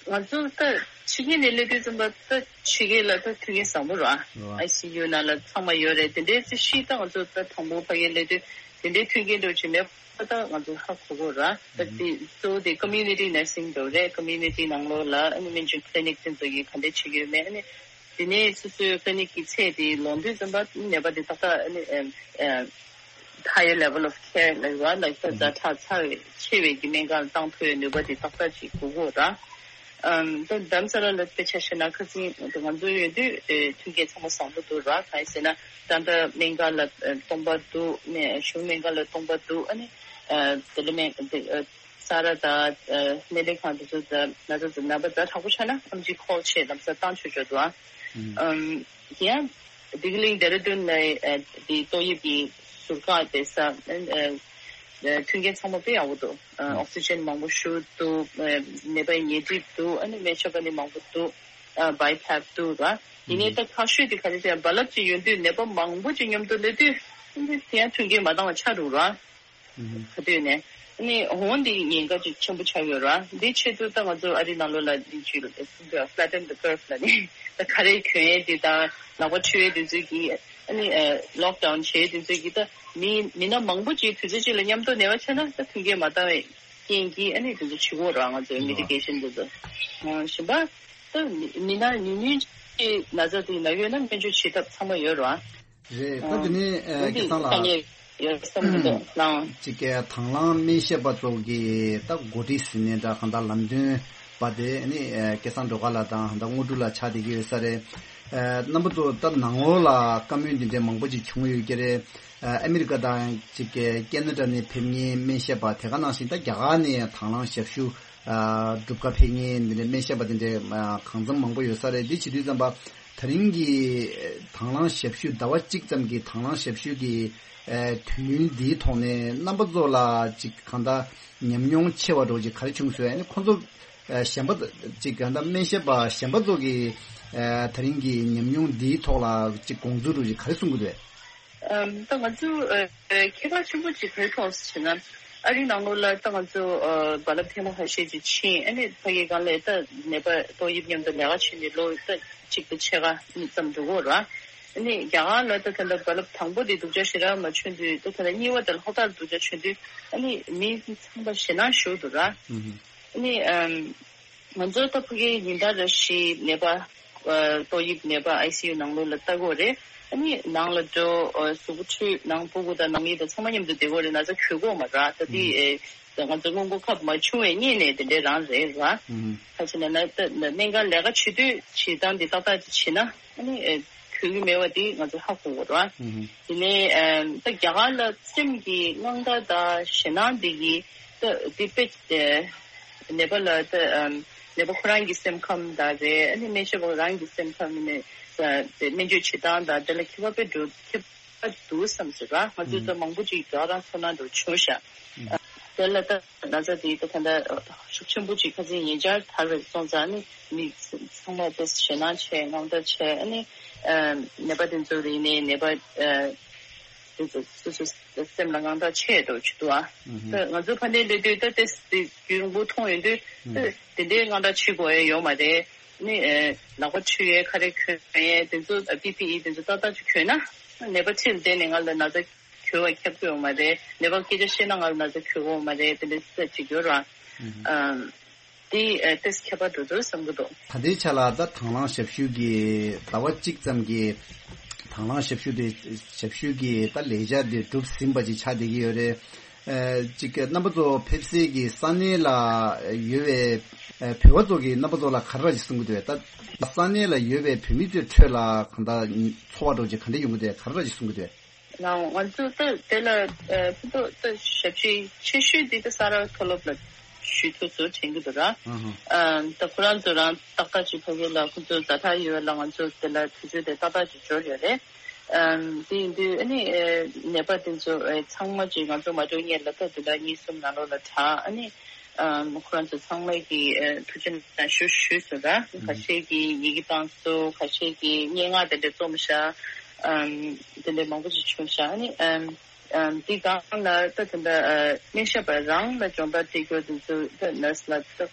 ང་ཚོ་ད་ཕྱི་རྒྱལ་ནས་སླེབས་དུས་ཙམ་པ་ད་ཕྱི་རྒྱལ་ལ་ད་མཐུན་རྐྱེན་བཟང་པོ་རེད། ཨ་ཨའི་སི་ཡུ་ནང་ལ་ཚང་མ་ཡོད་རེད། དེ་འདྲའི་རྩིས་གཞི་ད་ང་ཚོ་ད་དང་པོ་ཕ་གིར་སླེབས་དུས་དེ་འདྲའི་མཐུན་རྐྱེན་འདྲ་བོ་ཅིག་མེད་པ་ད་ང་ཚོ་ཧ་གོ་གོ་རེད། ད་དེ་གཙོ་བོ་དེ་ཀོ་མིའུ་ནི་ཊི་ནར་སིང་འདྲ་བོ་རེད། ཀོ་མིའུ་ནི་ཊི་ནང་ལོགས་ལ་ཨ་ནི་སྨན་བཅོས་ཀི་ལི་ནིག་དེ་ཚོ་གིས་ག་འདྲས་བྱེད་ཀྱི་ཡོད་མེད། ཨ་ནི་དེ་ནས་སོ་སོའི་ཀི་ལི་ནིག་གི་ཚད་དེ་ལོངས་དུས་ཙམ་པ་ནད་པ་དེ་ཏག་ཏག་ཨ་ནི་ཨ་ཨ་higher level of care ལབ་ཡོད་ལ་ད་ཛ་དྲག་ཚ་བའི་ཆེ་བའི་གི་སྨན་ཁང་ལ་བཏང་ཐུབ་པའི་ནུས་པ་དེ་ཏག་ཏག་ཅིག་དགོས་ཀྱི་ཡོད་ར། ཨམ་ད་རྡ་རམ་ས་ལ་ལ་དཔེ་ཆ་བཞག་ན་ཁ་སང་ང་ཚོ་ཡོད་དུས་ཨེ་མཐུན་རྐྱེན་ཚང་མ་བཟང་པོ་འདུག་ར། གང་ཡིན་ཟེར་ན་ད་ལྟ་སྨན་ཁང་ལ་ཨེ་སྟོང་པ་འདུག་ནས་གཞུང་སྨན་ཁང་ལ་སྟོང་པ་འདུག་ཨ་ནི་ཨ་དེ་ལ་སྨན་དེ་ཨ་ས་ར་དང་ཨ་སྨན་ལས་ཁང་དེ་ཚོ་ད་ང་ཚོ་ད་ནད་པ་ཛ་དྲག་པོ་ཆགས་ན་ཨེམ་ཆི་ཁོལ་བྱས་ལམ་སང་བཏང་ཆོག་ཆོག་འདུག་ཨ། ཨམ་དེ་ཡང་ལྡི་ལི་ལྡེ་ར་ལྡུན་ལ་ཨ་དེ་ཏོག་དབྱིབས་ཀྱི་ཟུར་བཀག་བསྡད་ས་ཨ་ཨ་མཐུན་རྐྱེན་ཚང་མ་དཔེ་ཡག་པོ་འདུག་ཨ་ཨོག་སི་ཇན་མང་པོ་ཞིག་འདུག་ཨ་ནད་པ་ཉལ་ཁྲི་འདུག་ཨ་ནི་སྨན་ཞབས་པ་ནི་མང་པོ་འདུག་ཨ་བྷའི་པེ་སི་འདུག་ར། ཡིན་ནའི་ད་ཁག་ཤོས་དེ་ག་རེ་ཟེར་རྦ་རླབས་ཅིག་ཡོང་དུས་ནད་པ་མང་པོ་ཅིག་མཉམ་དུ་སླེབས་དུས་ཨ་ནི་དེ་ཡང་མཐུན་རྐྱེན་མ་འདང་བ་ཆགས་འདུག་ར། ག་དུས་ནས་ཨ་ནི་འོང་འདི་ཉེན་ཁ་ཅིག་ཆེན་པོ་ཆགས་ཡོད་ར། འདི་ཆེད་དུ་ད་ང་ཚོ་ཨ་རི་ནང་ལོགས་ལ་འདི་ཅིག་flatten the curve ལ་ནི་ད་ཁ་རས་གྱོན་ཡས་འདི་དང་ལག་པ་འཁྲུ་ཡས་འདི་ཚོ་གིས་ཨ་ནི་ལོག་ཌའོན་བྱས་འདི་ཚོ་གིས་ད་མི་མི་སྣ་མང་པོ་ཅིག་དུས་ཚོད་གཅིག་ལ་མཉམ་དུ་ནད་པ་ཆགས་ན་ད་མཐུན་རྐྱེན་མ་འདང་བའི་རྐྱེན་གྱིས་ཨ་ནི་འདི་ཚོ་བྱེད་ཀྱི་ཡོད་ར། ང་ཚོའི་མེ་ཌི་ཀེ་ཤན་འདི་ཚོ་གཞན་པ་ད་མི་མི་སྣ་ཉུང་ཉུང་ཅིག་ན་ཚ་དེ་ན་ཡོད་ན་སྨན་བཅོས་བྱེད་ཐབས་ཚང་མ་ཡོད་ར། རེད། ད་དེ་ནས་ཨ་སྐལ་བཟང་ལགས། ཡོད་བསམ་གྱི་འདུག་ལགས། ཅིག་གི་དང་བླངས་སྨན་ཞབས་པ་ཚོ་གི་ད་འགོ་ཁྲིད་ཟེར་ནའི་འདྲ་གང་ལྟར་ལམ་སྟོན་པ་དེ་ནི་ཨ་སྐལ་བཟང་སྒྲོལ་དཀར་ལགས་དང་ད་དངོས་གྲུབ་ལགས་ཆགས་བསྡད་ཀྱི་ཡོད་ས་རེད། ཨ་རྣམ་པ་ཚོ་ད་ནང་ལོགས་ལ་བཀའ་མོལ་འདི་འདྲའི་མང་པོ་ཅིག་བྱུང་ཡོད་ཀྱི་རེད། ཨ་ཨ་མི་རི་ཀ་དང་ཅིག་གི་ཀེ་ན་ཌ་ནས་ཕེབས་མཁན་སྨན་ཞབས་པ་དེ་ག་ནང་བཞིན་ད་རྒྱ་གར་ནས་དང་བླངས་ཞབས་ཞུ་ཨ་སྒྲུབ་གར་ཕེབས་མཁན་འདི་འདྲའི་སྨན་ཞབས་པ་དེ་འདྲའི་ཨ་གང་འཚམ་མང་པོ་ཡོད་ས་རེད། འདི་བྱེད་དུས་ཙམ་པ་དེ་རིང་གི་དང་བླངས་ཞབས་ཞུ་ཟླ་བ་གཅིག་ཙམ་གྱི་དང་བླངས་ཞབས་ཞུ་གི་ཨ་དུས་ཡུན་འདིའི་ཐོག་ནས་རྣམ་པ་ཚོ་ལ་ཅིག་གང་ལྟར་ཉམས་མྱོང་ཆེ་བ་འདྲ་བོ་ཅིག་ག་རེ་བྱུང་སོང་། ཨ་ནི་ཁོང་ཚོ་ཨ་གཞན་པ་ཅིག་གང་ལྟར་སྨན་ཞབས་པ་གཞན་པ་ཚོ་གི་ཨ་དེ་རིང་གི་ཉམས་མྱོང་འདིའི་ཐོག་ལ་ཅིག་དགོངས་ཚུལ་འདྲ་བོ་ཅིག་ག་རེ་གསུང་གི་འདུག་ཨམ། ད་ང་ཚོ་ཨ་ཨ་ཁྱད་པར་ཆེན་པོ་ཅིག་ག་རེ་མཐོང་སོང་ཟེར་ན། ཨ་རིའི་ནང་ལོགས་ལ་ད་ང་ཚོ་ཨ་རྦ་རླབས་ཐེངས་མ་ཁ་ཤས་ཅིག་ཕྱིན། ཨ་ནི་ཕ་གི་སྒང་ལ་ད་ནད་པ་ཏོག་དབྱིབས་མཉམ་དུ་ལས་ཀ་བྱེད་ནས་ལོ་ད་གཅིག་དང་ཕྱེད་ཀ་གཉིས་ཙམ་འགྲོ་གི་ཡོད་རེད། ཨ་ནི་རྒྱ་གར་ལ་ད་ད་ལྟ་རྦ་རླབས་དང་པོ་དེ་སྡུག་ཅག་ཞེ་དྲག་མ་བྱུང་དུས་ད་ད་ལྟ་གཉིས་པ་དང་ལྷག་ཏུ་སྡུག་ཅག་བྱུང་དུས་ཨ་ནི་མི་ཚང་མ་ཞེད་སྣང་ཞུགས་འདུག་ར། ཨ་ནི་ཨམ། ང་ཚོ་ད་ཕ་གིའི་ཉིན་ལྟར་རེ་བཞིན་ནད་པ་ཨ་ཏོག་དབྱིབས་ནད་པ་ཨའི་སི་ཡུ་ནང་ལོགས་ལ་ལྟ་གི་ཡོད་རེད། ཨ་ནི་ནང་ལ་འགྲོ། ཨ་གཟུགས་པོ་འཁྲུད། ནང་སྤུ་གུ་དང་ནང་མི་དང་ཚང་མ་མཉམ་དུ་བསྡད་ཀྱི་ཡོད་རེད། ན་ཚ་འགོས་ཀྱི་ཡོད་མ་རེད། ད་དེ་ཨེ་ང་ཚོ་སྔོན་འགོག་ཁབ་མ་བྱུང་བའི་སྔོན་ནས་དེ་འདྲའི་རང་རེད་ར། ཨུམ། ཁ་ཅིག་ན་ན་ད་ན་སྨན་ཁང་ལས་ཀ་བྱེད་དུས་བྱེད་སྟངས་འདི་ཏག་ཏག་ཅིག་བྱེད་ན་ཨ་ནི་ཨེ་འགོས་ཀྱི་མེད་པ་འདི་ང་ཚོ་ཧ་གོ་གི་ཡོད་རེད། ཨུམ། དེ་ནས་ཨེ་ད་རྒྱ་གར་ལ་སེམས་ཀྱི་དངངས་སྐྲག་དང་ཞེད་སྣང་འདི་གིས་ད་འདི་དཔེ་ཨེ་ནད་པ་ལ་ད་ཨམ་ནད་པ་ཁོ་རང་གི་སེམས་ཁམས་དང་རེད། ཨ་ནི་སྨན་ཞབས་པ་རང་གི་སེམས་ཁམས་ནས་ཨ་དེ་སྨན་བཅོས་བྱེད་སྟངས་དང་དེ་ལ་ཁྱད་པར་དཔེ་འགྲོ་ཁྱད་པར་འདུག་བསམ་སོང་ར། ང་ཚོས་ད་མང་པོ་ཅིག་རྒྱ་གར་རང་ཚོར་སྣང་འགྲོ་བྱུང་ཤག་ཨ་དེ་ལ་ད་ན་ཚ་དེ་ད་ད་ལྟ་ཤུགས་ཆེན་པོ་ཅིག་ཁ་སང་ཉེ་ཆར་དར་བའི་སོང་ཙང་ནི་མི་ཚང་མ་དེ་ཞེད་སྣང་ཆེ། དངངས་སྐྲག་ཆེ། ཨ་ནི་ཨ་ནད་པ་དེ་ཚོ་རིག་ནས་ནད་པ་ཨ་དེ་ཚོ་སོ་སོ་སེམས་ལ་དངངས་སྐྲག་ཆེ་འགྲོ་བྱེད་འདུག་ཨ། ད་ང་ཚོ་ཕ་ནས་སླེབས་དུས་ད་དེ་དེ་རྒྱུན་རིང་པོ་མཐོང་ཡོང་དུས་ད་དེ་འདྲའི་དངངས་སྐྲག་བྱེད་དགོས་ཡ་ཡོད་མ་རེད། ནི་ཨེ་ལག་པ་འཁྲུ་ཡས་ཁ་རས་གྱོན་ཡས་དེ་ཚོ་པི་པི་ཨི་དེ་ཚོ་ཏག་ཏག་ཅིག་གྱོན་ན་ནད་པ་ཁྲིད་བསྡད་ནས་ང་ལ་ན་ཚ་གྱོད་པ་ཁྱབ་ཀྱི་ཡོད་མ་རེད། ནད་པ་སྐད་ཆ་བཤད་ན་ང་ལ་ན་ཚ་གྱོད་ཀྱི་ཡོད་མ་རེད། དེ་འདྲ་ཅིག་ཡོད་ར། ཨམ། དེ་ཨེ་ཏོག་ཙམ་ཁྱད་པར་འགྲོ་འདུག་བསམ་གྱི་འདུག་ད་ལྟའི་ཆ་ལ་ད་དང་བླངས་ཞབས་ཞུ་གི་ཟླ་བ་གཅིག་ཙམ་གྱི་དང་བླངས་ཞབས་ཞུ་དེ་ཞབས་ཞུ་གི་ད་ལས་འཆར་དེ་གྲུབ་ཟིན་པ་ཅིག་ཆགས་བསྡད་ཀྱི་ཡོད་རེད། ཨ་ཅིག་རྣམ་པ་ཚོ་ཕེབས་སའི་གི་ས་གནས་ལ་ཡོད་པའི་ཨ་བོད་པ་ཚོ་གི་རྣམ་པ་ཚོ་ལ་ག་རེ་ཅིག་གསུང་གི་འདུག་ད་ས་གནས་ལ་ཡོད་པའི་བོད་མི་ཚོའི་ཁྲོད་ལ་གང་ལྟར་ཚོར་བ་འདྲ་ཅིག་ག་འདྲ་ཡོང་གི་འདུག་ག་རེ་ཅིག་གསུང་གི་འདུག་ང་ང་ཚོ་ད་དེ་ལ་ཨ་ཕུ་ཏོ་ད་ཞབས་ཕྱི་ཆེ་ཤོས་འདི་ད་ས་རཱ་མཐོ་སློབ་ལ་ཞུ་ཐུབ་ཚོ་དྲན་གྱི་འདུག་ར། ཨ་ད་ཁོ་རང་ཚོ་རང་ཏག་ཏག་ཅིག་ཕ་གི་ལ་ཁོ་ཚོ་ཛ་དྲག་ཡོད་ལ་ང་ཚོ་དེ་ལ་དུས་ཚོད་དེ་ཏག་ཏག་ཅིག་འབྱོར་ཡོད་རེད། ཨམ། དེ་ཡིན་དུས་ཨ་ནི་ཨེ་ནད་པ་དེ་ཚོ་ཨེ་ཚང་མ་ཅིག་ང་ཚོ་མ་འགྲོ་སྔོན་ལ་ད་དེ་འདྲ་གཉིས་གསུམ་ནང་ལོགས་ལ་དྲག་ཨ་ནི་ཨམ་ཁོ་རང་ཚོ་ཚང་མ་གི་ཨེ་ཐུགས་རྗེ་གནང་ཞུ་ཞུས་སོང་ར། ཁ་ཤས་ཀྱིས་ཡི་གེ་བཏང་སོང་། ཁ་ཤས་ཀྱིས་སྙན་ངག་དེ་འདྲ་རྩོམ་ཤག་ཨམ། དེ་འདྲ་མང་པོ་ཅིག་བྱུང་ཤག་ཨ་ནི་ཨམ། ཨམ། དེ་སྒང་ལ་ད་དེ་འདྲ་ཨ་སྨན་ཞབས་པ་རང་ལ་སྦྱོང་བརྡར་སྤྲད་རྒྱུ་དེ་ཚོ་ད་ནར་སི་ལ་ད། ཏོག་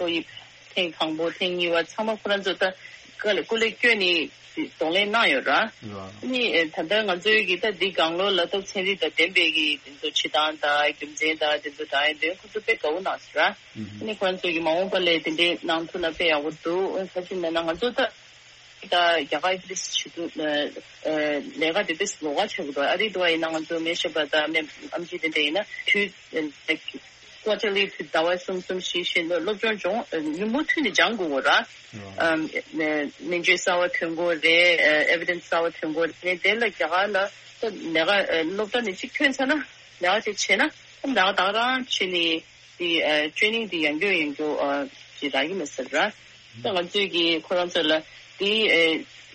དབྱིབས་ཐེངས་དང་པོ་ཐེངས་གཉིས་པ་ཚང་མ་ཁོ་རང་ཚོ་ད་སྐུ་ལས་སྐུ་ལས་བསྐྱོན་ནས་གདོང་ལེན་གནང་ཡོད་ར། ཨ་ནི་ད་ལྟ་ང་ཚོའི་གི་ད་འདི་སྒང་ལོགས་ལ་ད་ཚན་རིག་དང་ལྡན་པའི་གི་དེ་ཚོ་བྱེད་སྟངས་དང་རྒྱུ་མཚན་དང་དེ་ཚོ་དྲངས་ཡོང་དུས་ཁོ་ཚོ་དཔེ་དགའ་བོ་གནང་སོང་ར། ཨ་ནི་ཁོ་རང་ཚོ་གི་མ་འོངས་པ་ལ་དེ་འདྲའི་གནང་ཐུབ་ན་དཔེ་ཡག་པོ་འདུག་ག་ཅི་ན་ན་ང་ཚོ་ད་ད་རྒྱ་གར་ཏིས་བྱེད་དུས་ལས་ཀ་དེ་ཏིས་ལོགས་ཀ་བྱེད་དགོས་འདུག་ཨ་རི་འདྲ་བ་ཡིན་ན་ང་ཚོ་སྨན་ཞབས་པ་དང་སྨན་ཨེམ་ཆི་དེ་འདྲ་ཡིན་ན་དུས། ཀོ་ཊར་ལི་དུས་ཟླ་བ་གསུམ་གསུམ་བཞི་བཞི་ལ་སློབ་སྦྱོང་སྦྱོང་ཉིན་མོ་མཐུད་ནས་སྦྱང་དགོས་ར། ཨམ། སྨན་བཅོས་གསར་བ་ཐོན་དགོས་རེད། ཨེ་བི་ཌེན་སི་གསར་བ་ཐོན་དགོས་རེད། དེ་ལ་རྒྱ་གར་ལ་ལས་ཀ་སློབ་གྲྭ་ནས་གཅིག་ཐོན་ཚར་ན་ལས་ཀ་དེ་བྱས་ན་ལས་ཀ་ད་ག་རང་བྱས་ནས་དེ་ཊེ་རེ་ནིང་དེ་ཡང་སྐྱོར་ཡང་སྐྱོར་ཅིག་རག་གི་མ་ཟེར་ར། ད་ང་ཚོས་ཀྱི་ཁོ་རང་ཚོ་ལ་དེ་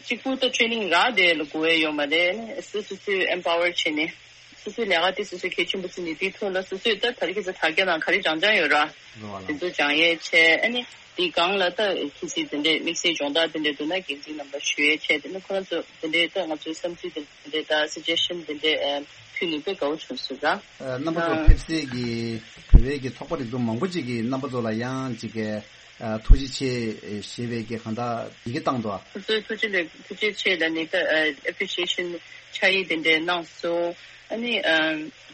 གཅིག་པུ་ད་ཊེ་རེ་ནིང་རག་དེ་ལ་དགོས་ཡ་ཡོད་མ་རེད། སོ་སོ་སོས་ཨེམ་པ་ཝར་བྱས་ནས། སོ་སོའི་ལས་ཀ་དེ་སོ་སོས་གལ་ཆེན་པོ་བརྩིས་ནས་དེའི་ཐོག་ལ་སོ་སོས་ད་ད་རེས་ཁྱེད་ཚོ་དྲ་རྒྱ་ནང་ག་རེ་སྦྱང་སྦྱང་ཡོད་ར། རེད་བ་དེ་ལགས། ཚོ་སྦྱང་ཡས་བྱས་ཨ་ནི་དེའི་སྒང་ལ་ད་གལ་སྲིད་དེ་འདྲའི་དམིགས་བསལ་སྦྱོང་བརྡར་དེ་འདྲ་འདུག་ན་འགན་འཛིན་རྣམ་པ་ཞུ་ཡས་བྱས་དེ་ནི་ཁོ་རང་ཚོ་དེ་འདྲའི་ད་ང་ཚོའི་བསམ་ཚུལ་དེ་འདྲ་དང་སི་ཇེ་ཤན་དེ་འདྲ་ཕུལ་ནས་དཔེ་དགའ་བོ་བྱུང་སོང་ར། རྣམ་པ་ཚོ་ཕེབས་སའི་གི་བོད་པའི་གི་ཚོགས་པ་རིགས་ཚོགས་མང་པོ་ཅིག་གིས་རྣམ་པ་ཚོ་ལ་ཡང་ཅིག་གི་ཨ་ཐུགས་རྗེ་ཆེ་ཞེས་པའི་གི་གང་ལྟར་ཡི་གེ་བཏང་འདུག་ཁོ་ཚོས་ཐུགས་རྗེ་ལེགས་ཐུགས་རྗེ་ཆེ་ལབ་ནས་ད་ཨེ་ཨེ་པི་རི་ཤི་ཨེ་ཤན་ཕྱག་ཡིག་དེ་འདྲ་གནང་སོང་། ཨ་ནི་ཨ་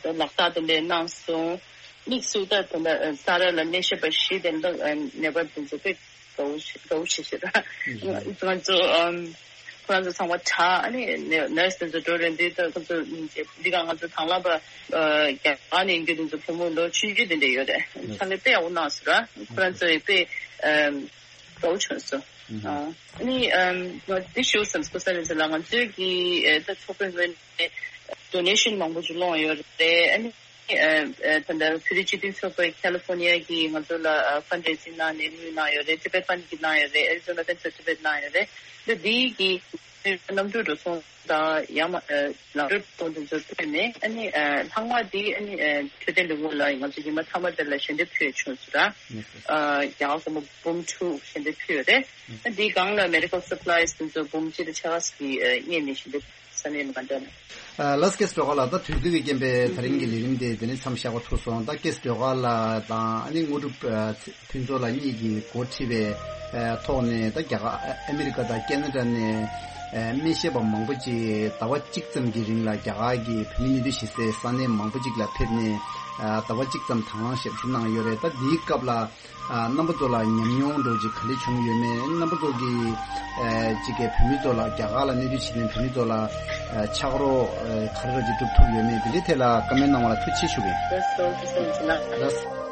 ལག་རྟགས་དེ་འདྲ་གནང་སོང་། དམིགས་སུ་ད་ད་ལྟ་ས་རཱ་ལ་སྨན་ཞབས་པ་བཞི་དེ་འདྲ་ནད་པ་དེ་ཚོ་དཔེ་དགའ་བོ་ཞིག་དགའ་བོ་ཞིག་ཞིག་ར། ང་ཚོ་ཨམ། ཁོ་རང་ཚོ་ཚང་མ་དྲག་ཨ་ནི་ནར་སི་དེ་ཚོ་འགྲོ་རན་དུས་ད་ཁོ་ཚོ་འདི་ག་ང་ཚོ་དང་བླངས་པ་རྒྱ་གར་ནས་ཡིན་རྒྱུ་དེ་ཚོ་བུ་མོ་ལོ་ཆུང་ཆུང་དེ་འདྲ་ཡོད་རེད། ཕྱག་ལས་དཔེ་ཡག་པོ་གནང་སོང་ར། ཁོ་རང་ཚོ་ཡི་དཔེ་ཨམ། དགའ་བོ་བྱུང་སོང་། ཨ་ནི་ཨམ། ང་འདི་ཞུ་བསམ་སོང་ས་རེད་ཟེར་ལ་ང་ཚོའི་གི་ད་ཚོགས་པའི་ངོས་ནས་ཌོ་ནེ་ཤན་མང་པོ་ཅིག་སློང་ཡོད་རེད། ཨ་ནི། ཨ་ཨ་ད་ལྟ་བོད་རིགས་སྤྱི་མཐུན་ཚོགས་པའི་ཁ་ལི་ཕོར་ནི་ཡ་གི་ང་ཚོ་ལ་ཨ་ཕན་ཌ་རེ་ཛིང་གནང་ནས་དངུལ་གནང་ཡོད་རེད། ཊི་བེཊ་ཕན་གྱིས་གནང་ཡོད་རེད། ཨེ་རི་ཛོ་ན་ཕན་ཚོ་ཊི་བེཊ་གནང་ཡོད་རེད། ད་འདི་གི་གནམ་གྲུ་འགྲོ་སོང་དང་ཡང་མ་ཨ་ལམ་འགྲོ་སོང་དེ་ཚོ་ཕུལ་ནས་ཨ་ནི་ཨ་ལྷག་མ་འདི་ཨ་ནི་ཨ་འཕྲོད་བསྟེན་ལས་ཁུངས་ལ་ང་ཚོ་ཉི་མ་མཐའ་མ་དེ་ལ་ཞལ་འདེབས་ཕུལ་བྱུང་ཟེར་ར། ཨ་རྒྱ་གར་སྒོར་མོ་འབུམ་དྲུག་ཞལ་འདེབས་ཕུལ་ཡོད་རེད། ཨ་འདིའི་སྒང་ལ་མེ་ཌི་ཀལ་སབ་ལའི་སི་དེ་ཚོ་འབུམ་གཅིག་དང་ཕྱེད་ཀ་ཙམ་གྱི་ཨ་སྔོན་ནས་ཞལ་འདེབས། ས་གནས་མི་ག་འདྲ་ནས། ལགས་ཀེ་སི་སྒྲོལ་དཀར་ལགས། ད་དུས་ཚོད་ཀྱི་རྐྱེན་པས་ད་རིང་གི་ལས་རིམ་དེ་དེ་ནས་མཚམས་བཞག་པ་ཐུག་སོང་། ད་ཀེ་སི་སྒྲོལ་དཀར་ལགས་དང་ཨ་ནི་དངོས་གྲུབ་ཕུན་ཚོགས་ལགས་གཉིས་ཀྱིས་འགོ་ཁྲིད་པའི་ཐོག་ནས་ད་རྒྱ་གར་ཨ་མི་རི་ཀ་དང་ཁེ་ན་ཌ་ནས་སྨན་ཞབས་པ་མང་པོ་ཅིག་ཟླ་བ་གཅིག་ཙམ་གྱི་རིང་ལ་རྒྱ་གར་གྱི་བོད་མི་སྨན་དོན་བྱེད་སའི་ས་གནས་མང་པོ་ཅིག་ལ་ཕེབས་ནས་ཟླ་བ་གཅིག་ཙམ་དང་བླངས་ཞབས་ཞུ་གནང་ཡོད་རེད། ད་འདིའི་སྐབས་ལ། ཨ་རྣམ་པ་ཚོ་ལ་ཉམས་མྱོང་འདྲ་ཅིག་ག་འདྲ་བྱུང་ཡོད་མེད། རྣམ་པ་ཚོ་གིས་ཨ་ཅིག་གི་བོད་མི་ཚོ་ལ་རྒྱ་གར་ལ་གནས་སྡོད་བྱེད་མཁན་བོད་མི་ཚོ་ལ་ཨ་ཕྱག་རོགས་ཨ་ག་རེ་ར་ཅིག་སྒྲུབ་ཐུབ་ཡོད་མེད་དེ་འདྲའི་ཐད་ལ་བཀའ་མོལ་གནང་བ་ལ་ཐུགས་རྗེ་ཆེ་ཞུ་གི་ཡིན། ལགས་སོ། ཐུགས་རྗེ་ཆེ་ལགས། ལགས།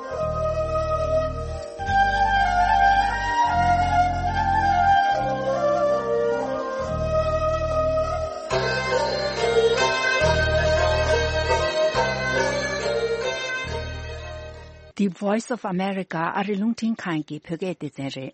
The Voice of America ཨ་རི་རླུང་འཕྲིན་ཁང་གི་བོད་སྐད་སྡེ་ཚན་རེད།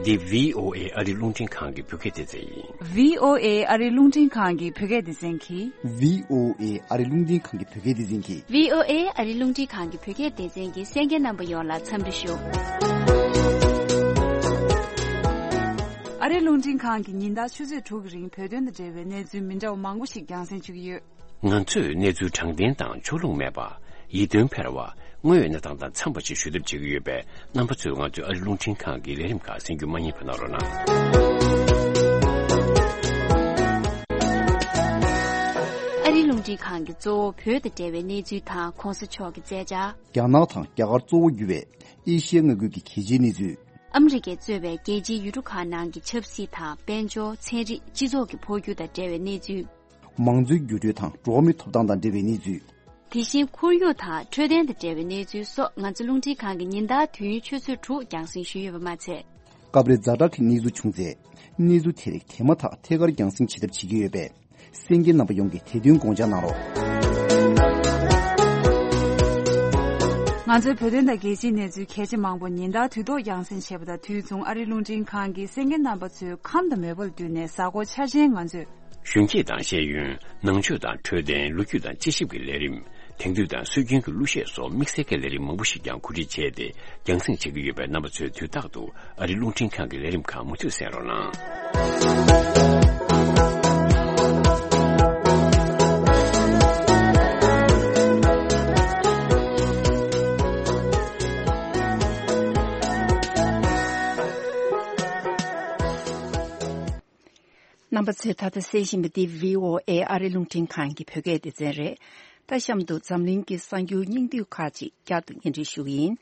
འདི་བྷི་ཨོ་ཨེ་ཨ་རི་རླུང་འཕྲིན་ཁང་གི་བོད་སྐད་སྡེ་ཚན་ཡིན། བྷི་ཨོ་ཨེ་ཨ་རི་རླུང་འཕྲིན་ཁང་གི་བོད་སྐད་སྡེ་ཚན་གྱིས། བྷི་ཨོ་ཨེ་ཨ་རི་རླུང་འཕྲིན་ཁང་གི་བོད་སྐད་སྡེ་ཚན་གྱིས། བྷི་ཨོ་ཨེ་ཨ་རི་རླུང་འཕྲིན་ཁང་གི་བོད་སྐད་སྡེ་ཚན་གྱིས་གསན་མཁན་རྣམ་པ་ཡོངས་ལ་འཚམས་འདྲི་ཞུ། ཨ་རིའི་རླུང་འཕྲིན་ཁང་གིས་ཉིན་ལྟར་ཆུ་ཚོད་དྲུག་གི་རིང་བོད་དོན་དང་འབྲེལ་བའི་གནས་ཚུལ་མི་འདྲ་བ་མང་པོ་ཞིག་རྒྱང་སྲིང་ཞུ་གི་ཡོད། ང་ཚོས་གནས་ཚུལ་དྲང་བདེན་དང་ཕྱོགས་ལྷུང་མེད་པ། ཡིད་རྟོན་འཕེར་བ། དངོས་ཡོད་གནས་སྟངས་དང་འཚམས་པ་ཞིག་ཞུ་ཐབས་བྱེད་ཀྱི་ཡོད་པས། རྣམ་པ་ཚོས་ང་ཚོའི་ཨ་རིའི་རླུང་འཕྲིན་ཁང་གི་ལས་རིམ་ཁག་གསན་རྒྱུ་མ་བསྙེལ་བ་གནང་རོགས་གནང་། ཨ་རིའི་རླུང་འཕྲིན་ཁང་གིས་གཙོ་བོ་བོད་དང་འབྲེལ་བའི་གནས་ཚུལ་དང་གོང་ས་མཆོག་གི་མཛད་འཆར། རྒྱ་ནག་དང་རྒྱ་གར་གཙོ་བོ་གྱུར་བའི་ཨེ་ཤི་ཡའི་མངའ་ཁུལ་གྱི་གལ་ཆེའི་གནས་ཚུལ། ཨ་མི་རི་ཀས་གཙོས་པའི་རྒྱལ་སྤྱིའི་ཡུལ་གྲུ་ཁག་ནང་གི་ཆབ་སྲིད་དང་དཔལ་འབྱོར། ཚན་རིག་སྤྱི་ཚོགས་ཀྱི་འཕོ་འགྱུར་དང་འབྲེལ་བའི་གནས་ཚུལ། མང་གཙོའི་འགྱུར་འགྲོས་དང་འགྲོ་བ་མིའི་ཐོབ་ཐང་དང་འབྲེལ་བའི་གནས་ཚུལ། དེ་བཞིན་ཁོར་ཡུག་དང་འཕྲོད་བསྟེན་དང་འབྲེལ་བའི་གནས་ཚུལ་སོགས་ང་ཚོ་རླུང་འཕྲིན་ཁང་གིས་ཉིན་ལྟར་དུས་ཡུན་ཆུ་ཚོད་དྲུག་རྒྱང་སྲིང་ཞུས་ཡོད་པ་མ་ཚད། སྐབས་རེ་ཛ་དྲག་གི་གནས་ཚུལ་བྱུང་ཚེ། གནས་ཚུལ་དེ་རིགས་དེ་མ་ཐག་ཐད་ཀར་རྒྱང་སྲིང་བྱེད་ཐབས་བྱེད་ཀྱི་ཡོད་པས། གསན་མཁན་རྣམ་པ་ཡོངས་ཀྱིས་དེ་དོན་དགོངས་འཇགས་གནང་རོགས། ང་ཚོའི་བོད་དོན་དང་རྒྱལ་སྤྱིའི་གནས་ཚུལ་གལ་ཆེ་མང་པོ་ཉིན་ལྟར་དུས་ཐོག་རྒྱང་སྲིང་བྱས་པ་དང་དུས་མཚུངས་ཨ་རིའི་རླུང་འཕྲིན་ཁང་གིས་གསན་མཁན་རྣམ་པ་ཚོའི་ཁམས་དང་མོས་པ་ལ་བསྟུན་ནས་གཟའ་འཁོར་འཆར་ཅན་ང་ཚོས། གཞོན་སྐྱེས་དང་ཤེས་ཡོན། ནང་ཆོས་དང་འཕྲོད་བསྟེན། ལོ་རྒྱུས་དང་དཔྱད་ཞིབ་ཀྱི་ལས་རིམ། དེང་དུས་དང་སྲོལ་རྒྱུན་གྱི་གླུ་གཞས་སོགས་དམིགས་བསལ་གྱི་ལས་རིམ་མང་པོ་ཞིག་ཀྱང་གོ་སྒྲིག་བྱས་ཏེ་རྒྱང་སྲིང་བྱེད་ཀྱི་ཡོད་པས། རྣམ་པ་ཚོས་དུས་རྟག་ཏུ་ཨ་རིའི་རླུང་འཕྲིན་ཁང་གི་ལས་རིམ་ཁག་མུ་མཐུད་གསན་རོགས་གནང་། རྣམ་པ་ཚོས་ད་ལྟ་གསན་བཞིན་པ་འདི་བྷི་ཨོ་ཨེ་ཨ་རིའི་རླུང་འཕྲིན་ཁང་གི་བོད་སྐད་སྡེ་ཚན་རེད། ད་གཤམ་དུ་འཛམ་གླིང་གི་གསར་འགྱུར་སྙིང་བསྡུས་ཁག་ཅིག་བསྐྱར་དུ་སྙན་སྒྲོན་ཞུ་གི་ཡིན།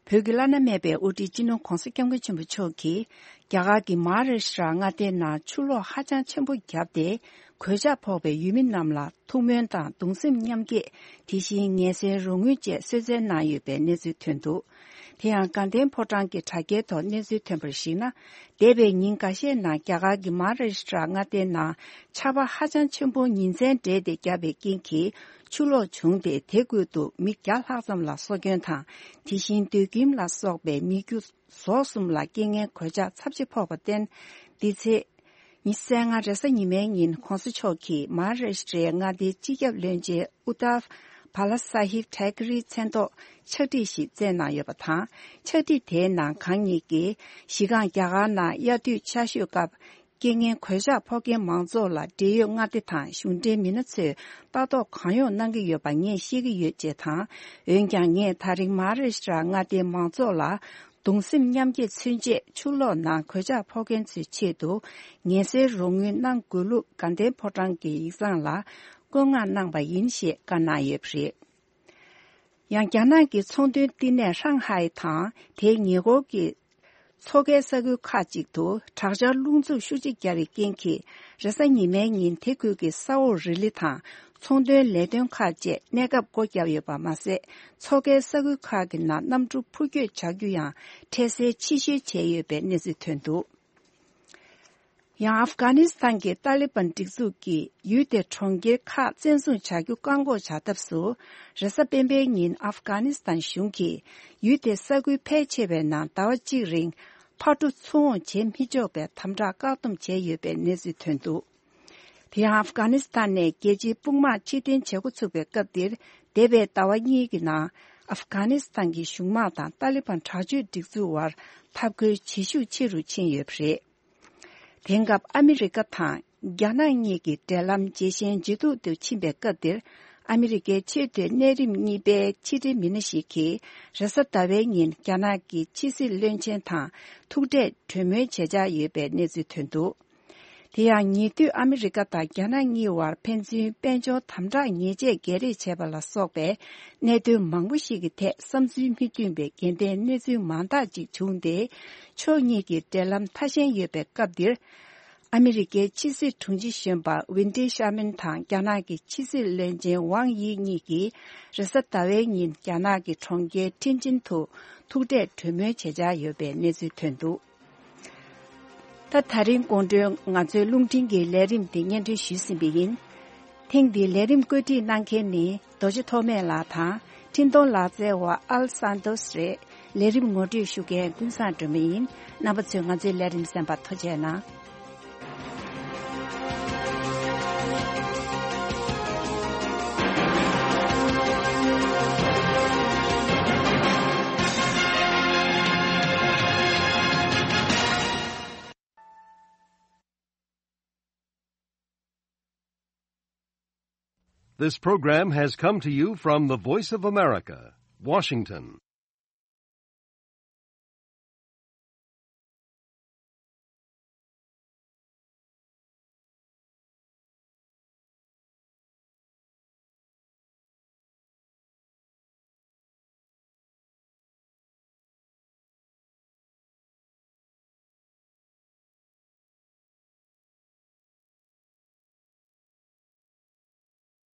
བོད་ཀྱི་བླ་ན་མེད་པའི་དབུ་ཁྲིད་སྤྱི་ནོར་ྋགོང་ས་ྋསྐྱབས་མགོན་ཆེན་པོ་མཆོག་གིས་རྒྱ་གར་གྱི་མ་ཧཱ་རཱ་ཤི་ཏྲ་མངའ་སྡེའི་ནང་ཆུ་ལོག་ཧ་ཅང་ཆེན་པོ་བརྒྱབ་སྟེ། གོད་ཆག་ཕོག་པའི་ཡུལ་མི་རྣམས་ལ་ཐུགས་སྨོན་དང་གདུང་སེམས་མཉམ་སྐྱེད། དེ་བཞིན་ངལ་སེལ་རོགས་དངུལ་བཅས་གསོལ་སྩལ་གནང་ཡོད་པའི་གནས་ཚུལ་ཐོན་འདུག། དེ་ཡང་དགའ་ལྡན་ཕོ་བྲང་གི་དྲ་རྒྱའི་ཐོག་གནས་ཚུལ་ཐོན་པར་གཞིགས་ན། འདས་པའི་ཉིན་འགའ་ཤས་ནང་རྒྱ་གར་གྱི་མ་ཧཱ་རཱ་ཤི་ཏྲ་མངའ་སྡེའི་ནང་ཆར་པ་ཧ་ཅང་ཆེན་པོ་ཉིན་མཚན་སྦྲེལ་ཏེ་བརྒྱབ་པའི་རྐྱེན་གྱིས་ཆུ་ལོག་བྱུང་སྟེ། དེ་ཁུལ་དུ་མི་བརྒྱ་ལྷག་ཙམ་ལ་སྲོག་སྐྱོན་དང་། དེ་བཞིན་སྡོད་ཁྱིམ་ལ་སོགས་པའི་མི་རྒྱུ་ཟོག་གསུམ་ལ་རྐྱེན་ངན་གོད་ཆག་ཚབས་ཆེ་ཕོག་པར་བརྟེན། འདི་ཚེས་ཉི་ཤུ་རྩ་ལྔ་རེས་གཟའ་ཉི་མའི་ཉིན་ྋགོང་ས་མཆོག་གིས་མ་ཧཱ་རཱ་ཤི་ཏྲའི་མངའ་སྡེའི་སྤྱི་ཁྱབ་བློན་ཆེན་ཨུ་དྷ་བྷ་ལ་ས་ཧིབ་ཐེ་ཀེ་རིའི་མཚན་ཐོག་ཕྱག་བྲིས་ཤིག་བསྩལ་གནང་ཡོད་པ་དང་། ཕྱག་བྲིས་དེའི་ནང་གང་ཉིད་ཀྱིས་གཞི་རྐང་རྒྱ་གར་ནང་དབྱར་དུས་ཆར་ཞོད་སྐབས་རྐྱེན་ངན་གོད་ཆག་ཕོག་མཁན་མང་ཚོགས་ལ་འབྲེལ་ཡོད་མངའ་སྡེ་དང་གཞུང་འབྲེལ་མི་སྣ་ཚོས་ལྟ་རྟོག་གང་ཡོང་གནང་གི་ཡོད་པ་ངས་ཤེས་ཀྱི་ཡོད་ཅེས་དང་། འོན་ཀྱང་ངས་ད་རིང་མ་ཧཱ་རཱ་ཤི་ཏྲ་མངའ་སྡེའི་མང་ཚོགས་ལ་གདུང་སེམས་མཉམ་སྐྱེད་མཚོན་ཆེད་ཆུ་ལོག་ནང་གོད་ཆག་ཕོག་མཁན་ཚོའི་ཆེད་དུ་ངལ་སེལ་རོགས་དངུལ་གནང་དགོས་ལུགས་དགའ་ལྡན་ཕོ་བྲང་གི་ཡིག་ཚང་ལ་བཀོད་མངགས་གནང་པ་ཡིན་ཞེས་བཀའ་གནང་ཡོད་པ་རེད། ཡང་རྒྱ་ནག་གི་ཚོང་དོན་བསྟི་གནས་ཧྲང་ཧའེ་དང་དེའི་ཉེ་འཁོར་གྱི་མཚོ་ཁའི་ས་ཁུལ་ཁག་ཅིག་ཏུ་དྲག་ཆར་རླུང་འཚུབ་ཤུགས་ཆེ་བརྒྱབ་པའི་རྐྱེན་གྱིས། རེས་གཟའ་ཉི་མའི་ཉིན་དེ་ཁུལ་གྱི་ས་འོག་རི་ལི་དང་ཚོང་དོན་ལས་དོན་ཁག་བཅས་གནས་སྐབས་སྒོ་བརྒྱབ་ཡོད་པ་མ་ཟད། མཚོ་ཁའི་ས་ཁུལ་ཁག་གི་ནང་གནམ་གྲུ་འཕུར་སྐྱོད་བྱ་རྒྱུ་ཡང་འཕྲལ་སེལ་ཕྱིར་བཤོལ་བྱས་ཡོད་པའི་གནས་ཚུལ་ཐོན་འདུག། ཡང་ཨབ་གྷ་ནི་སི་ཐན་གྱི་ཏཱ་ལི་བན་སྒྲིག་འཛུགས་ཀྱིས་ཡུལ་དེའི་གྲོང་ཁྱེར་ཁག་བཙན་བཟུང་བྱ་རྒྱུ་བཀག་འགོག་བྱ་ཐབས་སུ། རེས་གཟའ་སྤེན་པའི་ཉིན་ཨབ་གྷ་ནི་སི་ཐན་གཞུང་གིས་ཡུལ་དེའི་ས་ཁུལ་ཕལ་ཆེ་བའི་ནང་ཟླ་བ་གཅིག་རིང་ཕར་འགྲོ་ཚུར་འོང་བྱེད་མི་ཆོག་པའི་དམ་དྲག་བཀག་སྡོམ་བྱས་ཡོད་པའི་གནས་ཚུལ་ཐོན་འདུག། དེ་ཡང་ཨབ་གྷ་ནི་སི་ཐན་ནས་རྒྱལ་སྤྱིའི་དཔུང་དམག་ཕྱིར་འཐེན་བྱེད་འགོ་ཚུགས་པའི་སྐབས་འདིར། འདས་པའི་ཟླ་བ་གཉིས་ཀྱི་ནང་ཨབ་གྷ་ནི་སི་ཐན་གྱི་གཞུང་དམག་དང་ཏཱ་ལི་བན་དྲག་སྤྱོད་སྒྲིག་འཛུགས་བར་འཐབ་རྒོལ་ཇེ་ཤུགས་ཆེ་རུ་ཕྱིན་ཡོད་པ་རེད། དེང་སྐབས་ཨ་མི་རི་ཀ་དང་རྒྱ་ནག་གཉིས་ཀྱི་འབྲེལ་ལམ་ཇེ་ཞན་ཇེ་སྡུག་ཏུ་ཕྱིན་པའི་སྐབས་འདིར། ཨ་མི་རི་ཀའི་ཆེས་མཐོའི་གནས་རིམ་གཉིས་པའི་ཕྱི་འབྲེལ་མི་སྣ་ཞིག་གིས་རེས་གཟའ་ཟླ་བའི་ཉིན་རྒྱ་ནག་གི་ཕྱི་སྲིད་བློན་ཆེན་དང་ཐུག་འཕྲད་གྲོས་མོལ་བྱེད་འཆར་ཡོད་པའི་གནས་ཚུལ་ཐོན་འདུག། དེ་ཡང་ཉེ་དུས་ཨ་མི་རི་ཀ་དང་རྒྱ་ནག་གཉིས་བར་ཕན་ཚུན་དཔལ་འབྱོར་དམ་དྲག་ཉེས་ཆད་བརྒྱད་རེས་བྱས་པ་ལ་སོགས་པའི་གནད་དོན་མང་པོ་ཞིག་གི་ཐད་བསམ་ཚུལ་མི་མཐུན་པའི་འགལ་ཟླའི་གནས་ཚུལ་མང་དག་ཅིག་བྱུང་སྟེ། ཕྱོགས་གཉིས་ཀྱི་འབྲེལ་ལམ་ཐ་ཞན་ཡོད་པའི་སྐབས་འདིར། ཨ་མི་རི་ཀའི་ཕྱི་སྲིད་དྲུང་ཆེ་གཞོན་པ་ཝིན་ཏི་ཤར་མན་དང་རྒྱ་ནག་གི་ཕྱི་སྲིད་བློན་ཆེན་ཝང་དབྱི་གཉིས་ཀྱིས་རེས་གཟའ་ཟླ་བའི་ཉིན་རྒྱ་ནག་གི་གྲོང་ཁྱེར་ཐེན་ཅིན་དུ་ཐུག་འཕྲད་གྲོས་མོལ་བྱེད་འཆར་ཡོད་པའི་གནས་ཚུལ་ཐོན་འདུག། ད་ད་རིང་དགོང་དྲོའི་ང་ཚོའི་རླུང་འཕྲིན་གྱི་ལས་རིམ་འདི་སྙན་སྒྲོན་ཞུས་ཟིན་པ་ཡིན། ཐེངས་འདིའི་ལས་རིམ་བཀོད་སྒྲིག་གནང་མཁན་ནི་རྡོ་རྗེ་ཐོགས་མེད་ལགས་དང་འཕྲིན་གཏོང་ལག་རྩལ་བ་ཨལ་སན་ཏོས་རེད། ལས་རིམ་ངོ་སྤྲོད་ཞུ་མཁན་ཀུན་བཟང་སྒྲོལ་མ་ཡིན། རྣམ་པ་ཚོས་ང་ཚོའི་ལས་རིམ་གསན་པར་ཐུགས་རྗེ་གནང་། This program has come to you from the Voice of America, Washington.